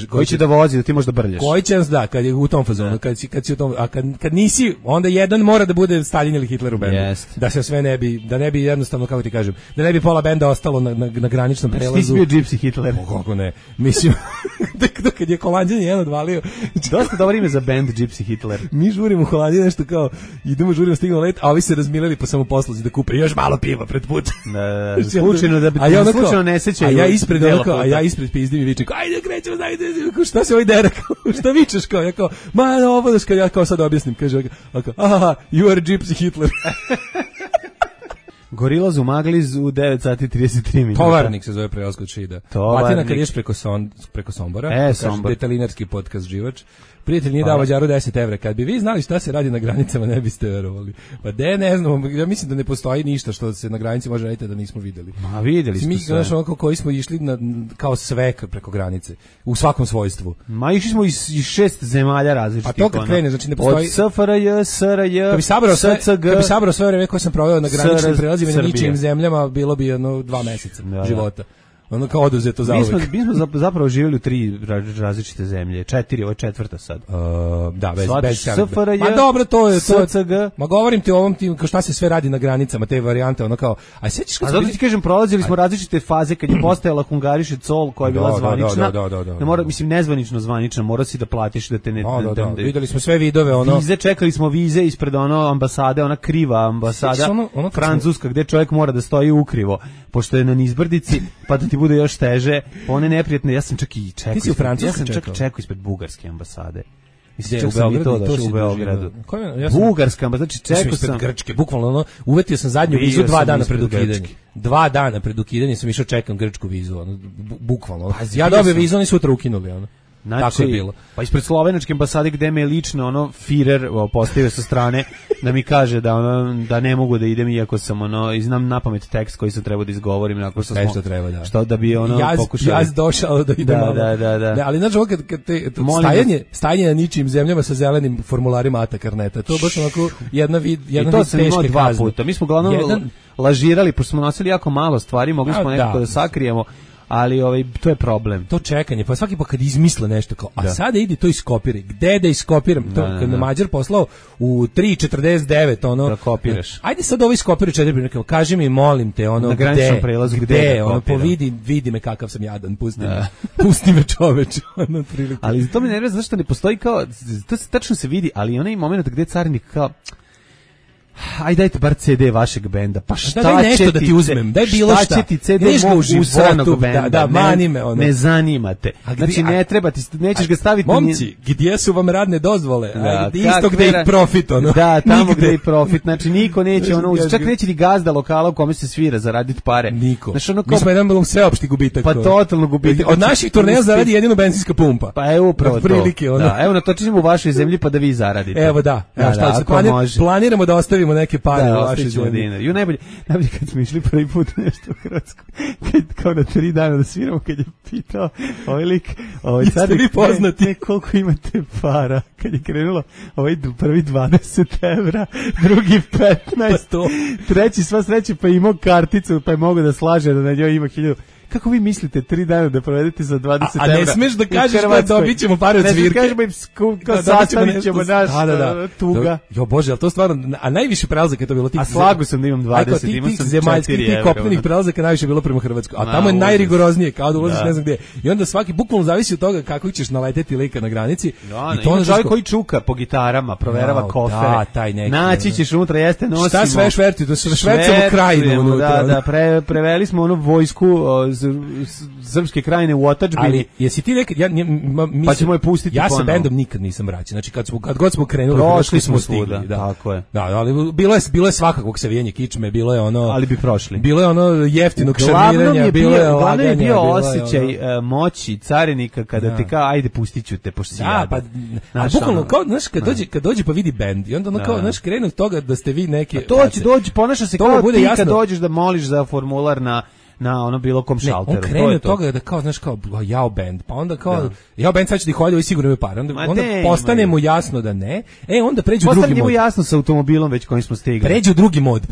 koji će da vozi, da ti možda brljaš. Koji će, da, kad je u tom fazonu, kad si u tom, a kad nisi, onda jedan mora da bude Stalin ili Hitler u bendu. Da se sve ne bi jednostavno, kako ti kažem, da ne bi pola benda ostalo na graničnom prelazu. Ti si bio Gypsy Hitler. Kako ne. Mislim, kad je Holanđan jedan odvalio. Dosta dobro ime za band Gypsy Hitler. Mi žurimo u Holandiji nešto kao, žurimo, stignemo let, a ovi se razmileli po samoposluzi da kupe još malo piva pred put. Slučajno da bi slučajno ne sećaju. A ja ispred pizdim i vičem, ajde krećemo, šta se ovaj dera, šta vičeš, kao, ja kao, ovo daš, ja kao sad objasnim, kaže, aha, you are Gypsy Hitler. Gorillaz u Magliz u 9 sati 33 minuta. Tovarnik se zove prelaz kod Šida. Platina kad ješ preko Sombora. Sombor. Detalinarski podcast Živač. Prijatelj nije dao Mađaru 10 evra. Kad bi vi znali šta se radi na granicama, ne biste verovali. Pa ne znam, ja mislim da ne postoji ništa što se na granici može raditi da nismo videli. Ma videli smo sve. Mi, znaš, onako koji smo išli kao sve preko granice, u svakom svojstvu. Ma išli smo iz 6 zemalja različitih. A to kad krene, znači ne postoji... Od SFRJ, SRJ, SCG... Kad bi sabrao sve vreme koje sam proveo na graničnim prelazima na ničijim zemljama, bilo bi 2 meseca života. ono kao oduzeto za uvek. Mi smo zapravo živjeli u 3 različite zemlje, 4, ovo je 4. sad. Da, bez SFRJ, ma dobro, to je SCG. Ma govorim ti o ovom tim, kao šta se sve radi na granicama, te varijante, ono kao, a sećaš kad zato ti kažem, prolazili smo različite faze kad je postojala Hungariše Col koja je bila zvanična. Ne mora, mislim nezvanično zvanična, mora si da platiš da te ne. Videli smo sve vidove, ono. Vize, čekali smo vize ispred ambasade, ona kriva ambasada francuska gde čovjek mora da stoji ukrivo, pošto je na nizbrdici, pa da ti bude još teže, one neprijatne. Ja sam čak i čekao ispred bugarske ambasade. Mislim, u Beogradu. Bugarska ambasada, znači čekao sam Grčke, bukvalno ono, uvetio sam zadnju vizu 2 dana pred ukidanje. 2 dana pred ukidanje sam išao čekam grčku vizu, ono, bukvalno. Ja dobio vizu, oni sutra ukinuli, ono. Znači, tako je bilo. Pa ispred slovenačke ambasade gde me je lično ono Führer postavio sa strane da mi kaže da ne mogu da idem iako sam i znam napamet tekst koji sam trebao da izgovorim nakon što smo treba, da. Što da bi pokušali. Ja došao da idem malo. Da. Ne, ali znači kad te stajanje na ničim zemljama sa zelenim formularima ATA karneta. To baš onako jedna to sam imao 2 puta. Mi smo uglavnom lažirali, pošto smo nosili jako malo stvari, mogli smo nekako da sakrijemo. Ali to je problem. To čekanje, pa svaki put kad izmisle nešto kao, a sada idi to iskopiraj. Gde da iskopiram? To kad me Mađar poslao u 3:49 ono. Da kopiraš. Ajde sad ovo iskopiraj 4 minuta. Kaži mi, molim te, ono na graničnom prelazu gde ono vidi me kakav sam jadan, pusti me čoveče, ono prilike. Ali to mi ne znam zašto ne postoji kao, to se tačno se vidi, ali onaj moment gde carinik kao ajde dajte bar CD vašeg benda. Pa šta daj nešto da ti uzmem, daj bilo šta. Šta će ti CD mog usranog benda? Da, mani me ono. Ne zanima te. Znači ne treba ti, nećeš ga staviti. Momci, gdje su vam radne dozvole? Isto gde i profit ono. Da, tamo gde i profit. Znači niko neće ono, čak neće ni gazda lokala u kome se svira zaraditi pare. Niko. Mi smo jedan sveopšti gubitak. Pa totalno gubitak. Od naših turneja zaradi jedino benzinska pumpa. Pa evo upravo to. Da, evo natočimo u vašoj zemlji pa da vi zaradite. Evo da. Planiramo da ostavimo neke pare u vašoj zemlji. Ju najbolje kad smo išli prvi put nešto u Hrvatsku, kao na 3 dana da sviramo, kad je pitao ovaj lik, jeste vi poznati? Koliko imate para? Kad je krenulo prvi 20 evra, drugi 15, treći sva sreće pa imao karticu, pa je mogao da slaže da na njoj ima 1000. Kako vi mislite 3 dana da provedete za 20 evra? A ne smeš da kažeš da dobit ćemo pare od svirke. Ne kažemo im kao sastavit ćemo naš tuga. Jo Bože, ali to stvarno, a najviše prelazaka je to bilo tih. A slagu sam da imam 20, imam sam 4 evra. Tih kopnenih prelazaka najviše bilo prema Hrvatskoj. A tamo je najrigoroznije, kao da ulaziš ne znam gdje. I onda svaki bukvalno zavisi od toga kako ćeš naleteti lika na granici. I to on žali koji čuka po gitarama, proverava kofere. Naći ćeš unutra, jeste nosimo. Šta sve šverti? To sve švercamo krajinu unutra. Da, preveli smo vojsku srpske krajine u otadžbini. Ali jesi ti nekad pa ćemo je pustiti. Ja sa bendom nikad nisam vraćen. Znači kad god smo krenuli, prošli smo stigli, da. Tako je. Da, ali bilo je svakakvog savijanja kičme, bilo je ono. Ali bi prošli. Bilo je ono jeftinog šarmiranja, bilo je laganja. Glavno je bio osjećaj moći carinika kada te kao ajde pustiću te pošto si jadan. Pa bukvalno kao znaš kad dođe pa vidi bend i onda ono kao znaš krenu od toga da ste vi neki. Dođi, ponaša se kao ti kad dođeš da moliš za formular na ono bilo kom šalteru. On krene od toga da kao, znaš, kao jao band, pa onda kao, jao band sad će ti hoditi, sigurno imaju pare. Onda postane mu jasno da ne, onda pređu u drugi mod. Postane mu jasno sa automobilom već kojim smo stigli. Pređu u drugi mod,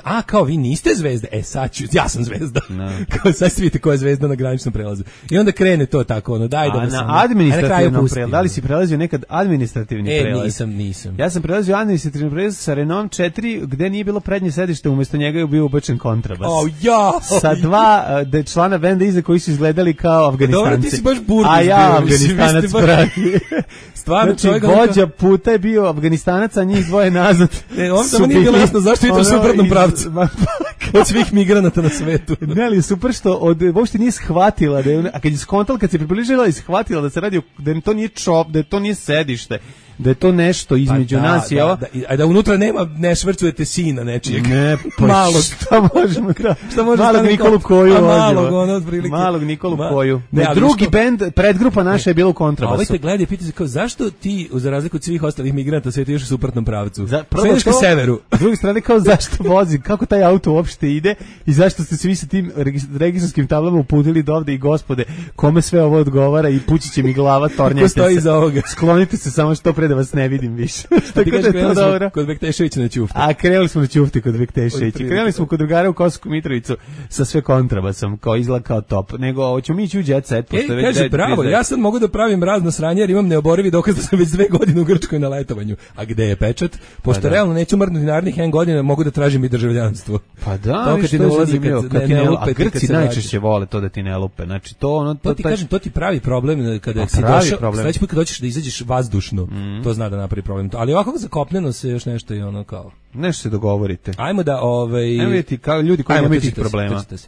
a kao vi niste zvezde, sad ću, ja sam zvezda. Kao sad vidite koja je zvezda na graničnom prelazu. I onda krene to tako, ono, daj da vas. A na administrativnom prelazu, da li si prelazio nekad administrativni prelaz? Nisam. Ja sam prelazio administrativni prelaz sa Renault 4, gde nije bilo prednje sedište, umjesto njega je bio ubačen kontrabas. Sa 2 člana benda iza koji su izgledali kao Afganistanci. Dobro, ti si baš Burgis. A ja Afganistanac pravi. Stvarno, znači, vođa puta je bio Afganistanac, a njih dvoje nazad. On samo nije bilo jasno zašto je to u suprotnom pravcu. Od svih migranata na svetu. Ne, ali super što uopšte nije shvatila, a kad je skontala, kad se približila i shvatila da se radi, da to nije da to nije sedište, da je to nešto između nas i ovo. A da unutra ne švrcujete sina nečijeg. Ne, malo. Šta možemo malog Nikolu Koju. Malog Nikolu Koju. Drugi bend, predgrupa naša je bila u kontrabasu. A ovaj te gleda i pita se kao, zašto ti, za razliku od svih ostalih migranata, sve ti još u suprotnom pravcu? Svedeš ka severu. S druge strane, kao zašto vozi, kako taj auto uopšte ide i zašto ste svi sa tim registarskim tablama uputili do ovde i gospode, kome sve ovo odgovara i pući će mi glava, tornjajte se. Sklonite se samo što pre da vas ne vidim više. Ti kažeš, krenuli smo kod Bekteševića na ćufte. A krenuli smo na ćufte kod Bekteševića. Krenuli smo kod drugara u Kosovsku Mitrovicu sa sve kontrabasom, kao izgleda kao top. Nego, hoćemo mi ići u Jet Set. Kaže, bravo, ja sad mogu da pravim razno sranje jer imam neoborivi dokaz da sam već 2 godine u Grčkoj na letovanju. A gde je pečat? Pošto realno neću mrdnuti narednih N godina, mogu da tražim i državljanstvo. Pa da, što je zanimljivo. A Grci najčešće vole to da ti ne lupe. Znači, to ti kažem, to ti pravi problem kada si došao, sledeći put kad hoćeš da izađeš vazdušno, to zna da napravi problem. Ali ovako zakopneno se još nešto i ono kao... Nešto se dogovorite. Ajmo da... Ajmo vidjeti kao ljudi koji nemaju tih problema. Jet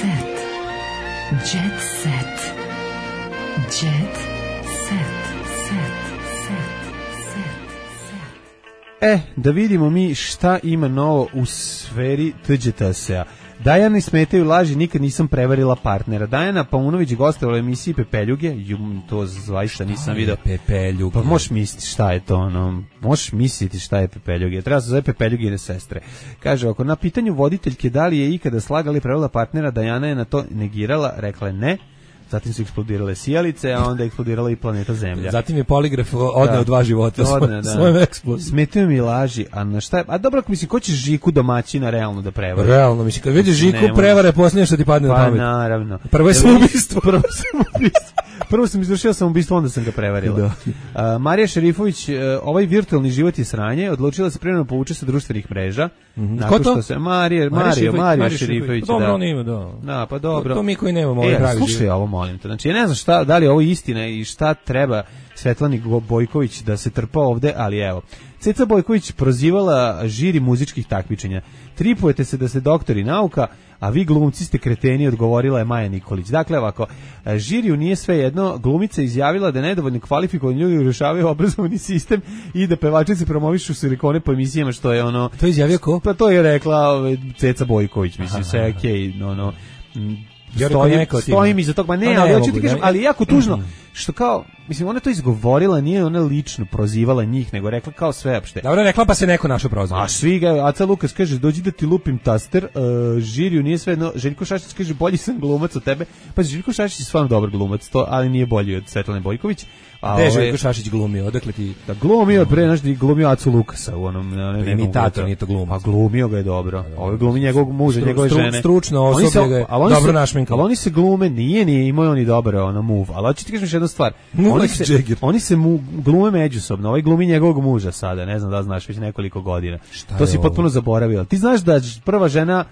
set. Jet set. Jet set. Da vidimo mi šta ima novo u sferi TGTS-a. Dajani smetaju laži, nikad nisam prevarila partnera. Dajana Paunović gostovala u emisiji Pepeljuge, to zaista nisam video. Pepeljuge. Pa možeš misliti šta je to, možeš misliti šta je Pepeljuge. Treba se zove Pepeljugine sestre. Kaže, ako na pitanju voditeljke da li je ikada slagala i prevarila partnera, Dajana je na to negirala, rekla je ne. Zatim su eksplodirale sijalice, a onda je eksplodirala i planeta Zemlja. Zatim je poligraf odneo 2 života svojom eksplozijom. Smetaju mi laži, a na šta je? A dobro, ako mislim, ko će Žiku domaćina realno da prevari? Realno, mislim, kad vidiš Žiku prevare, posljednje što ti padne na pamet. Pa naravno. Prvo je samoubistvo. Prvo sam izvršio samoubistvo, onda sam ga prevarila. Marija Šerifović, ovaj virtualni život je sranje, odlučila se privremeno povuče sa društvenih mreža. Ko to? Marija Šerifović. Dobro, on ima, da. Da, pa dobro. To mi koji nemamo ovaj pravi život. Slušaj ovo, molim te. Znači, ja ne znam da li je ovo istina i šta treba Svetlani Bojković da se trpa ovde, ali evo. Ceca Bojković prozivala žiri muzičkih takmičenja. Tripujete se da ste doktori nauka, a vi glumci ste kreteni, odgovorila je Maja Nikolić. Dakle, ovako, žiriju nije sve jedno, glumica izjavila da nedovoljno kvalifikovani ljudi rešavaju obrazovni sistem i da pevačice promovišu silikone po emisijama, što je ono... To je izjavio ko? Pa to je rekla Ceca Bojković, mislim, sve je okej, stojim iza toga, ne, ali hoću ti kažem, ali jako tužno, što kao, mislim, ona to izgovorila, nije ona lično prozivala njih, nego rekla kao sveopšte. Dobro, rekla pa se neko našo prozvao. A svi ga, Aca Lukas kaže, dođi da ti lupim taster, žiriju nije sve jedno, Željko Šašić kaže, bolji sam glumac od tebe, pa Željko Šašić je stvarno dobar glumac, ali nije bolji od Svetlane Bojković. Gde je Željko Šašić glumio, odakle ti? Da, glumio, glumio Acu Lukasa u onom... Imitator, nije to glumac. Pa glumio ga je dobro, ovo glumi njegovog muža, njegove žene. Stručno osoblje ga je dobro našminkalo. Ali oni se glume, nije imao oni dobro move, ali hoću ti kažem još jednu stvar. Oni se glume međusobno, ovaj glumi njegovog muža sada, ne znam da znaš, već nekoliko godina. To si potpuno zaboravila. Ti znaš da prva žena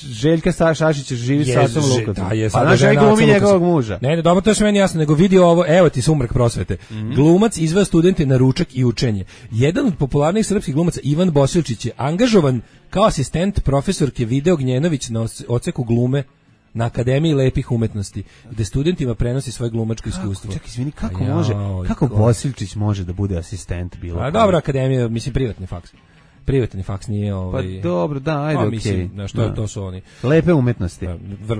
Željka Šašića živi sa Acom Lukasom. Pa naš glumi njegovog muža. Ne, dobro, to je sve meni jasno, nego vidi ovo, evo ti sumrak prosvete. Glumac izveo studente na ručak i učenje. Jedan od popularnih srpskih glumaca, Ivan Bosilčić, je angažovan kao asistent profesorke Video Gnjenović na odseku glume na Akademiji lepih umetnosti, gde studentima prenosi svoje glumačko iskustvo. Čekaj, izvini, kako Bosilčić može da bude asistent bilo? A dobra akademija, mislim, privatni faks. Privatni faks nije Pa dobro, da, ajde, okej. Mislim, to su oni. Lepe umetnosti.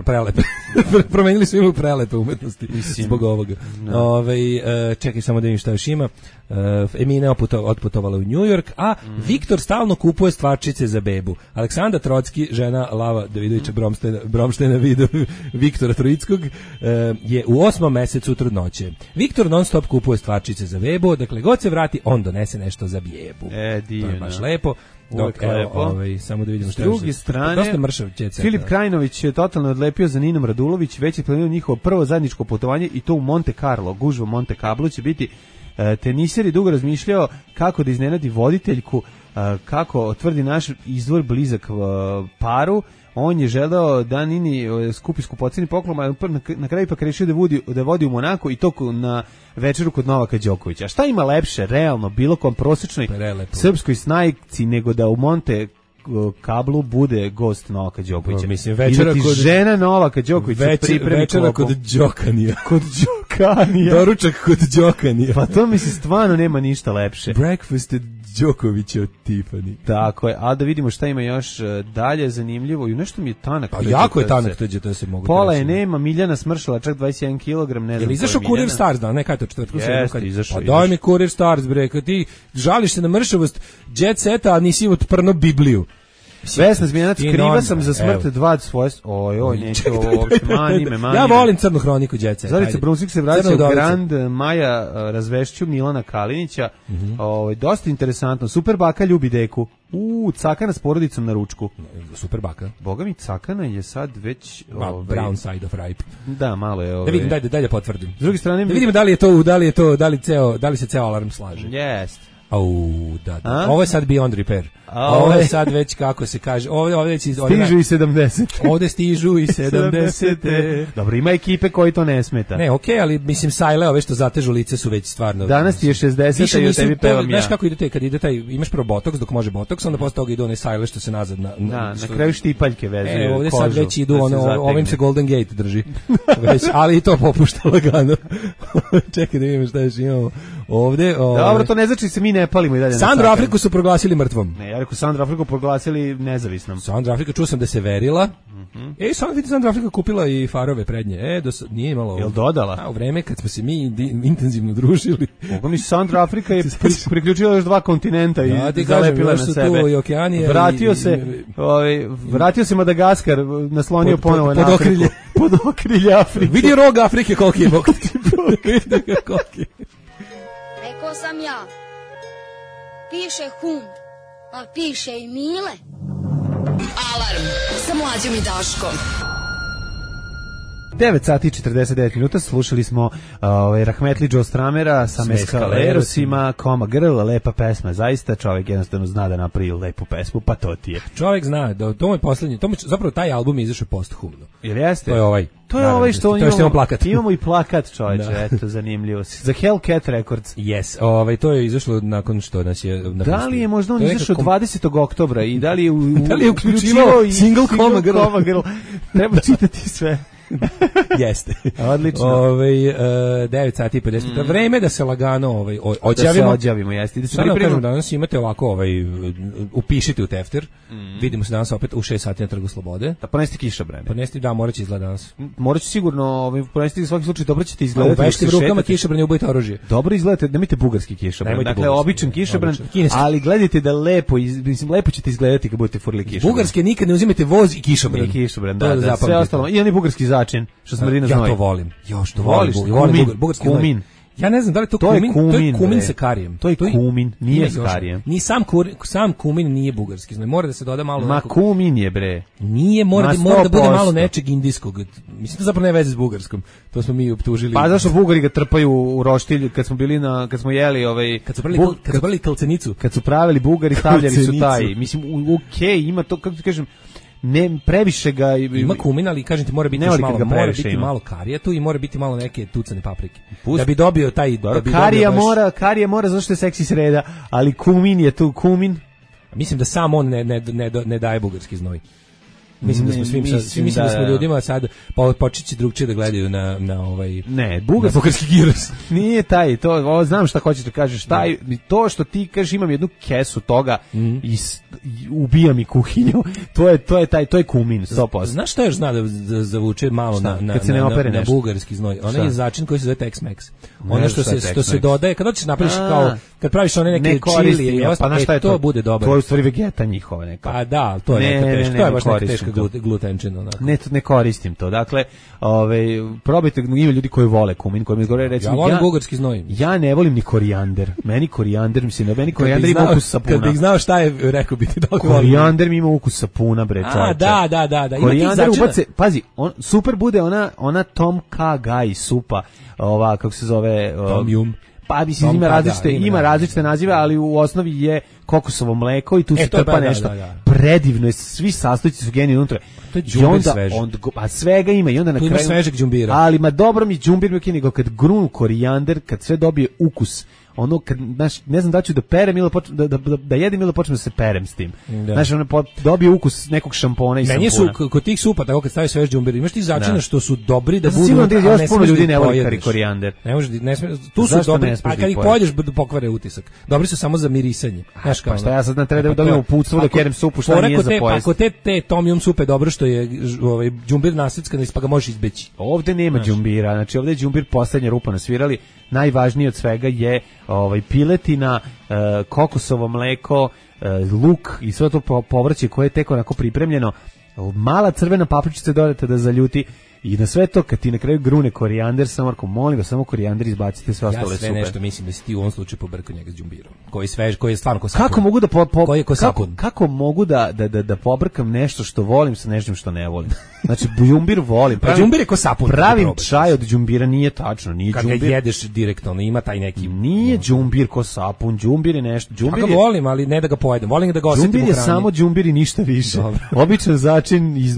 Prelepe. Promenili su prelepe umetnosti zbog ovoga. Čekaj samo da vidim šta još ima. Emina otputovala u New York, a Viktor stalno kupuje stvarčice za bebu. Aleksandra Trocki, žena Lava Davidovića Bromštejna video Viktora Troickog, je u 8. mesecu trudnoće. Viktor non stop kupuje stvarčice za bebu, dakle god se vrati, on donese nešto za bebu. Divno. To je baš lepo. Dok, samo da vidimo s druge strane, Filip Krajinović je totalno odlepio za Ninom Radulović, već je planirao njihovo prvo zajedničko putovanje i to u Monte Carlo, gužva Monte Carlo će biti. Teniser je dugo razmišljao kako da iznenadi voditeljku, kako tvrdi naš izvor blizak paru. On je želeo da Nini skupi skupoceni poklon, a na kraju ipak rešio da vodi u Monako i to na večeru kod Novaka Đokovića. A šta ima lepše, realno, bilo kom prosječnoj srpskoj snajci nego da u Monte Kablu bude gost Novaka Đokovića. Mislim, večera kod žena Novaka Đokovića pripremi večera kod Đokanija. Kod Đokanija. Doručak kod Đokanija. Pa to mislim stvarno nema ništa lepše. Breakfast at Đokovića od Tiffany. Tako je, a da vidimo šta ima još dalje zanimljivo. I nešto mi je tanak. Pa jako je tanak to se mogu. Pola je nema, Miljana smršala čak 21 kg, ne znam. Jel izašao Kurir Stars, da, nekaj to četvrtku se izašao. Pa daj mi Kurir Stars, bre, kad ti žališ se na mršavost Jet Seta, a nisi otprno Bibliju. Vesna Zmijanac, kriva sam za smrt dva svoje... Oj, neće ovo uopšte, mani me. Ja volim Crnu hroniku, djece. Zorica Brunsvik se vraća u Grand, Maja razvešću Milana Kalinića. Dosta interesantno. Super baka ljubi deku. Cakana s porodicom na ručku. Super baka. Boga mi, Cakana je sad već... brown side of ripe. Da, malo je... Da vidim, daj potvrdim. S druge strane... Da vidimo da li se ceo alarm slaže. Jest. Da. Ovo je sad beyond repair. Ovo je sad već, kako se kaže, ovdje stižu i 70. Ovdje stižu i 70. Dobro, ima ekipe koji to ne smeta. Ne, okej, ali mislim sajle ove što zatežu lice su već stvarno. Danas ti je 60 i o tebi pevam ja. Znaš kako ide kad ide taj, imaš prvo botoks dok može botoks, onda posle toga ide one sajle što se nazad na kraju štipaljke vezuju. Ovdje sad već idu ovim se Golden Gate drži. Već, ali i to popušta lagano. Čekaj da vidimo šta još imamo ovdje. Dobro, to ne znači se mi ne palimo i dalje. Sandru Afriku su proglasili mrtvom. Ne, ja rekao Sandru Afriku proglasili nezavisnom. Sandra Afrika, čuo sam da se verila. Sandra Afrika kupila i farove prednje. Nije imalo... Jel dodala? U vreme kad smo se mi intenzivno družili. Mogu mi Sandra Afrika je priključila još 2 kontinenta i zalepila na sebe. Tu i Okeanija. Vratio se Madagaskar, naslonio ponovo na Afriku. Pod okrilje Afrike. Vidi rog Afrike koliki je. Rekao sam ja. Piše hum. A piše i Mile. Alarm sa Mlađom i Daškom. 9 sati i 49 minuta, slušali smo Rahmetli Joe Stramera sa Meskalerosima, Koma Girl, lepa pesma, zaista čovjek jednostavno zna da napravi lepu pesmu, pa to ti je. Čovjek zna, da to je posljednji, zapravo taj album je izašao posthumno. Jer jeste? To je ovaj. To je ovaj što imamo plakat. Imamo i plakat, čovječe, eto, zanimljivo. Za Hellcat Records. Yes, to je izašlo nakon što nas je napustio. Da li je možda on izašao 20. oktobra i da li je uključivao i single Koma Girl? Treba čitati sve. Jeste. Odlično. 9 sati i 50. Vreme da se lagano odjavimo. Da se odjavimo, jeste. Da se pripremimo. Danas imate ovako, upišite u tefter. Vidimo se danas opet u 6 sati na Trgu Slobode. Da ponesti kišobrane. Da, morat će izgleda danas. Morat će sigurno, ponesti u svaki slučaj, dobro ćete izgledati. Ubešite u rukama kišobrane, ubojite oružje. Dobro izgledate, nemojte bugarski kišobran. Dakle, običan kišobran, ali gledajte da lepo ćete izgledati kad budete furili kišobran. Bugarske nikad ne uzimate voz i kišobran. I kišobran, da. Sve ostalo. I oni bugarski začin, što smrdi znoj. Ja to volim. Što voliš? Bugarski kumin. Ja ne znam da li to kumin, to je kumin sa karijem. To je kumin, nije s karijem. Ni sam kumin nije bugarski znoj. Mora da se doda malo... Ma kumin je, bre. Nije, mora da bude malo nečeg indijskog. Mislim, to zapravo ne veze s bugarskom. To smo mi optužili. Pa zašto Bugari ga trpaju u roštilj kad smo bili kad smo jeli kad su pravili kalcenicu. Kad su pravili Bugari, stavljali su taj. Mislim, ima to, kako ti kažem, ne previše ga ima kumin, ali kažem ti mora biti malo karija tu i mora biti malo neke tucane paprike. Da bi dobio taj karija mora zato što je seksi sreda, ali kumin je tu kumin. Mislim da sam on ne daje bugarski znoj. Mislim da smo ljudima sad počeći drugčije da gledaju na ovaj bugarski giros. Nije taj, znam šta hoćeš da kažeš, to što ti kažeš imam jednu kesu toga i ubija mi kuhinju. To je kumin 100%. Znaš šta još zna da zavuče malo na bugarski znoj? Ona je začin koji se zove Tex-Mex. Ono što se dodaje kad hoćeš napraviš kao kad praviš one neke čili i to bude dobro. To je u stvari vegeta njihova neka. Pa da, to je neka teška, to je baš neka teška glutenčina onako. Ne koristim to. Dakle, probajte, ima ljudi koji vole kumin, koji mi govore recimo ja volim bugarski znoj. Ja ne volim ni korijander. Meni korijander ima ukus sapuna. Kad bih znao šta je, rekao bi ti da volim. Korijander mi ima ukus sapuna, bre, čoveče. Da. Korijander ubace, pazi, super bude ona Tom Kha Gai supa, kako se zove, Tom Yum. Pa mislim ima različite nazive, ali u osnovi je kokosovo mleko i tu se trpa nešto. Predivno je, svi sastojci su geni unutra. To je đumbir sveže. Pa svega ima i onda na kraju... Tu ima svežeg đumbira. Ali dobro mi đumbir mi nego kad grunu korijander, kad sve dobije ukus, ono kad ne znam da ću da perem ili da jedem ili počnem da se perem s tim. Znaš, ono dobije ukus nekog šampona i meni sampuna. Meni su kod tih supa, tako kad staviš svež đumbir, imaš ti začina što su dobri da budu, sigurno da još puno ljudi ne voli korijander. Tu su dobri, a kad ih pojedeš pokvare utisak. Dobri su samo za mirisanje. Znaš kao. Pa šta ja sad treba da dobijem uputstvo da kerem supu, šta nije za pojesti. Ako te tom yum supe dobro što je đumbir naseckan, pa ga možeš izbeći. Ovde nema đumbira, znači ovde je đumbir poslednja rupa nasvirali. Najvažnije od svega je piletina, kokosovo mleko, luk i sve to povrće koje je tek onako pripremljeno, mala crvena papričica dodate da zaljuti. I na sve to, kad ti na kraju grune korijander, samo Marko, molim vas, samo korijander izbacite, sve ostale super. Ja sve nešto mislim da si ti u ovom slučaju pobrkao njega s đumbirom, koji je stvarno ko sapun. Kako mogu da koji je ko sapun? Kako mogu da pobrkam nešto što volim sa nečim što ne volim? Znači, đumbir volim. Pa đumbir je ko sapun. Pravim čaj od đumbira, nije tačno, nije kad đumbir. Kad ga jedeš direktno, ima taj neki... Nije đumbir ko sapun, đumbir je nešto. Ja ga volim, ali ne da ga pojedem, volim da ga osetim u hrani. Đumbir je samo đumbir i ništa više. Običan začin iz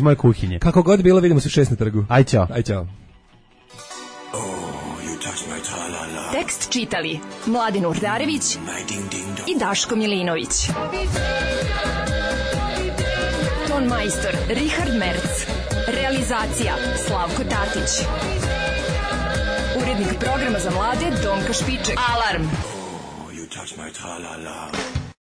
moje kuhinje. Kako god bilo, vidimo se 6 na trgu. Aj čao. Aj čao. Tekst čitali Mladin Urdarević i Daško Milinović. Ton majstor Richard Merc. Realizacija Slavko Tatić. Urednik programa za mlade Donka Špiček. Alarm! Oh, you touch my tra-la-la.